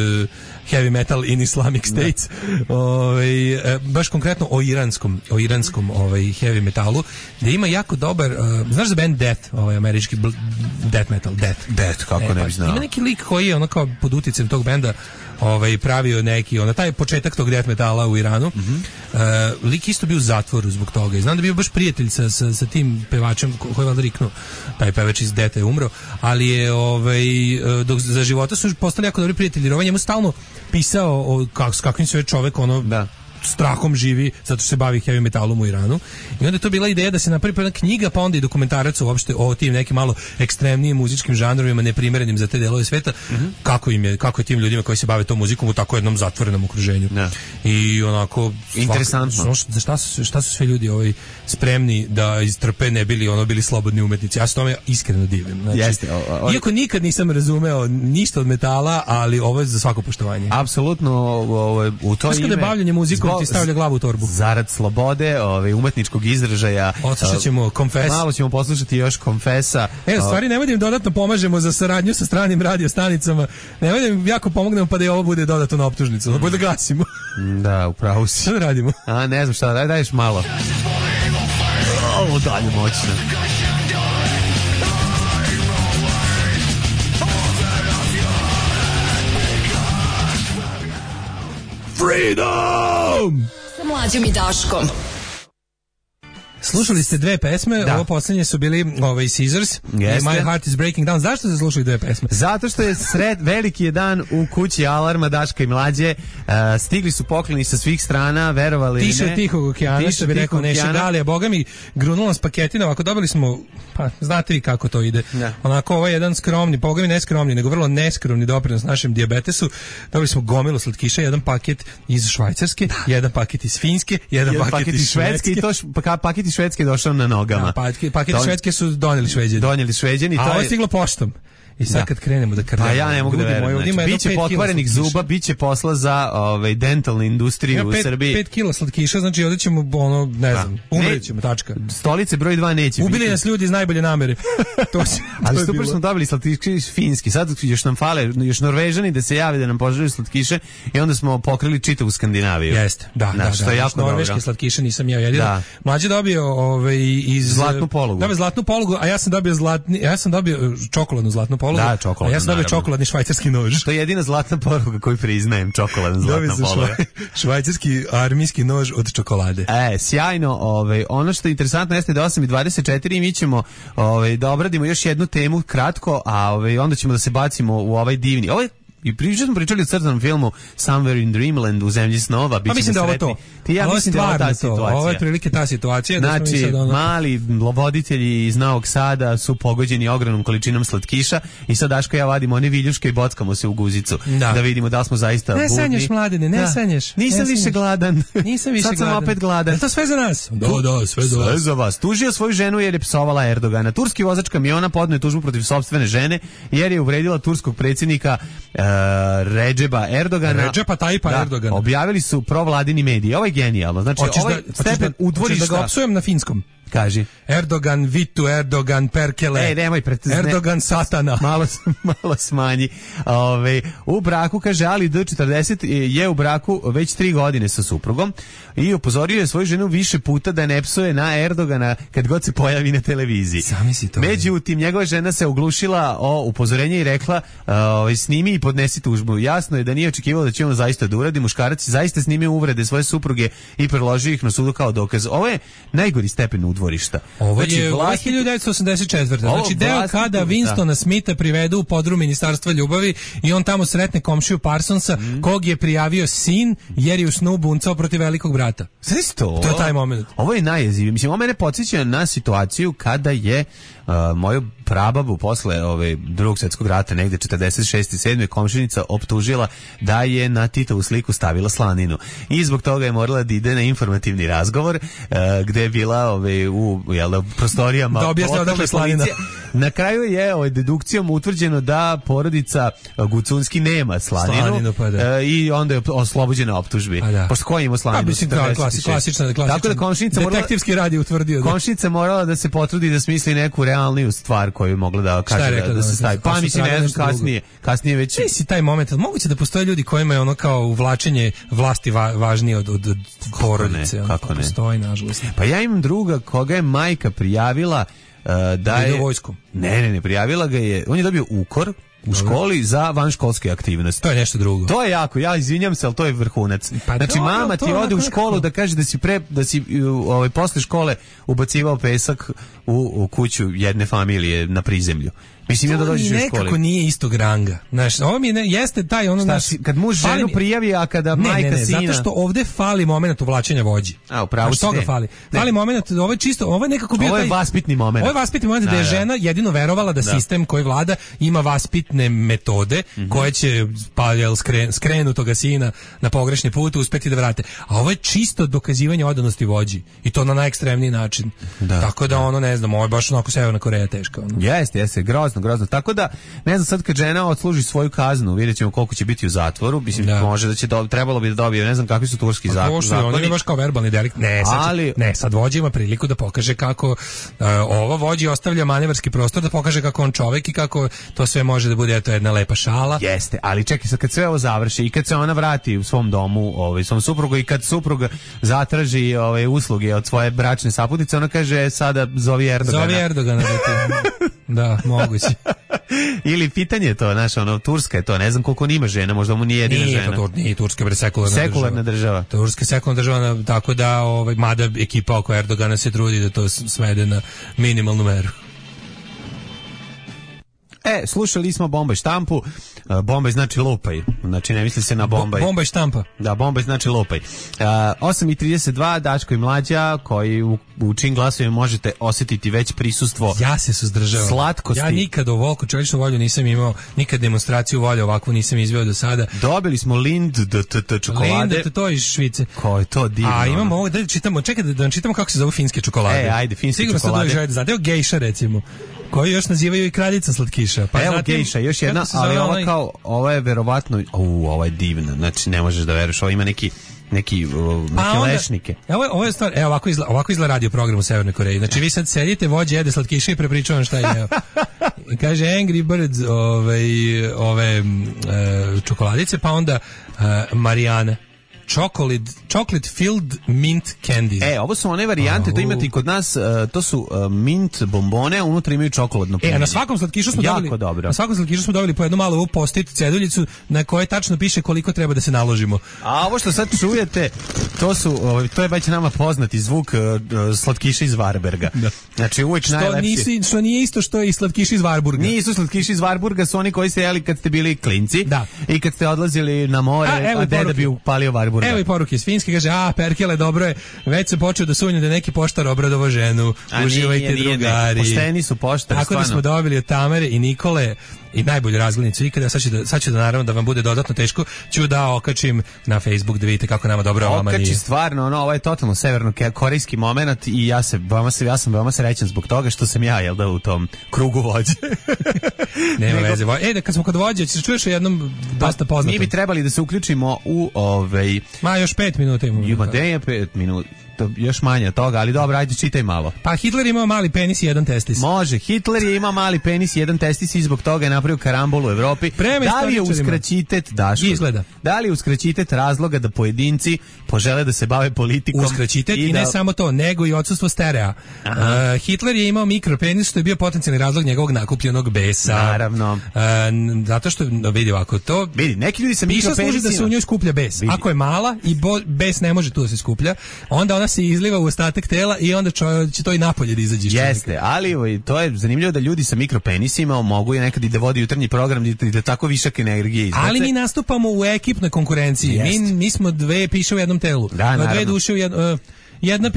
heavy metal in Islamic States, baš konkretno o iranskom heavy metalu, gdje ima jako dobar, znaš za band Death, američki death metal, Death, kako ne bi znao. Ima neki lik koji je kao pod utjecajem tog benda pravio neki, taj početak tog death metala u Iranu. Lik isto bio u zatvoru zbog toga. I znam da bio baš prijatelj sa tim pevačem koji je valjda riknuo. Taj pevač iz Death je umro, ali je dok za života su postali jako dobri prijatelji. Jer njemu stalno pisao s kakvim sve čovek strahom živi, zato što se bavi heavy metalom u Iranu. I onda je to bila ideja da se napravi jedna knjiga, pa onda i dokumentarac uopšte o tim nekim malo ekstremnijim muzičkim žanrovima, neprimerenim za te delove sveta, kako je tim ljudima koji se bave tom muzikom u tako jednom zatvorenom okruženju. I onako interesantno. Šta su sve ljudi spremni da istrpe, ne bili slobodni umetnici. Ja se tome iskreno divim. Znači, iako nikad nisam razumeo ništa od metala, ali ovo je za svako poštovanje. Apsolutno, u to ime bavljanje muzikom ti stavlja glavu u torbu. Zarad slobode, umetničkog izražaja. Odslušat ćemo Confess. Malo ćemo poslušati još Confessa. Stvari nemoj da im dodatno pomažemo za saradnju sa stranim radiostanicama. Nemoj da im jako pomognemo pa da i ovo bude dodatno na optužnicu. Bude da gasimo. Da, upravo si. Šta da radimo? Ne znam šta, daješ malo. Ovo dalje moćno. Freedom! Sa Mlađom i Daškom. Slušali ste dve pesme, ovo posljednje su bili Scissors i My Heart is Breaking Down. Zašto ste slušali dve pesme? Zato što je veliki je dan u kući Alarma, Daška i Mlađe. Stigli su pokloni sa svih strana, verovali ili ne. Tiše Tihog okeana, što bi rekao Neša Dalija. Boga mi, grunula s paketina, ako dobili smo, pa znate vi kako to ide. Onako, ovo je jedan skromni, Boga mi ne skromni, nego vrlo neskromni doprinos našem dijabetesu. Dobili smo gomilu slatkiša, jedan paket iz Švajcarske, jedan paket iz Finske, jedan paket iz Švedske. I to paket iz Švedske došao na nogama. Paket Švedske su donijeli Šveđani. A ovo je stiglo poštom. I sad kad krenemo da krnemo. Pa ja ne mogu da verujem. Znači, biće pokvarenih zuba, biće posla za dentalnu industriju u Srbiji. 5 kila slatkiša, znači ovdje ćemo, ne znam, umrećemo, tačka. Stolice broj 2 neće biti. Ubili nas ljudi iz najbolje namere. Ali super smo dobili slatkiše finski. Sad još nam fale, još Norvežani da se jave da nam poželju slatkiše i onda smo pokrili čitavu Skandinaviju. Jeste, da. Što je jako dobro. Norveške slatkiše nisam ja jedino. Mlađe dobio iz zlatnu polugu. Dobio zlatnu polugu, a ja sam dobio čokoladnu zlatnu polugu. Da, čokoladnu. A ja sam dobio čokoladni švajcarski nož. To je jedina zlatna poluga koju priznajem, čokoladna zlatna poluga. Švajcarski armijski nož od čokolade. Sjajno. Ono što je interesantno jeste da 8:24 mi ćemo da obradimo još jednu temu kratko, a onda ćemo da se bacimo u ovaj divni. I smo pričali o crtanom filmu Somewhere in Dreamland, u zemlji snova. Pa mislim da je ovo to. Ja mislim da je ovo ta situacija. Ovo je prilike ta situacija. Znači, mali voditelji iz Novog Sada su pogođeni ogromnom količinom slatkiša i sad Daško ja vadimo one viljuške i bockamo se u guzicu. Da vidimo da li smo zaista budni. Ne sanješ, Mladene, ne sanješ. Nisam više gladan. Sad sam opet gladan. Je to sve za nas? Da, sve za vas. Tužio svoju ženu jer je psovala Erdogana. Turski vozač kamiona podneo je tužbu protiv sopstvene žene jer je uvredila turskog predsjednika Redžepa Erdogana. Redžepa Tajpa Erdogana. Objavili su provladini mediji. Ovo je genijalno. Znači, ovaj stepen udvorišta. Hoćeš da ga opsujem na finskom? Kaži. Erdogan Vitu, Erdogan Perkele. Nemoj Erdogan Satana. Malo smanji. U braku, kaže, Ali D40 je u braku već 3 godine sa suprugom i upozorio je svoju ženu više puta da ne psuje na Erdogana kad god se pojavi na televiziji. Međutim, njegova žena se oglušila o upozorenje i rekla snimi i podnesi tužbu. Jasno je da nije očekivao da će on zaista da uradi. Muškarac zaista snimio uvrede svoje supruge i preložio ih na sudu kao dokaz. Ovo je najgori stepen udvorišta. Ovo je 1984. Znači deo kada Winstona Smitha privedu u podrum Ministarstva ljubavi i on tamo sretne komšiju Parsonsa kog je prijavio sin jer je u snu buncao protiv velikog brata. To je taj moment. Ovo je najjezivije. Mislim, ovo mene podsjeća na situaciju kada je moju prababu posle Drugog svjetskog rata negde 46. 7. komšinica optužila da je na Titovu sliku stavila slaninu. I zbog toga je morala da ide na informativni razgovor gde je bila u prostorijama lokalne policije. Na kraju je dedukcijom utvrđeno da porodica Gucunski nema slaninu i onda je oslobođena optužbi. Pošto ko ima slaninu? Mislim, klasična. Tako da komšinica detektivski rad je utvrdio. Komšinica morala da se potrudi da smisli neku realniju stvar koju je mogla da kaže da se stavi. Pa mislim, ne znam, kasnije već... Nisi taj moment, moguće da postoje ljudi kojima je ono kao uvlačenje vlasti važnije od porodice. Kako ne? Postoji, nažalost. Pa ja imam druga koga je majka prijavila da je... vojsku. Ne, prijavila ga je, on je dobio ukor u školi za vanškolske aktivnosti. To je nešto drugo. To je jako, ja izvinjam se, ali to je vrhunac. Pa znači, mama ti ode u školu da kaže da si posle škole ubacivao pesak u kuću jedne familije na prizemlju. Mislim da dođeš u školi. Nekako nije istog ranga. Znaš, ovo mi jeste taj ono naš... Kad muž ženu prijavi, a kada majka sina... zato što ovde fali moment uvlačenja vođi. Upravo si ne. Fali. Fali moment, ovo je čisto, ovo je nekako bio taj... Ovo je vaspitni moment. Ovo je vaspitni moment da je žena jedino verovala da sistem koji vlada ima vaspitne metode koje će skrenutoga sina na pogrešni put uspeti da vrate. A ovo je čisto dokazivanje odanosti vođi. I to na najekstremniji način. Tako da ono, ne znam, ovo je baš onako Severna Koreja teška. Jeste, grozno. Tako da, ne znam, sad kad žena odsluži svoju kaznu, vidjet ćemo koliko će biti u zatvoru, mislim, može da će, trebalo bi da dobije, ne znam kakvi su turski zakoni. On je baš kao verbalni delikt. Sad vođa ima priliku da pokaže kako ova vođi ostavlja manevarski prostor, da pokaže kako on čovek i kako to sve može da bude jedna lepa šala. Jeste, ali čekaj sad, kad sve ovo završi i kad se ona vrati u svom domu, svom suprugu i kad suprug zatraži usluge od svoje bračne saputnice, ona kaže sada zovi Erdogana. Da, moguće. Ili pitanje je to, znaš, Turska je to, ne znam koliko on ima žena, možda mu nije jedina žena. Nije Turska, bre, sekularna država. Turska je sekularna država, tako da, mada ekipa oko Erdogana se trudi da to svede na minimalnu meru. Slušali smo Bombaj štampu. Bombaj znači lupaj. Znači ne misli se na Bombaj. Bombaj štampa. Da, Bombaj znači lupaj. 8:32, Daško i Mlađa, koji u čim glasovima možete osjetiti već prisustvo. Ja se suzdržavam. Slatkosti. Ja nikad ovoliko čovječnu volju nisam imao, nikad demonstraciju volje ovakvu nisam izveo do sada. Dobili smo Lind čokolade. Lind, to iz Švice. Ko je to divno. A imamo ovo, da čitamo, čekaj da čitamo kako se zove finske čokolade. Ajde, finske čokolade. Sigurno ste dođe da znate, gejša recimo. Koji još nazivaju i kraljica slatkiša. Pa evo zatim, gejša, još jedna, ali ovo je verovatno, ovo je divno, znači ne možeš da veruješ, ovo ima neke lešnike. Ovo je stvar, ovako izgleda radio program u Severnoj Koreji. Znači vi sad sedite, vođe jede slatkiše i prepričavam šta je. I kaže Angry Birds ove čokoladice, pa onda Marijana. Chocolate filled mint candies. Ovo su one varijante, to imate i kod nas, to su mint bombone, a unutra imaju čokoladno punjenje. A na svakom slatkišu smo dobili. Dobro. Na svakom slatkišu smo dobili po jednu malu post-it ceduljicu na kojoj tačno piše koliko treba da se naložimo. A ovo što sad čujete, to je već nama poznati zvuk slatkiša iz Varberga. Da. Znači uvijek najlepši. Što nije isto što i slatkiši iz Varburga. Nisu slatkiši iz Varburga, su oni koji ste jeli kad ste bili klinci. Da. I kad ste odlazili na more, a deda bi upalio Varburga. Evo i poruke iz Finske, kaže, Perkele, dobro je, već se počeo da sumnja da neki poštar obradovo ženu, uživajte drugari. Pošteni su poštari, tako stvarno. Da smo dobili od Tamare i Nikole i najbolju razglednicu ikada, sad ću da naravno da vam bude dodatno teško, ću da okačim na Facebook da vidite kako nama dobro vama nije. Okači stvarno, ovo je totalno severno-korejski moment i ja sam veoma srećan zbog toga što sam ja, jel da, u tom krugu vođe. Nema veze. Kad smo kod vođe, ćeš čuješ o jednom dosta poznatom. Mi bi trebali da se uključimo u još 5 minuta imamo. Ima 5 minuta. Još manje od toga, ali dobro, ajde čitaj malo. Pa Hitler imao mali penis i jedan testis. Može, Hitler je imao mali penis i jedan testis i zbog toga je napravio karambol u Evropi. Da li je uskraćitet, Daško? Izgleda. Da li je uskraćitet razloga da pojedinci požele da se bave politikom? Uskraćitet i ne samo to, nego i odsustvo sterea. Hitler je imao mikropenis, što je bio potencijalni razlog njegovog nakupljenog besa. Naravno. Zato što, vidi ovako, to... Vidi, neki ljudi sa mikropenisima... služi da se u njoj skuplja bes. Vidi. Ako je mala i bes ne može tu da se skuplja, onda ona se izliva u ostatak tela i onda će to i napolje da izađe iz čovjeka. Jeste, ali to je zanimljivo da ljudi sa mikropenisima mogu nekad i da vodi jutarnji program i da tako višak energije izbace. Ali mi nastupamo u ekipnoj konkurenciji. Mi smo dve piše u jednom telu. Da, dve duše u jednom... Jedna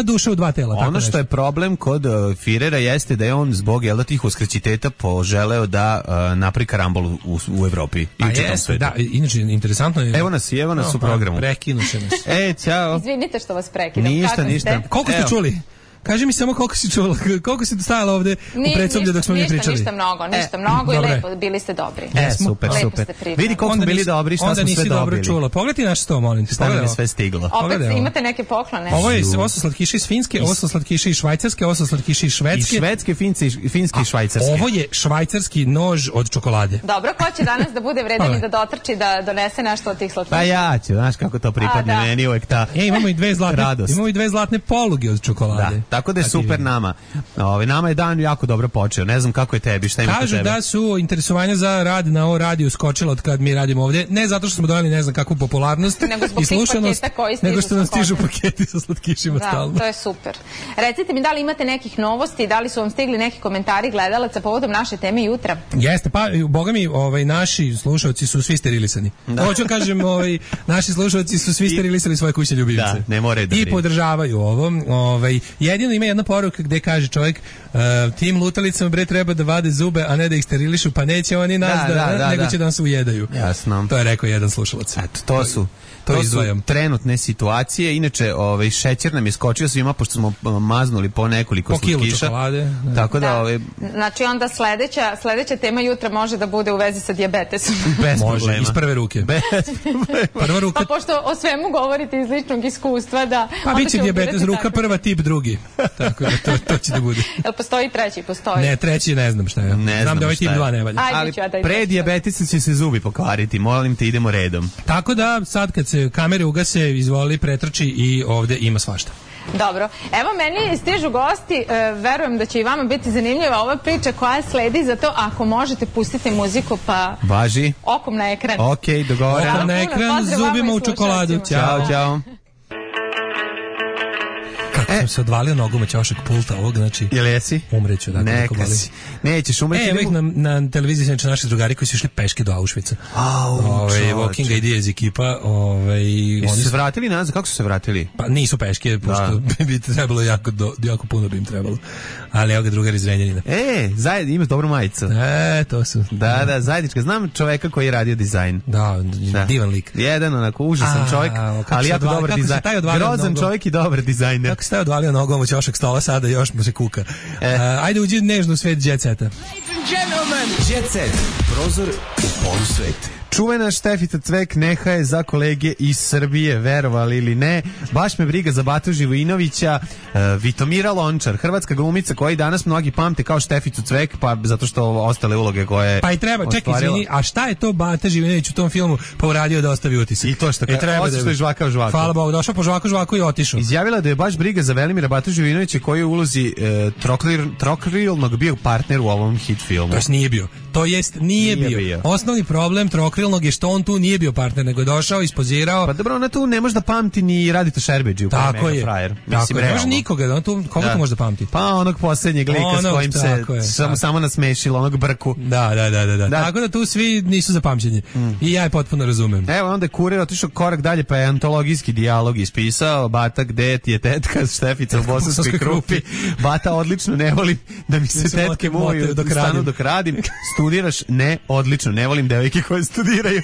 duša u dva tela. Ono što je problem kod Firera jeste da je on zbog tih uskraćiteta poželeo da napravi karambol u Evropi i u čitavom svetu. Da, inače interesantno je. Evo nas u programu. Prekinuše nas. Ćao. Izvinite što vas prekidam. Ništa. Koliko ste čuli? Kaži mi samo koliko si čula, koliko si stajala ovde u predsoblju dok smo mi pričali. Ništa mnogo i lepo, bili ste dobri. Super. Vidi koliko smo bili dobri, šta smo sve dobili. Onda nisi dobro čula. Pogledaj naš sto, molim te. Šta nam je sve stiglo. Opet imate neke poklone. Ovo su slatkiše iz Finske, ovo su slatkiše iz Švajcarske, ovo su slatkiše iz Švedske. I Švedske, Finske i Švajcarske. Ovo je švajcarski nož od čokolade. Dobro, ko će danas da bude vredan i da dotrči da donese nešto od tih slatkiša? Pa ja ću, znaš kako to pripadne meni uvek ta radost. Imamo i dve zlatne poluge od čokolade. Tako da je super nama. Nama je dan jako dobro počeo. Ne znam kako je tebi, šta ima kod tebe. Kažu da su interesovanja za rad na ovo radiju skočila od kad mi radimo ovdje. Ne zato što smo dojeli ne znam kakvu popularnost i slušanost, nego što nam stižu paketi sa slatkišima stalno. Da, to je super. Recite mi da li imate nekih novosti, da li su vam stigli neki komentari gledalaca povodom naše teme jutra? Jeste, pa boga mi naši slušalci su svi sterilisani. Hoću kažem, naši slušalci su svi sterilisali svoje kućne ljubimce. Da, ne more da i podržavaju ovo. Jedino ima jedna poruka gde kaže čovjek, tim lutalicama bre treba da vade zube, a ne da ih sterilišu, pa neće oni nas nego će da nas ujedaju. Jasno. To je rekao jedan slušalac. Eto, to su trenutne situacije. Inače, šećer nam je skočio svima pošto smo maznuli po nekoliko slatkiša. Čokolade. Tako da znači onda sledeća tema jutra može da bude u vezi sa dijabetesom. Bez može, iz prve ruke. Prva ruka. Pa pošto o svemu govorite iz ličnog iskustva da... Pa biće dijabetes ruka prva, tip drugi. Tako da to će da bude. Jel postoji treći? Postoji. Ne, treći ne znam šta je. Znam da ovaj tip 2 ne valja. Ali pre dijabetesa će se zubi pokvariti. Molim te, idemo redom. Tako da sad kad se kamere ugase, izvoli, pretrči i ovde ima svašta. Dobro. Evo meni stižu gosti, verujem da će i vama biti zanimljiva ova priča koja sledi, zato ako možete pustiti muziku pa... Važi. Okom na ekran. Ok, dogovoreno. Okom na ekran, zubima u čokoladu. Ćao. Kako sam se odvalio nogom od ćošak pulta ovog, znači... Jel jesi? Umreću, dakle. Neka si. Nećeš umreći. Evo ih na televiziji znači naši drugari koji su išli peške do Auschwitza. Walking Ideas ekipa. Oni su se vratili nazad? Kako su se vratili? Pa nisu peške, pošto bi trebalo jako puno bi im trebalo. Ali evo ga drugari iz Renjanina. Imaš dobru majicu. To su. Da, zajednička. Znam čoveka koji je radio dizajn. Da, divan lik. Jedan onako užasan čovjek, ali jako dobar dizajn. Grozan čovjek i dobar dizajner. Kako se je odvalio nogom u ćošak stola, sada još mu se kuka. Ajde uđi nežno u svet Jet Seta. Ladies and gentlemen, Jet Set, prozor u polusvet. Čuvena Štefica Cvek neha je za kolege iz Srbije, verovali ili ne. Baš me briga za Batu Živojinovića. Vitomira Lončar, hrvatska glumica koja i danas mnogi pamte kao Šteficu Cvek, pa zato što ostale uloge koje pa i treba, čekaj, izvini, a šta je to Bata Živojinović u tom filmu pa uradio da ostavi utisak? I to što je žvakao žvaku. Hvala Bogu, došao po žvaku i otišao. Izjavila da je baš briga za Velimira Batu Živojinovića koji je u ulozi trokrilnog bio partner u ovom hit filmu. To nije bio. To jest nije bio. Osnovni problem trokrilnog je što on tu nije bio partner, nego je došao, ispozirao. Pa dobro, ona tu ne može da pamti ni Radita Šerbeđi u kojem je frajer. Tako je, ne može nikoga, on tu, koga tu može da pamti? Pa onog posljednjeg lika s kojim se samo nasmešilo, onog Brku. Da. Tako da tu svi nisu za pamćenje. I ja je potpuno razumem. Evo, onda je Kurir otišao korak dalje, pa je antologijski dijalog ispisao. Bata, gde ti je tetka Štefica u Bosanskoj Krupi? Bata, odlično, ne volim da mi se tetke muju stanu dok radim. Studiraš? Ne, odlično, ne volim devojke koje studiraju.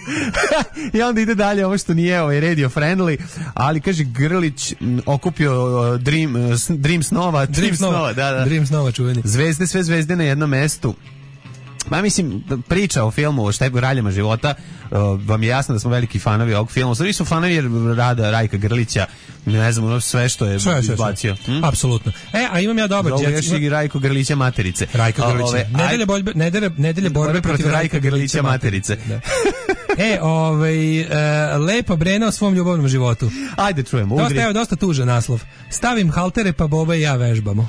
I onda ide dalje ovo što nije radio friendly, ali kaže Grlić okupio Dream snova, Dream snova čuveni. Zvezde, sve zvezde na jednom mestu. Ma mislim, priča o filmu o Raljama života, vam je jasno da smo veliki fanovi ovog filma. Svi su fanovi rada Rajka Grlića, ne znam, sve što je izbacio. Apsolutno. A imam ja dobar jet. Još i Rajko Grlića materice. Rajka Grlića. Nedelje borbe protiv Rajka Grlića materice. Lepa Brena o svom ljubavnom životu. Ajde čujemo. Dosta tužan naslov. Stavim haltere pa Boba i ja vežbamo.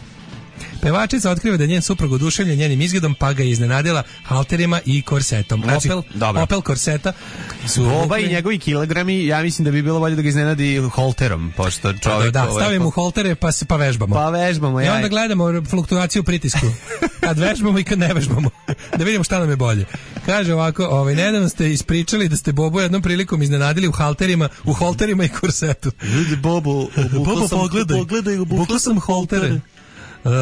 Pevačica otkriva da je njen suprug oduševljen njenim izgledom, pa ga je iznenadila halterima i korsetom. Znači, Opel korseta su... Boba i njegovi kilogrami, ja mislim da bi bilo bolje da ga iznenadi holterom, pošto čovjek... Da, stavimo haltere pa vežbamo. Pa vežbamo, I onda gledamo fluktuaciju pritisku. Kad vežbamo i kad ne vežbamo. Da vidimo šta nam je bolje. Kaže ovako, nedavno ste ispričali da ste Bobu jednom prilikom iznenadili u halterima i korsetu. Ljudi, Bobo, pogledaj, obukla sam haltere.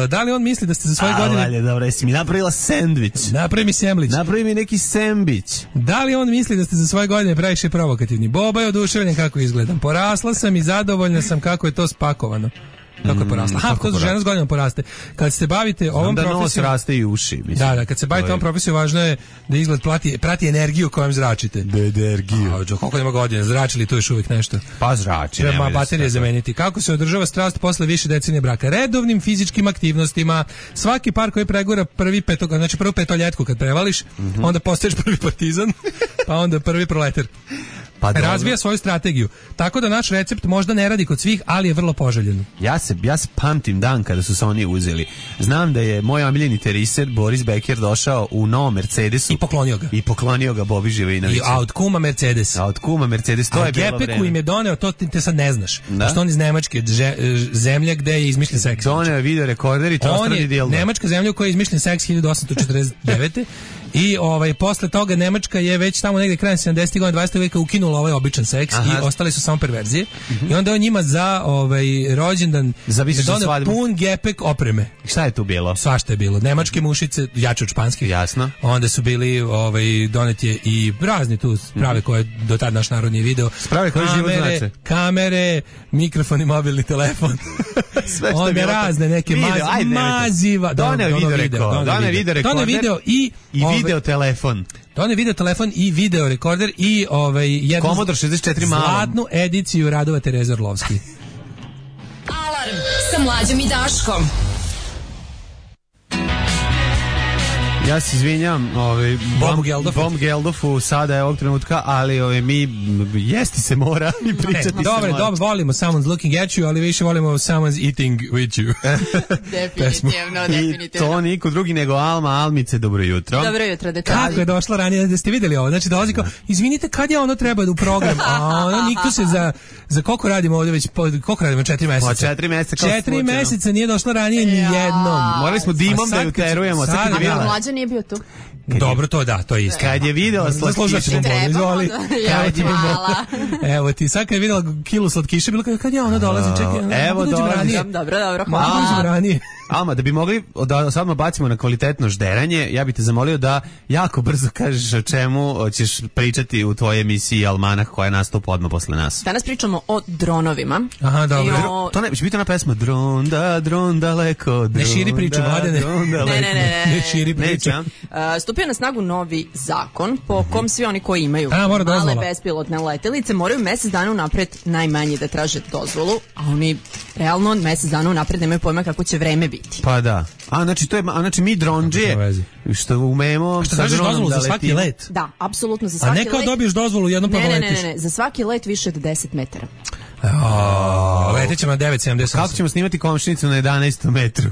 Da li on misli da ste za svoje godine... Dobro, jesi mi napravila sendvič. Napravi mi semlić. Napravi mi neki sembić. Da li on misli da ste za svoje godine previše provokativni? Boba je oduševljen kako izgledam. Porasla sam i zadovoljna sam kako je to spakovano. Kako je porasla? To žena s godinom poraste. Kad se bavite ovom profesijom... nos raste i uši. Mislim. Da, kad se bavite ovom profesijom, važno je da izgled prati energiju kojom zračite. Energiju. Koliko ima godina? Zračili tu još uvijek nešto? Pa zrači. Treba baterije zameniti. Kako se održava strast posle više decenije braka? Redovnim fizičkim aktivnostima. Svaki par koji pregura prvu petoljetku kad prevališ, onda postaješ prvi partizan, pa onda prvi proletar. Razvija svoju strategiju. Tako da naš recept možda ne radi kod svih, ali je vrlo poželjen. Ja se pamtim dan kada su se oni uzeli. Znam da je moj omiljeni teriser Boris Becker došao u novom Mercedesu i poklonio ga Bobi Živojinoviću. A od kuma Mercedes. To je bilo vreme. Gepeku im je doneo, to te sad ne znaš. Što on iz Nemačke, zemlja gde je izmišljen seks. Doneo je video rekorder i trostrani dildo. On je Nemačka zemlja u kojoj je izmišljen seks 1849. I posle toga Nemačka je već tamo negde krajem 70. godina 20. veka ukinula ovaj običan seks i ostali su samo perverzije. I onda on njima za rođendan doneo pun gepek opreme. Šta je tu bilo? Svašta je bilo. Nemačke mušice, jače od španskih. Jasno. Onda su bili doneti je i razni tu sprave koje do tad naš narod nije video. Sprave koje život znače. Kamere, mikrofon i mobilni telefon. Sve što je bilo. Razne neke maziva. Doneo video i video telefon. To je video telefon i video rekorder i jednu Commodore 64 malo. Zlatnu ediciju radova Tereze Orlovski. Alarm sa Mlađom i Daškom. Ja se izvinjam Bob Geldofu sada je ovog trenutka, ali mi jesti se mora i pričati se mora. Dobro, volimo Someone's Looking at You, ali više volimo Someone's Eating with You. Definitivno. I to niko drugi nego Almice, dobro jutro. Dobro jutro, dečki. Kako je došla ranije, da ste vidjeli ovo? Znači dolazi kao, izvinite, kad je ono treba u program? A ono nikto se za koliko radimo ovdje već, koliko radimo, 4 meseca? Po 4 meseca. 4 meseca nije došla ranije ni jednom. Morali smo dimom da ju terujemo. Mlađan nije bio tu. Dobro, to da, to je isto. Kad je video slatkiše, izvoli. Evo ti, sad kad je videla kilu slatkiše, bilo kad ja ona dolazim, čekaj. Evo dolazim. Dobro, hvala. Alma, da bi mogli da sad bacimo na kvalitetno žderanje, ja bih te zamolio da jako brzo kažeš o čemu ćeš pričati u tvojoj emisiji Almanah koja nastupa odmah posle nas. Danas pričamo o dronovima. Aha, dobro. To ne, će biti ona pesma Dron daleko. Ne širi priču, Mladene. Ne širi priču. Stupio na snagu novi zakon po kom svi oni koji imaju male bespilotne letelice moraju mesec dana unapred najmanje da traže dozvolu, a oni realno mesec dana unapred nemaju pojma kako će vreme biti. Pa da. Znači mi dronđije što umemo sa dozvolu za svaki let. Da, apsolutno za svaki let. A ne kao dobiješ dozvolu jednom pa poletiš. Ne, za svaki let više od 10 metara. Letit ćemo na 9,78. Kako ćemo snimati komšinicu na 11 metru?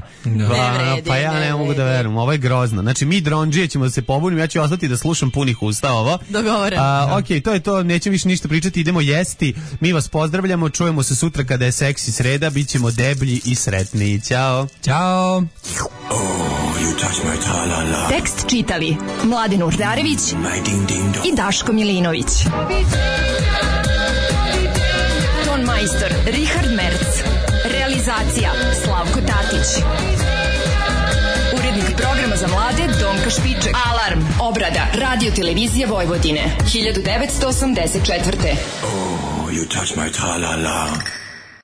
Pa ja ne mogu da verujem, ovo je grozno. Znači mi dronđije ćemo da se pobunimo, ja ću ostati da slušam punih usta ovo. Dogovoreno. Ok, to je to, nećemo više ništa pričati, idemo jesti. Mi vas pozdravljamo, čujemo se sutra kada je seksi sreda, bit ćemo deblji i sretni. Ćao. Ćao. Tekst čitali Mladin Urdarević i Daško Milinović. Ton majstor Richard Merc. Realizacija Slavko Tatić. Urednik programa za mlade Donka Špiček. Alarm. Obrada Radio Televizije Vojvodine 1984. Oh, you touch my tra-la-la.